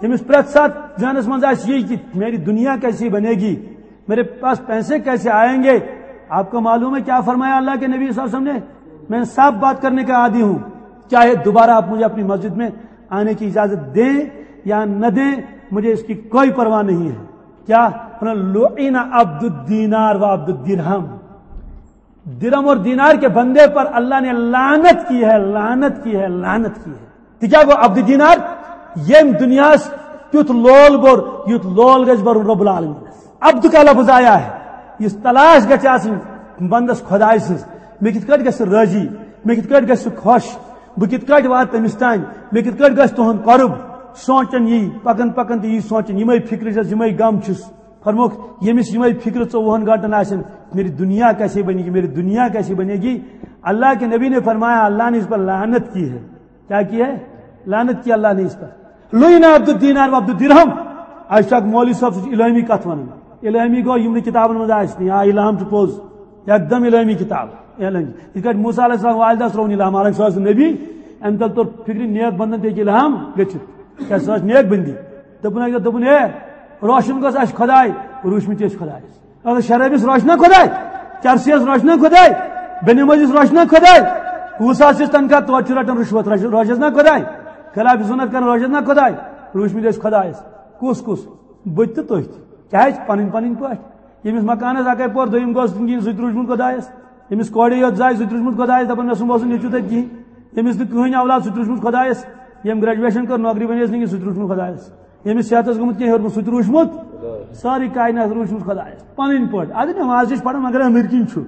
ییٚمِس پرٛٮ۪تھ ساتہٕ ذہنس منٛز آسہِ یی کہ میری دنیا کیسے بنے گی، میرے پاس پیسے کیسے آئیں گے۔ آپ کو معلوم ہے کیا فرمایا اللہ کے نبی صلی اللہ علیہ وسلم نے؟ "میں صاف بات کرنے کا عادی ہوں، چاہے دوبارہ آپ مجھے اپنی مسجد میں آنے کی اجازت دیں یا نہ دیں، مجھے اس کی کوئی پرواہ نہیں ہے۔" کیا؟ "لعن عبد الدینار و عبد الدرہم۔" درہم اور دینار کے بندے پر اللہ نے لعنت کی ہے، لعنت کی ہے، لعنت کی ہے۔ تہِ کیٛاہ گوٚو عبد دینار؟ ییٚمۍ دُنیاہَس تیُتھ لول بوٚر، یُتھ لول گژھِ بَرُن رب العالمینَس۔ عبد کا لفظ آیا ہے، یُس تلاش گژھِ آسٕنۍ بندس خۄداے سٕنٛز، مےٚ کِتھ کٲٹھۍ گژھِ سُہ رٲضی، مےٚ کِتھ کٲٹھۍ گژھِ سُہ خۄش، بہٕ کِتھ کٲٹھۍ واتہٕ تٔمِس تام، مےٚ کِتھ کٲٹھۍ گژھِ تُہُنٛد قرب۔ سونٛچان یی، پکان پکان تہِ یی سونٛچان، یِمے فکرٕ چھَس، یِمے غم چھُس۔ فرموک، ییٚمِس یِمے فکرٕ ژوٚوُہن گھنٹن آسن، "میری دنیا کیسے بنے گی، میری دنیا کیسے بنے گی؟" اللہ کے نبی نے فرمایا، اللہ نے اس پر لعنت کی ہے۔ کیا کی ہے؟ لعنت کی اللہ نے اس پر۔ لعن عبد الدینار و عبد الدرہم۔ آج تک مولوی صاحب سُہ چھُ الہامی کتھ ونان۔ الہامی گوٚو یِم نہٕ کتابن منٛز آسہِ نہٕ، یا الہام چھُ پوٚز، یکدم الہامی کتاب۔ الہامی۔ یِتھ کٲٹھۍ موسیٰ علیہ السلام والدہ سرونی الہام، حالانکہ سُہ اوس نہٕ نبی، امہِ تل توٚر فکرِ نیک بندن تہِ ہیٚکہِ الہام گٔژھِتھ۔ کیٛاہ سُہ ٲس نیک بندی؟ دوٚپُن اَکہِ دۄہ، دوٚپُن، "ہے، روشن گوٚژھ اَسہِ خۄداے، روٗشمٕتۍ ٲسۍ خۄدایس۔ اگر شرٲبِس روشنا خۄداے، چرسیس روشنا خۄداے، بے نمٲزِس روشنا خۄداے، وُہ ساس چھِس تنخواہ، توتہِ چھُ رٹان رُشوت، رش-، روشس نا خۄداے، خلاف سُنت کران روشس نا خۄداے، روٗشمٕتۍ ٲسۍ خۄدایس۔" کُس کُس؟ بہٕ تہِ تُہۍ تہِ۔ کیٛازِ؟ پنٕنۍ پنٕنۍ پٲٹھۍ۔ ییٚمِس مکانس اکے پور دوٚیِم گوٚژھ نہٕ کِہیٖنۍ، سُہ تہِ روٗدمُت خۄدایس۔ ییٚمِس کورِ یوت زاے، سُہ تہِ روٗدمُت خۄدایس، دپان، "مےٚ سُمب اوس نہٕ نیٚچوٗ تتہِ کِہیٖنۍ۔" ییٚمِس نہٕ کٕہٕنۍ اولاد، سُہ تہِ روٗدمُت خۄدایس۔ ییٚمۍ گریجویشن کٔر، نوکری بنیس نہٕ کِہیٖنۍ، سُہ تہِ روٗدمُت خۄدایس۔ ییٚمِس صحتس گوٚمُت کینٛہہ ہیوٚرمُت، سُہ تہِ روٗدمُت۔ سٲرٕے کائنات روٗدمُت خۄدایس۔ پنٕنۍ پٲٹھۍ۔ اَدٕ نٮ۪ماز چھِ أسۍ پران، مگر أنٛدٕرۍ کِنۍ چھُ۔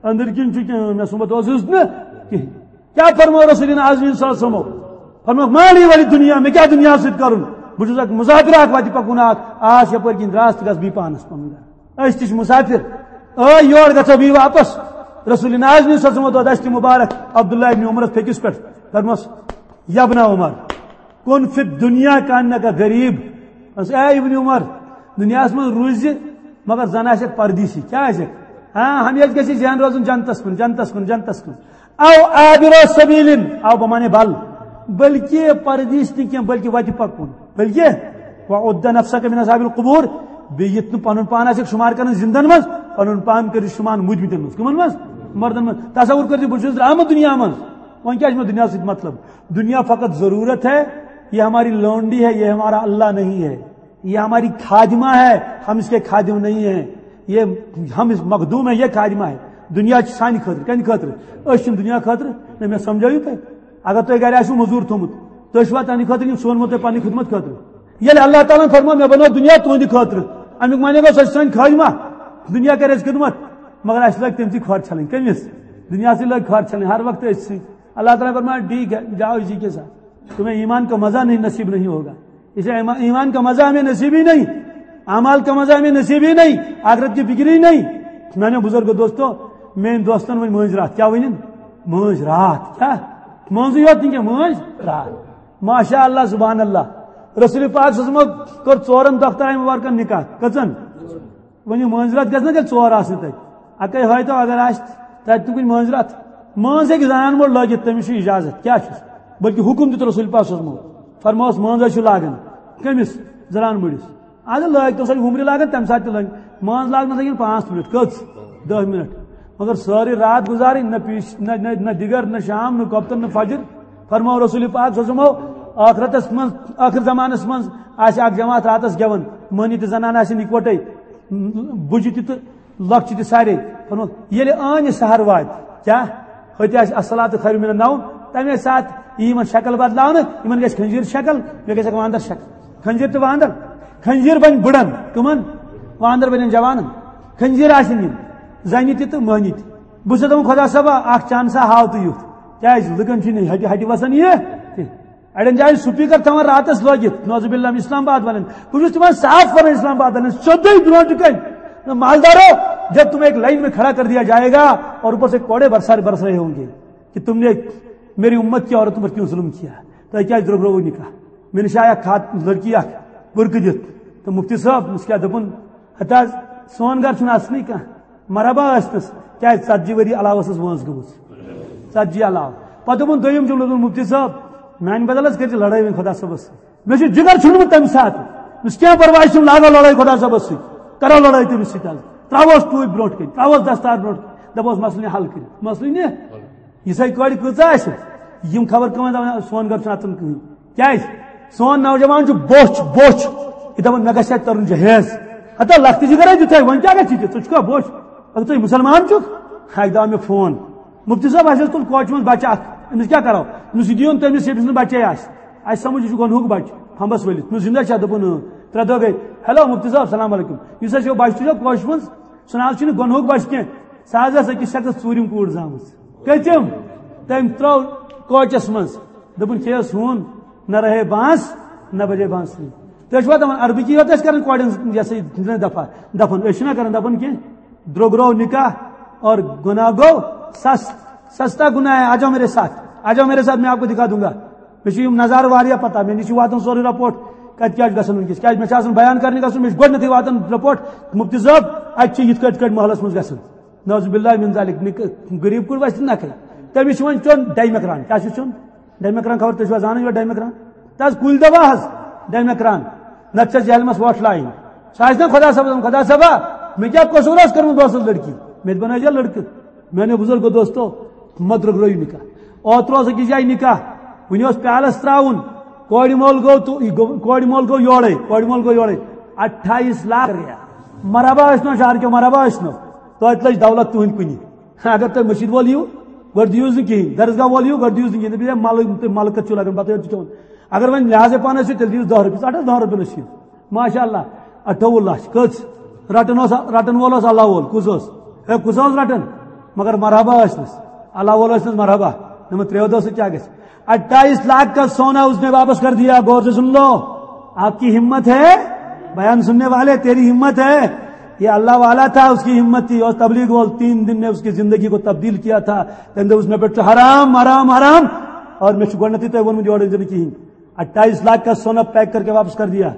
أنٛدٕرۍ کِنۍ چھُ کینٛہہ، مےٚ سُمبتھ اوسُس نہٕ کِہیٖنۍ۔ کیا فرمو رسول اعظم صلی اللہ علیہ وسلم؟ فرمو، "ما لی ولی دنیا، مےٚ کیٛاہ دُنیاہَس سۭتۍ کَرُن؟ بہٕ چھُس اکھ مسافر اکھ وَتہِ پَکُن اکھ، آس یَپٲرۍ کِنۍ دراس تہٕ گژھ بی پانَس پَنُن گرٕ۔ أسۍ تہِ چھِ مسافر، ٲے یور گژھو بی واپس۔" رسول اعظم صلی اللہ علیہ وسلم ووت دَستہِ مُبارک عبداللہ ابن عمرَس پھیٚکِس پٮ۪ٹھ، فرموس، "یا ابن عمر، کن فی الدنیا کانک غریب۔" اے ابن عمر، دُنیاہَس منٛز روٗزِ، مگر زَن آسٮ۪کھ پردیسی۔ کیٛاہ آسٮ۪کھ؟ ہاں، ہمیشہِ گژھِ ذہن روزُن جنتَس کُن، جنتَس کُن، جنتَس کُن۔ او عابر سبیل، او بہ معنی بل، بلکہ پردیس نہ کینٛہہ، بلکہ وتہِ پکُن، بلکہ وعد نفسک من اصحاب القبور، بیٚیہِ یِتھ نہٕ پنُن پان آسہِ شمار کران زندن منٛز، پنُن پان کٔرِو شمار مُدمتن منٛز۔ کمن منٛز؟ مردن منٛز۔ تصور کٔرِو، بہٕ چھُس درٛامُت دُنیا منٛز، وۄنۍ کیٛاہ چھُ مےٚ دُنیا سۭتۍ مطلب؟ دُنیا فقط ضرورت ہے، یہ ہماری لونڈی ہے، یہ ہمارا اللہ نہیں ہے۔ یہ ہماری خادمہ ہے، ہم اس کے خادم نہیں ہیں۔ یہ ہم اس مخدوم ہے، یہ خادمہ ہے۔ دنیا چھِ سانہِ خٲطرٕ، کَمہِ خٲطرٕ؟ أسۍ چھِنہٕ دُنیا خٲطرٕ۔ نہ، مےٚ سمجھٲیِو تُہۍ؟ اگر تۄہہِ گرِ آسِوٕ مٔزوٗر تھوٚمُت، تُہۍ چھِوا تَمہِ خٲطرٕ کِنہٕ سُہ اوٚنمُت تۄہہِ پننہِ خدمت خٲطرٕ؟ ییٚلہِ اللہ تعالیٰ ہن فرموو، "مےٚ بنوو دُنیا تُہنٛدِ خٲطرٕ"، اَمیُک معنی گوٚو، سۄ چھِ سٲنۍ خادمہ، دُنیا کرِ اَسہِ خدمت، مگر اَسہِ لٲگۍ تٔمۍ سٕے کھۄر چھلٕنۍ۔ کٔمِس؟ دُنیاہسٕے لٲگۍ کھۄر چھلٕنۍ ہر وقتہٕ أسۍ سٕے۔ اللہ تعالیٰ فرمایا، "ٹھیک ہے، جاؤ اسی کے ساتھ۔" تمہیں ایمان کا مزہ نہیں، نصیب نہیں ہوگا۔ اسے ایما-، ایمان کا مزہ ہمیں نصیب ہی نہیں، اعمال کا مزہ ہمیں نصیب ہی نہیں، آخرت کی فکر ہی نہیں۔ میانیو بزرگو دوستو، میٲنۍ دوستن ؤنۍ مٲنٛزۍ راتھ۔ کیٛاہ ؤنِن؟ مٲنٛزۍ راتھ۔ کیٛاہ؟ مٲنٛزٕے یوت نہٕ کینٛہہ، مٲنٛزۍ راتھ۔ ماشاء اللہ، سبحان اللہ۔ رسول پاک صلی اللہ علیہ وسلم کوٚر ژورن دۄخترن مبارکن نکاح۔ کٔژن؟ وۄنۍ یہِ مٲنٛزِ راتھ گژھِ نا تیٚلہِ ژور آسنہِ تَتہِ۔ اَکَے ہٲیتو اگر آسہِ تَتہِ تہِ کُنہِ مٲنٛزِ راتھ۔ مٲنٛز ہیٚکہِ زنان موٚڑ لٲگِتھ، تٔمِس چھُ اِجازت۔ کیٛاہ چھُس؟ بلکہِ حُکُم دیُت رسول پاک صلی اللہ علیہ وسلم۔ فرمووُس، مٲنٛز حظ چھُ لاگان۔ کٔمِس؟ زنان مٔڑِس۔ اَدٕ لٲگۍ تو سۄ وُمرِ لاگان، تَمہِ ساتہٕ تہِ لٲگۍ۔ مٲنٛز لاگنَس لَگن پانٛژھ مِنٹ۔ کٔژ؟ دَہ مِنٹ۔ مگر سٲرٕے راتھ گُزارٕنۍ، نہ پیٖش، نہ، نہ، نہ دِگر، نہ شام، نہ کۄپتن، نہ فجر۔ فرموو رسول پاک صلی اللہ علیہ وسلم، ٲخرتس منٛز، ٲخر زمانس منٛز آسہِ اکھ جماعت راتس گٮ۪وان، مٔہنی تہٕ زنان آسن اِکوٹے، بُجہِ تہِ تہٕ لۄکچہِ تہِ سارے۔ فرموو، ییٚلہِ ٲنۍ یہِ سحر واتہِ، کیٛاہ؟ ہوٚتہِ آسہِ الصلاۃ خیر من النوم، تَمے ساتہٕ یی یِمن شکل بدلاونہٕ، یِمن گژھِ خنزیر شکل، مےٚ گژھِ اکھ واندر شکل۔ خنزیر تہٕ واندر، خنزیر بنہِ بٕڑن، کٕمن؟ واندر بنن جوانن۔ خنزیر آسن یِم، زنہِ تہِ تہٕ مٔہنی تہِ۔ بہٕ چھُس دَپان، خۄدا صٲبا، اکھ چانسا ہاو تہٕ یُتھ۔ کیٛازِ؟ لُکن چھُنہٕ ہٹہِ ہٹہِ وسان یہِ کینٛہہ۔ اڑٮ۪ن جاین سپیکر تھاوان راتس لٲگِتھ، نعوذ باللہ، اسلام آباد والٮ۪ن۔ بہٕ چھُس تِمن صاف کران، اسلام آباد والٮ۪ن، سیوٚدُے برونٛٹھ کَنہِ۔ مالدارو، جب تمہیں ایک لائن میں کھڑا کر دیا جائے گا اور اوپر سے کوڑے برسا برس رہے ہوں گے کہ تم نے میری امت کی عورتوں پر کیوں ظلم کیا، تۄہہِ کیٛازِ درٛوٚگرووُ نکاح؟ مےٚ نِش آیہِ اکھ خات-، لڑکی اکھ بُرقہٕ دِتھ۔ تہٕ مفتی صٲب، مےٚ چھُس کیٛاہ دوٚپُن، ہتہٕ حظ، سون گرٕ چھُنہٕ اصلٕے کانٛہہ۔ مرحبا ٲسنَس، کیٛازِ ژتجی ؤری علاوٕ ٲسٕس وٲنٛس گٔمٕژ۔ ژتجی علاوٕ۔ پتہٕ دوٚپُن دوٚیِم جملہٕ، دوٚپُن، مفتی صٲب، میٛانہِ بدل حظ کٔرۍزِ لڑٲے وۄنۍ خۄدا صٲبَس سۭتۍ۔ مےٚ چھُ جِگر چھُنہٕ تٔمۍ ساتہٕ۔ مےٚ چھُس کینٛہہ پرواے چھُنہٕ، لاگو لڑٲے خۄدا صٲبَس سۭتۍ۔ کرو لڑٲے تٔمِس سۭتۍ حظ۔ ترٛاووس ٹوٗپۍ برونٛٹھ کَنہِ، ترٛاووس دستار برونٛٹھ کَنہِ۔ دَپوس مسلہٕ نہِ حل کٔرِتھ۔ مسلہٕ نہِ۔ یِژھے کورِ کۭژاہ آسہِ؟ یِم خبر کٕمن دپان، سون گرٕ چھُنہٕ اژان کٕہٕنۍ۔ کیازِ؟ سون نوجوان چھُ بوچھ، بوچھ۔ یہِ دپان، مےٚ گژھِ اَتہِ ترُن جہیز۔ ہتا لۄکٹہِ جگرے دیُت ہے، وۄنۍ کیٛاہ گژھِ ژےٚ؟ ژٕ چھُکھا بوچھ؟ اگر ژٕ مُسلمان چھُکھ؟ اکہِ دۄہ آو مےٚ فون۔ مفتی صٲب، اَسہِ حظ تُل کوچہِ منٛز بچہٕ اکھ۔ أمِس کیٛاہ کرو؟ أمِس یہِ دِیُن تٔمِس، ییٚمِس نہٕ بچے آسہِ۔ اَسہِ سمجھ، یہِ چھُ گۄنہُک بچہٕ، پھمبس ؤلِتھ۔ مےٚ زِندہ چھا؟ دوٚپُن، اۭں۔ ترٛےٚ دۄہ گٔے۔ ہیلو مفتی صٲب، السلام علیکم۔ یُس اَسہِ یہِ بچہٕ تُجو کوچہِ منٛز، سُہ نہ حظ چھُنہٕ گۄنہُک بچہٕ کینٛہہ۔ سُہ حظ ٲس أکِس شخصس ژوٗرِم کوٗر زامٕژ۔ کٔژِم؟ تٔمۍ ترٛٲو کوچس منٛز۔ دوٚپُن، کھیٚیَس ہوٗن، نہ رہے بانس، نہ بجے بانسری۔ تُہۍ چھِوا دَپان، عربٕکی یوت ٲسۍ کران کورٮ۪ن، یہِ ہسا یہِ، دفع، دفن؟ أسۍ چھِنہ کران دفن کینٛہہ۔ درٛوٚگ روو نکاح اور گۄناہ گوٚو سس-، سستا گناہ ہے۔ آ جاؤ میرے ساتھ، آ جاؤ میرے ساتھ، میں آپ کو دکھا دوں گا۔ مےٚ چھُ یِم نظارٕ واریاہ پتہ، مےٚ نِش چھُ واتان سورُے رپورٹ، کتہِ کیٛاہ چھُ گژھان وٕنکیٚس۔ کیٛازِ مےٚ چھُ آسان بیان کرنہِ گژھُن، مےٚ چھُ گۄڈٕنیتھٕے واتان رپورٹ، مفتی صٲب، اتہِ چھِ یِتھ کٲٹھۍ، یِتھ کٲٹھۍ محلس منٛز گژھان۔ نعوذ باللہ من ذالک، نِک-، غریب کُڑ وَسہِ نکھے۔ تٔمِس چھُ وۄنۍ چیوٚن ڈایمکران۔ کیٛاہ چھُ چیوٚن؟ ڈایمکران خبر تُہۍ چھِوا زانان یہِ ڈایمکران؟ تہٕ حظ کُلۍ دوا حظ، ڈایمکران۔ نتہٕ چھَس جہلمس وۄٹھ لایِنۍ۔ سُہ آسہِ نا خۄدا صٲبس وَنان، خۄدا صٲبا، مےٚ کیٛاہ قصوٗر اوس کوٚرمُت، بہٕ اوسُس لڑکی، مےٚ تہِ بنٲے زِ لڑکہٕ۔ میانیو بزرگو دوستو، مہ درٛوٚگرٲیِو نکاح۔ اوترٕ اوس أکِس جایہِ نکاح، وُنہِ اوس پیالس ترٛاوُن، کورِ مول گوٚو تہٕ یہِ گوٚو، کورِ مول گوٚو یورے، کورِ مول گوٚو یورے۔ اٹھائیس لاکھ۔ مرحبا ٲسۍ نو شہر کیو، مرحبا ٲسۍ نو۔ توتہِ لٔج دولت تُہنٛدِ کُنہِ۔ اگر تُہۍ مسجد وول یِیِو، گۄڈٕ دِیِو نہٕ کِہیٖنۍ، درسگاہ وول یِیِو، گۄڈٕ دِیِو نہٕ کِہیٖنۍ۔ دَپہِ، ہے، مَلہٕ، تُہۍ مَلہٕ کَتہِ چھِو لَگان، پَتہٕ چھُ کھیوٚن۔ اگر وۄنۍ لحاظے پانَس چھِ، تیٚلہِ دِیِو دَہ رۄپیہِ، اَٹھ حظ دَہَن رۄپیَن ٲسِو۔ ماشاء اللہ، اَٹھووُہ لَچھ۔ کٔژ؟ رَٹَن اوس، رَٹَن وول اوس اللہ وول۔ کُس اوس؟ ہے، کُس اوس رَٹان؟ مگر مرحبا ٲسنَس۔ اللہ وول ٲسنَس مرحبا۔ دوٚپمَس، ترٛیو دۄہو سۭتۍ کیٛاہ گژھِ؟ اٹھائیس لاکھ کا سونا اس نے واپس کر دیا، غور سے سن لو۔ آپ کی ہمت ہے؟ بیان سننے والے، تیری ہمت ہے؟ یہ اللہ والا تھا، اس کی ہمت تھی، اور تبلیغ وول، تین دن نے اس کی زندگی کو تبدیل کیا تھا۔ تمہِ دوٚپ، اس میں پٮ۪ٹھ چھُ حرام، حرام، حرام۔ اور مےٚ چھُ گۄڈٕنیتھٕے تۄہہِ ووٚنمُت، یورٕ أنۍ زِ نہٕ کِہیٖنۍ۔ اٹھائیس لاکھ کا سونا پیک کر کے واپس کر دیا۔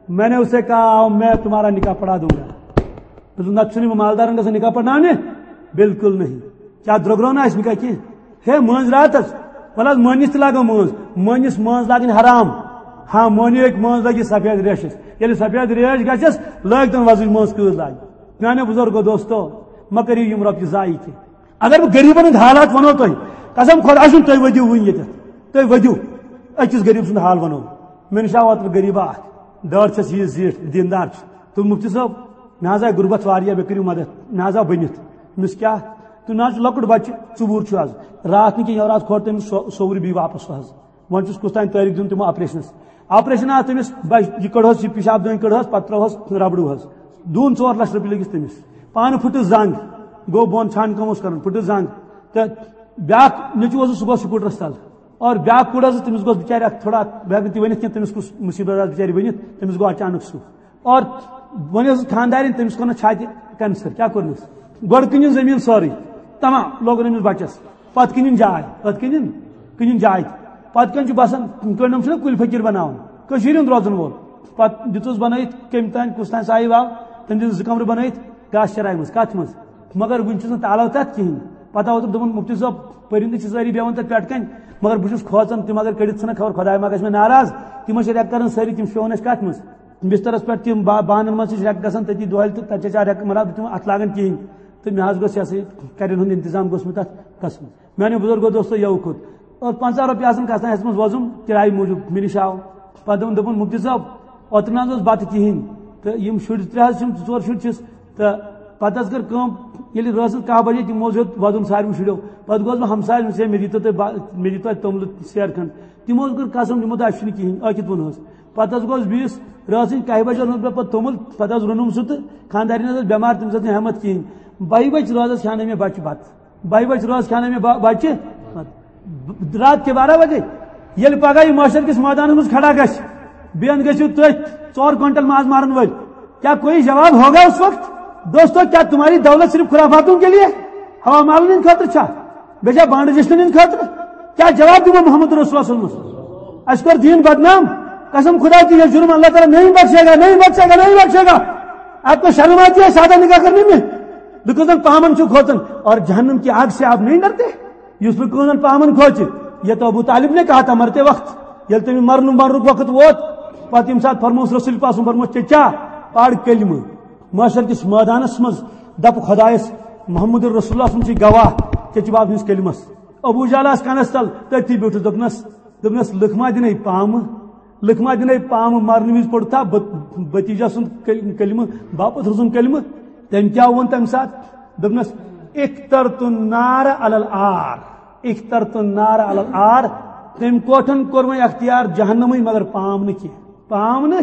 میں نے اسے کہا، آؤ، میں تمہارا نکاح پڑھا دوں گا۔ دوٚپُن، نتہٕ چھُنہٕ یِمن مالدارن گژھان نکاح پرناونہِ؟ بالکل نہیں۔ کیٛاہ درٛوٚگ روو نہ اَسہِ نکاح کینٛہہ؟ ہے، مٲنٛز راتس، وَلہٕ حظ، مٲنِس تہِ لاگو مٲنٛز۔ مٲنِس مٲنٛز لاگٕنۍ حرام۔ ہاں، مٲنِو ہیٚکہِ مٲنٛز لٲگِتھ سفید ریشس۔ ییٚلہِ سفید ریش گژھٮ۪س، لٲگۍ تن وۄزٕج مٲنٛز کۭژ لاگہِ۔ میانیو بزرگو دوستو، مہ کٔرِو یِم رۄپیہِ ضایع کینٛہہ۔ اگر بہٕ غریٖبن ہٕنٛدۍ حالات ونو تۄہہِ، قسم خۄداے سُنٛد، تُہۍ ؤدِو وُنۍ ییٚتٮ۪تھ۔ تُہۍ ؤدِو، أکِس غریٖب سُنٛد حال ونو۔ مےٚ نِش آو اوترٕ غریٖبا اکھ، دٲر چھَس یہِ زِٹھ، دیٖندار چھُ۔ تہٕ مُفتی صٲب، مےٚ حظ آیہِ غُربت واریاہ، مےٚ کٔرِو مدد۔ مےٚ حظ آو بٔنِتھ۔ مےٚ ووٚنُس، کیٛاہ؟ تہٕ مےٚ حظ چھُ لۄکُٹ بچہٕ، ژوٗر چھُ حظ۔ راتھ نہٕ کینٛہہ، یورٕ حظ کھوٚر تٔمِس سو-، سورُے بیٚیہِ واپس سُہ حظ۔ وۄنۍ چھُس کُس تام تٲریٖخ دیُن تِمو آپریشنس۔ آپریشن آو تٔمِس، بچ-، یہِ کٔڑہوس، یہِ پِشاب دٲنۍ کٔڑہوس، پتہٕ ترٛٲوہوس ربڑوٗ حظ۔ دوٗن ژور لچھ رۄپیہِ لٔگِس تٔمِس۔ پانہٕ پھٕٹٕس زنٛگ، گوٚو بۄن، ژھانٛڈ کٲم اوس کران، پھٕٹٕس زنٛگ۔ تہٕ بیٛاکھ نیٚچوٗ اوسُس، سُہ گوٚو سکوٗٹرس تل۔ اور بیٛاکھ کوٗر ٲسٕس، تٔمِس گوٚژھ بِچارِ اکھ تھوڑا، بہٕ ہٮ۪کہٕ نہٕ تہِ ؤنِتھ کینٛہہ، تٔمِس کُس مُصیبت آسہِ بِچارِ ؤنِتھ، تٔمِس گوٚو اچانک سُہ۔ اور وۄنۍ ٲسٕس خانٛدارِنۍ، تٔمِس کوٚر نہٕ چھاتہِ کینسر، کیٛاہ کوٚرنَس؟ گۄڈٕ کٕنِن زٔمیٖن سٲرٕے، تمام لوگُن أمِس بَچَس، پَتہٕ کٕنِن جاے، پَتہٕ کٕنِن، کٕنِن جاے تہِ۔ پَتہٕ کَنہِ چھُ بَسان، کٔنڈم چھُنہ کُلۍ فقیٖر بَناوان، کٔشیٖرِ ہُنٛد روزَن وول۔ پَتہٕ دیُتُس بَنٲیِتھ، کٔمۍ تام کُس تام صاحب آو، تٔمۍ دِژ زٕ کمرٕ بنٲیِتھ گاسہٕ چراے منٛز، کتھ منٛز؟ مگر وُنہِ چھُس نہٕ تالو تتھ کِہینۍ۔ پتہٕ آو تِم دوٚپُن، مفتی صٲب، پٔرِندٕ چھِ سٲری بیٚہوان تتھ پٮ۪ٹھ کنہِ، مگر بہٕ چھُس کھوژان تِم اگر کٔڑِتھ ژھٕنن، خبر خۄداے ما گژھِ مےٚ ناراض۔ تِم ٲسۍ ریٚکہٕ کران سٲری، تِم شیٚہون ٲسۍ کتھ منٛز؟ بسترس پٮ۪ٹھ تِم با-، بانن منٛز چھِ ریٚکہٕ گژھان تٔتی دۄہلہِ تہٕ تتہِ چھِ أسۍ ریٚکہٕ، مطلب، تِم اتھٕ لاگان کِہینۍ۔ تہٕ مےٚ حظ گوٚژھ یہِ ہسا یہِ کرٮ۪ن ہُنٛد انتظام گوٚژھ مےٚ تتھ گژھُن۔ میانیو بُزرگو دوستو، یَوٕ کھوٚت۔ اور پنٛژاہ رۄپیہِ آسن کھسان ہیٚژمٕژ وۄزُم کِرایہِ موٗجوٗب۔ مےٚ نِش آو۔ پتہٕ دوٚپُن، دوٚپُن، مفتی صٲب، اوترٕ نہ حظ اوس بتہٕ کِہینۍ۔ تہٕ یِم شُرۍ ترٛےٚ حظ چھِم، زٕ ژور شُرۍ چھِس۔ تہٕ پتہٕ حظ کٔر کٲم، ییٚلہِ رٲژ ہٕنٛز کاہ بجے، تِمو حظ ہیوٚت وۄزُم ساروٕے شُرٮ۪و۔ پتہٕ گوس بہٕ ہمسایَس نِش، ہے، مےٚ دِتو تُہۍ با-، مےٚ دِتو اَتہِ توٚملہٕ سیر کھنٛڈ۔ تِمو حظ کٔر قسم، دوٚپمو، تۄہہِ چھُنہٕ کِہینۍ، ٲکھِتھ ووٚن حظ۔ پتہٕ حظ گوس بیٚیِس، رٲژ ہٕنٛزِ کاہہِ بجہِ اوٚنمُت مےٚ پتہٕ توٚمُل، پتہٕ حظ روٚنُم سُہ تہٕ خانٛدارِنۍ حظ ٲس بٮ۪مار، تٔمِس ٲس نہٕ ہٮ۪متھ کِہینۍ۔ بَہہِ بجہِ رٲژ حظ کھیٛانٲے مےٚ بچہِ بتہٕ۔ بَہہِ بجہِ رٲژ کھیٛانٲے مےٚ با-، بچہِ۔ رات کے بارہ بجے۔ ییٚلہِ پگاہ یہِ محشر کِس مٲدانس منٛز کھڑا گژھِ، بیٚیہِ گٔژھِو تُہۍ ژور کوینٹل ماز مارن وٲلۍ۔ کیا کوئی جواب ہوگا اس وقت؟ دوستو، کیا تمہاری دولت صرف خرافاتوں کے لیے، ہوا مالن ہٕنٛدِ خٲطرٕ چھا؟ بیٚیہِ چھا بانڈٕ جشنن ہٕنٛدِ خٲطرٕ؟ کیا جواب دِمو محمد رسول اللہ صلی اللہ علیہ وسلم؟ اَسہِ کوٚر دیٖن بدنام۔ قسم خدا کی، یہ جرم اللہ تعالیٰ نہیں بخشے گا، نہیں بخشے گا، نہیں بخشے گا۔ آپ کو شرم آتی ہے سادہ نکاح کرنے میں؟ لوگوں پامن چھو کھوتن اور جہنم کی آگ سے آپ نہیں ڈرتے؟ یُس نہٕ کٕہٕنۍ پامن کھوژِ۔ یہِ تو ابو طالب نے کہا تھا مرتے وقت، ییٚلہِ تٔمِس مرنُک، مرنُک وقت ووت، پتہٕ ییٚمہِ ساتہٕ فرموس رسول پاک سُنٛد، فرموس، "چچا، پَر کلمہٕ۔ محشر کِس مٲدانس منٛز دَپہٕ خۄدایس، محمد رسول اللہ سُنٛد چھُے گواہ، چچہِ باب سٕنٛدِس کلمس۔" ابو جہل آس کنس تل، تٔتھی بیوٗٹھُس، دوٚپنس، دوٚپنس، "لُکھ ما دِنے پامہٕ؟" لکھ ما دِنے پامہٕ، مرنہٕ وِزِ پوٚرتھا بت-، بتیجا سُنٛد کل-، کلمہٕ، باپتھ سُنٛد کلمہٕ؟ تٔمۍ کیٛاہ ووٚن تَمہِ ساتہٕ؟ دوٚپنس، "اخترت النار علی العار، اخترت النار علی العار۔" تٔمۍ کوٹھن کوٚر وۄنۍ اختیار جہنمٕے، مگر پام نہٕ کینٛہہ، پام نہٕ۔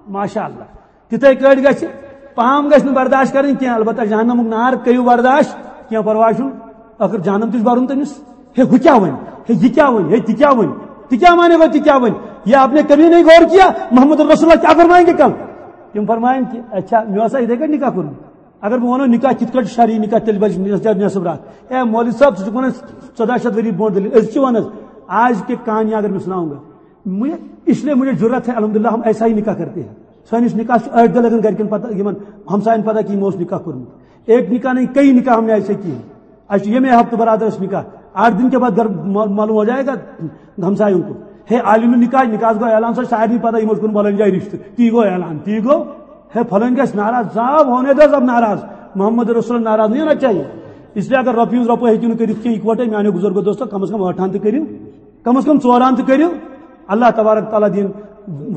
ماشاء اللہ، تِتھے کٲٹھۍ گژھِ، پام گژھِ نہٕ برداشت کرٕنۍ کینٛہہ، البتہ جہنمُک نار کٔرِو برداشت، کینٛہہ پرواے چھُنہٕ، ٲخر جہنم تہِ چھُ برُن تٔمِس۔ ہے، ہُہ کیٛاہ وَنہِ؟ ہے، یہِ کیٛاہ وَنہِ؟ ہے، تہِ کیٛاہ وَنہِ؟ تہِ کیٛاہ مانے گا، تہِ کیٛاہ وَنہِ؟ یہ آپ نے کبھی نہیں غور کیا؟ محمد رسول اللہ کیا فرمائیں گے کل؟ تِم فرمایَن کہِ، اچھا، مےٚ اوسا یِتھَے کٔٹھۍ نکاح کوٚرمُت؟ اگر بہٕ وَنو نکاح کِتھ کٔٹھۍ چھُ شرعی نکاح، تیٚلہِ بَچہِ نٮ۪ص-، نٮ۪صٕف راتھ۔ اے مولوی صٲب، ژٕ چھُکھ وَنان ژۄداہ شیٚتھ ؤری برونٛٹھ دٔلیٖل، أزۍ چھِ وَنان، آج کے کہانی اگر میں سناؤں گا، مجھے، اس لیے مجھے جرأت ہے، الحمدللہ ہم ایسا ہی نکاح کرتے ہیں۔ سٲنِس نکاحس چھُ أڑۍ دۄہ لگان گرِکٮ۪ن پتہ، یِمن ہمساین پتہ کہِ یِمو اوس نکاح کوٚرمُت۔ ایک نکاح نہیں، کئی نکاح ہم نے ایسے کیے ہیں۔ اَسہِ چھُ ییٚمے ہفتہٕ برادرس نکاح، آٹھ دن کے بعد گھر ما-، معلوم ہو جائے گا ہمسایوں کو۔ ہے عالم نکاح، نکاحس گوٚو اعلان، سُہ چھُ سارنٕے پتہ یِمو چھُ کوٚرمُت، فلٲنۍ جایہِ رشتہٕ، تی گوٚو اعلان، تی گوٚو۔ ہے فلٲنۍ گژھِ ناراض، صاف ہونے دو سب ناراض، محمد رسول ناراض نہیں ہونا چاہیے۔ اس لیے اگر رۄپیہِ ہٕنٛز رۄپَے ہیٚکِو نہٕ کٔرِتھ کینٛہہ اِکوٹے، میانیو بُزرگو دوستو، کم از کم ٲٹھن تہِ کٔرِو۔ کم از کم ژوران تہِ کٔرِو۔ اللہ تبارک تعالیٰ دِیِن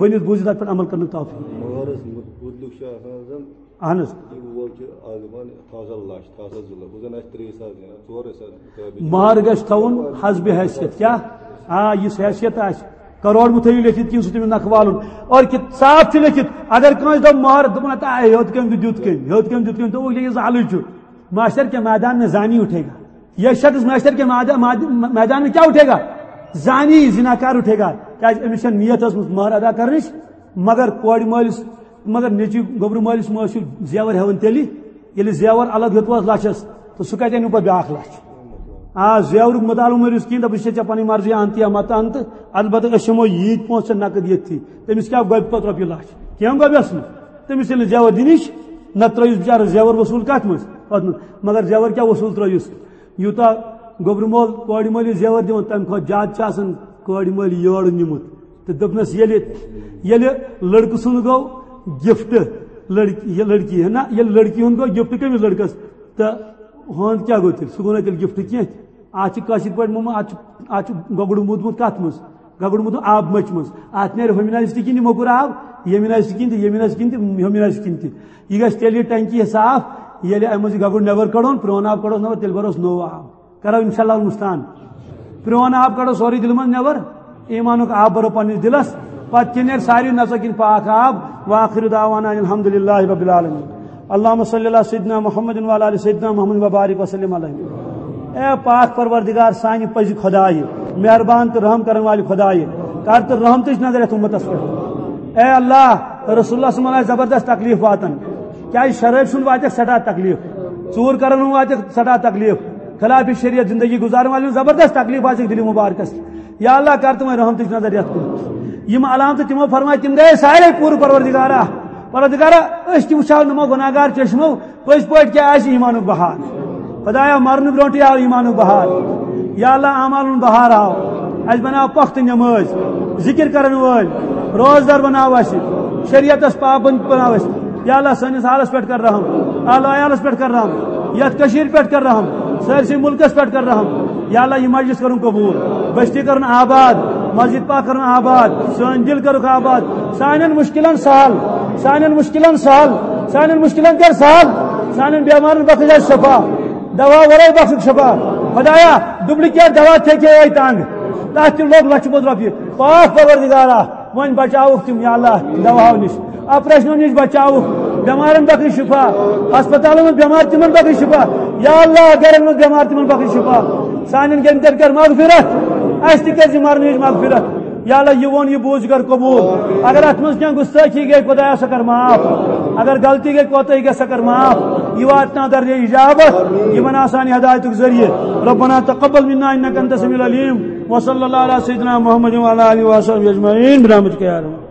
ؤنِتھ بوٗزِتھ اَتھ پٮ۪ٹھ عمل کرنُک توفیٖق۔ مہرس مُتعلق چھُ آسان زن اہن حظ۔ یہِ وول چھُ آز دَپان، تھاو سا لَچھ، تھاو سا زٕ لَچھ، بہٕ زن آسہِ ترٛےٚ ساس دِوان، ژورے ساس مُطٲبِق۔ مہر گژھِ تھاوُن حسبِ حیثیت۔ کیٛاہ؟ آ، یُس حیثیت آسہِ۔ کروڑ مُتھٲیِو لیکھِتھ کِنہٕ سُہ تٔمِس نکھٕ والُن۔ اور کہِ صاف چھُ لیکھِتھ، اگر کٲنٛسہِ دوٚپ مہر، دوٚپُن، ہتا، ہے، ہیوٚت کٔمۍ تہِ دیُت کٔمۍ، ہیوٚت کٔمۍ دیُت کٔمۍ، دوٚپُکھ، یہِ زالٕے چھُ۔ محشر کے میدان میں زانی اٹھے گا۔ یہ شخص محشر کے ماد-، ماد-، میدان میں کیا اٹھے گا؟ زانی، زناکار اٹھے گا۔ کیازِ أمِس چھےٚ نیت ٲسمٕژ مہر ادا کرنٕچ، مگر کورِ مٲلِس، مگر نیٚچوۍ گوٚبرٕ مٲلِس مٲلِس چھُ زیور ہٮ۪وان تیٚلہِ، ییٚلہِ زیور الگ ہیوٚتوس لَچھَس، تہٕ سُہ کَتہِ اَنیو پَتہٕ بیٛاکھ لَچھ؟ آ، زیورُک مُطالعہٕ مٲرِو کِہیٖنۍ، دَپُن، "ژےٚ چھےٚ پَنٕنۍ مرضی، اَن تہٕ یا مَتہٕ اَن تہٕ، البتہ أسۍ ہٮ۪مو ییٖتۍ پونٛسہٕ ژےٚ نقد ییٚتھی۔" تٔمِس کیٛاہ گۄبہِ پَتہٕ رۄپیہِ لَچھ؟ کینٛہہ گۄبٮ۪س نہٕ۔ تٔمِس ییٚلہِ نہٕ زیور دِنٕچ، نَتہٕ ترٛٲیِس بِچارَس زیور وصوٗل کَتھ منٛز؟ پَتہٕ نہٕ۔ مگر زیور کیٛاہ وصوٗل ترٛٲیِس؟ یوٗتاہ گوٚبرٕ مول کورِ مٲلِس زیور دِوان، تَمہِ کھۄتہٕ زیادٕ چھُ آسان کورِ مٲلۍ یورٕ نیوٗمُت۔ تہٕ دوٚپنَس، ییٚلہِ، ییٚلہِ لٔڑکہٕ سُنٛد گوٚو gift، لڑکی، یہ لڑکی ہے نا، ییٚلہِ لڑکی ہُنٛد گوٚو gift کٔمِس لڑکَس؟ تہٕ ہُہُنٛد کیٛاہ گوٚو تیٚلہِ؟ سُہ گوٚو نہٕ تیٚلہِ gift کینٛہہ۔ اَتھ چھِ کٲشِر پٲٹھۍ مومہٕ، اَتھ چھُ، اَتھ چھُ گۄگُر موٗدمُت کَتھ منٛز؟ گۄگُر موٗدمُت آب مٔچھِ منٛز۔ اَتھ نیرِ ہُمہِ نَسہِ تہِ کِنۍ یہِ موٚکُر آب، ییٚمہِ نَسہِ تہِ کِنۍ تہِ، ییٚمہِ نَسہِ تِنۍ تہِ، ہُمہِ نَسہِ تِنۍ تہِ۔ یہِ گژھِ تیٚلہِ یہِ ٹنکی صاف، ییٚلہِ اَمہِ منٛز یہِ گۄگُر نٮ۪بر کَڑون، پرٛون آب کَڑوس نٮ۪بر، تیٚلہِ بَروس نوٚو آب۔ کرو انشاءاللہ المستعان۔ پرون آب کڑو سورُے دِلہِ منٛز نٮ۪بر، ایمانُک آب برو پننِس دِلس، پتہٕ کِنۍ نیرِ ساروی نژو کِنۍ پاک آب۔ وآخر دعوانا ان الحمد للہ رب العالمین۔ اللہم صلی علی سیدنا محمد وعلی آل سیدنا محمد وبارک وسلم علیہ۔ اے پاک پروردگار، سانہِ پزِ خدایہِ، مہربان تہٕ رحم کرن والہِ خدایہِ، کر تہٕ رحمتٕچ نظر یتھ امتس پٮ۪ٹھ۔ اے اللہ، رسول اللہ صلی اللہ علیہ وسلم آسہِ زبردست تکلیف واتان، کیازِ شرٲبۍ سُنٛد واتٮ۪کھ سٮ۪ٹھاہ تکلیف، ژوٗر کرن ہُنٛد واتٮ۪کھ سٮ۪ٹھاہ تکلیف، خلاف شریعت زندگی گزارن والٮ۪ن زبردست تکلیف آسہِ دِلہِ مبارکس۔ یا اللہ، کر تِمن رحمتٕچ نظر یتھ کُن۔ یِم علامتہٕ تِمو فرمایہِ، تِم گٔے سارے پوٗرٕ، پروردگارا۔ پروردگارا، أسۍ تہِ وٕچھو نہٕ یِمو گۄناہگار چشمو پٔزۍ پٲٹھۍ کیٛاہ آسہِ ایٖمانُک بہار۔ خۄدایا، مرنہٕ برونٛٹھٕے آو ایٖمانُک بہار۔ یا اللہ، اعمالُن بہار آو۔ اَسہِ بناو پۄختہٕ نٮ۪مٲز، ذِکِر کرن وٲلۍ، روزدار بناو اَسہِ، شریعتس پابند بناو اَسہِ۔ یا اللہ، سٲنِس حالس پٮ۪ٹھ کر رحم، اہل عیالس پٮ۪ٹھ کر رحم، یتھ کٔشیٖرِ پٮ۪ٹھ کر رحم، سٲرسٕے مُلکس پٮ۪ٹھ کر رحم۔ یا اللہ، یہِ مجلس کرُن قبوٗل، بستی کرُن آباد، مسجد پاک کرُن آباد، سٲنۍ دِل کرُکھ آباد، سانٮ۪ن مُشکِلن سہل، سانٮ۪ن مُشکِلن سہل، سانٮ۪ن مُشکِلن کر سہل، سانٮ۪ن بٮ۪مارن بخش اَسہِ شفا، دوا ورٲے بخشُکھ شفا۔ خۄدایا، duplicate دوا تھے کے ٲے تنگ، تتھ تہِ لوٚگ لچھِ بوٚد رۄپیہِ۔ پاک پروردگارا، وۄنۍ بچاوُکھ تِم یا اللہ دواہو نِش، آپریشنو نِش بچاوُکھ، بٮ۪مارن بخش شفا، ہسپتالن منٛز بٮ۪مار تِمن بخش شفا۔ یا اللہ، گرن منٛز بٮ۪مار تِمن بخش شفا۔ سانٮ۪ن گرٮ۪ن کر مغفرت، اَسہِ تہِ کر زِ مرنٕچ مغفرت۔ یا اللہ، یہِ ووٚن، یہِ بوٗز، یہِ کر قبوٗل۔ اگر اتھ منٛز کینٛہہ گُستٲخی گٔے، خۄدایا، سۄ کر معاف۔ اگر غلطی گٔے، کوتاہی گٔے، سۄ کر معاف۔ یہِ واتناو درجہ اجابت، یہِ بناو سانہِ ہدایتُک ذٔریعہٕ۔ ربنا تقبل منا انك انت السميع العليم۔ وصلى الله على سيدنا محمد وعلى آله وصحبه أجمعين برحمتك يا أرحم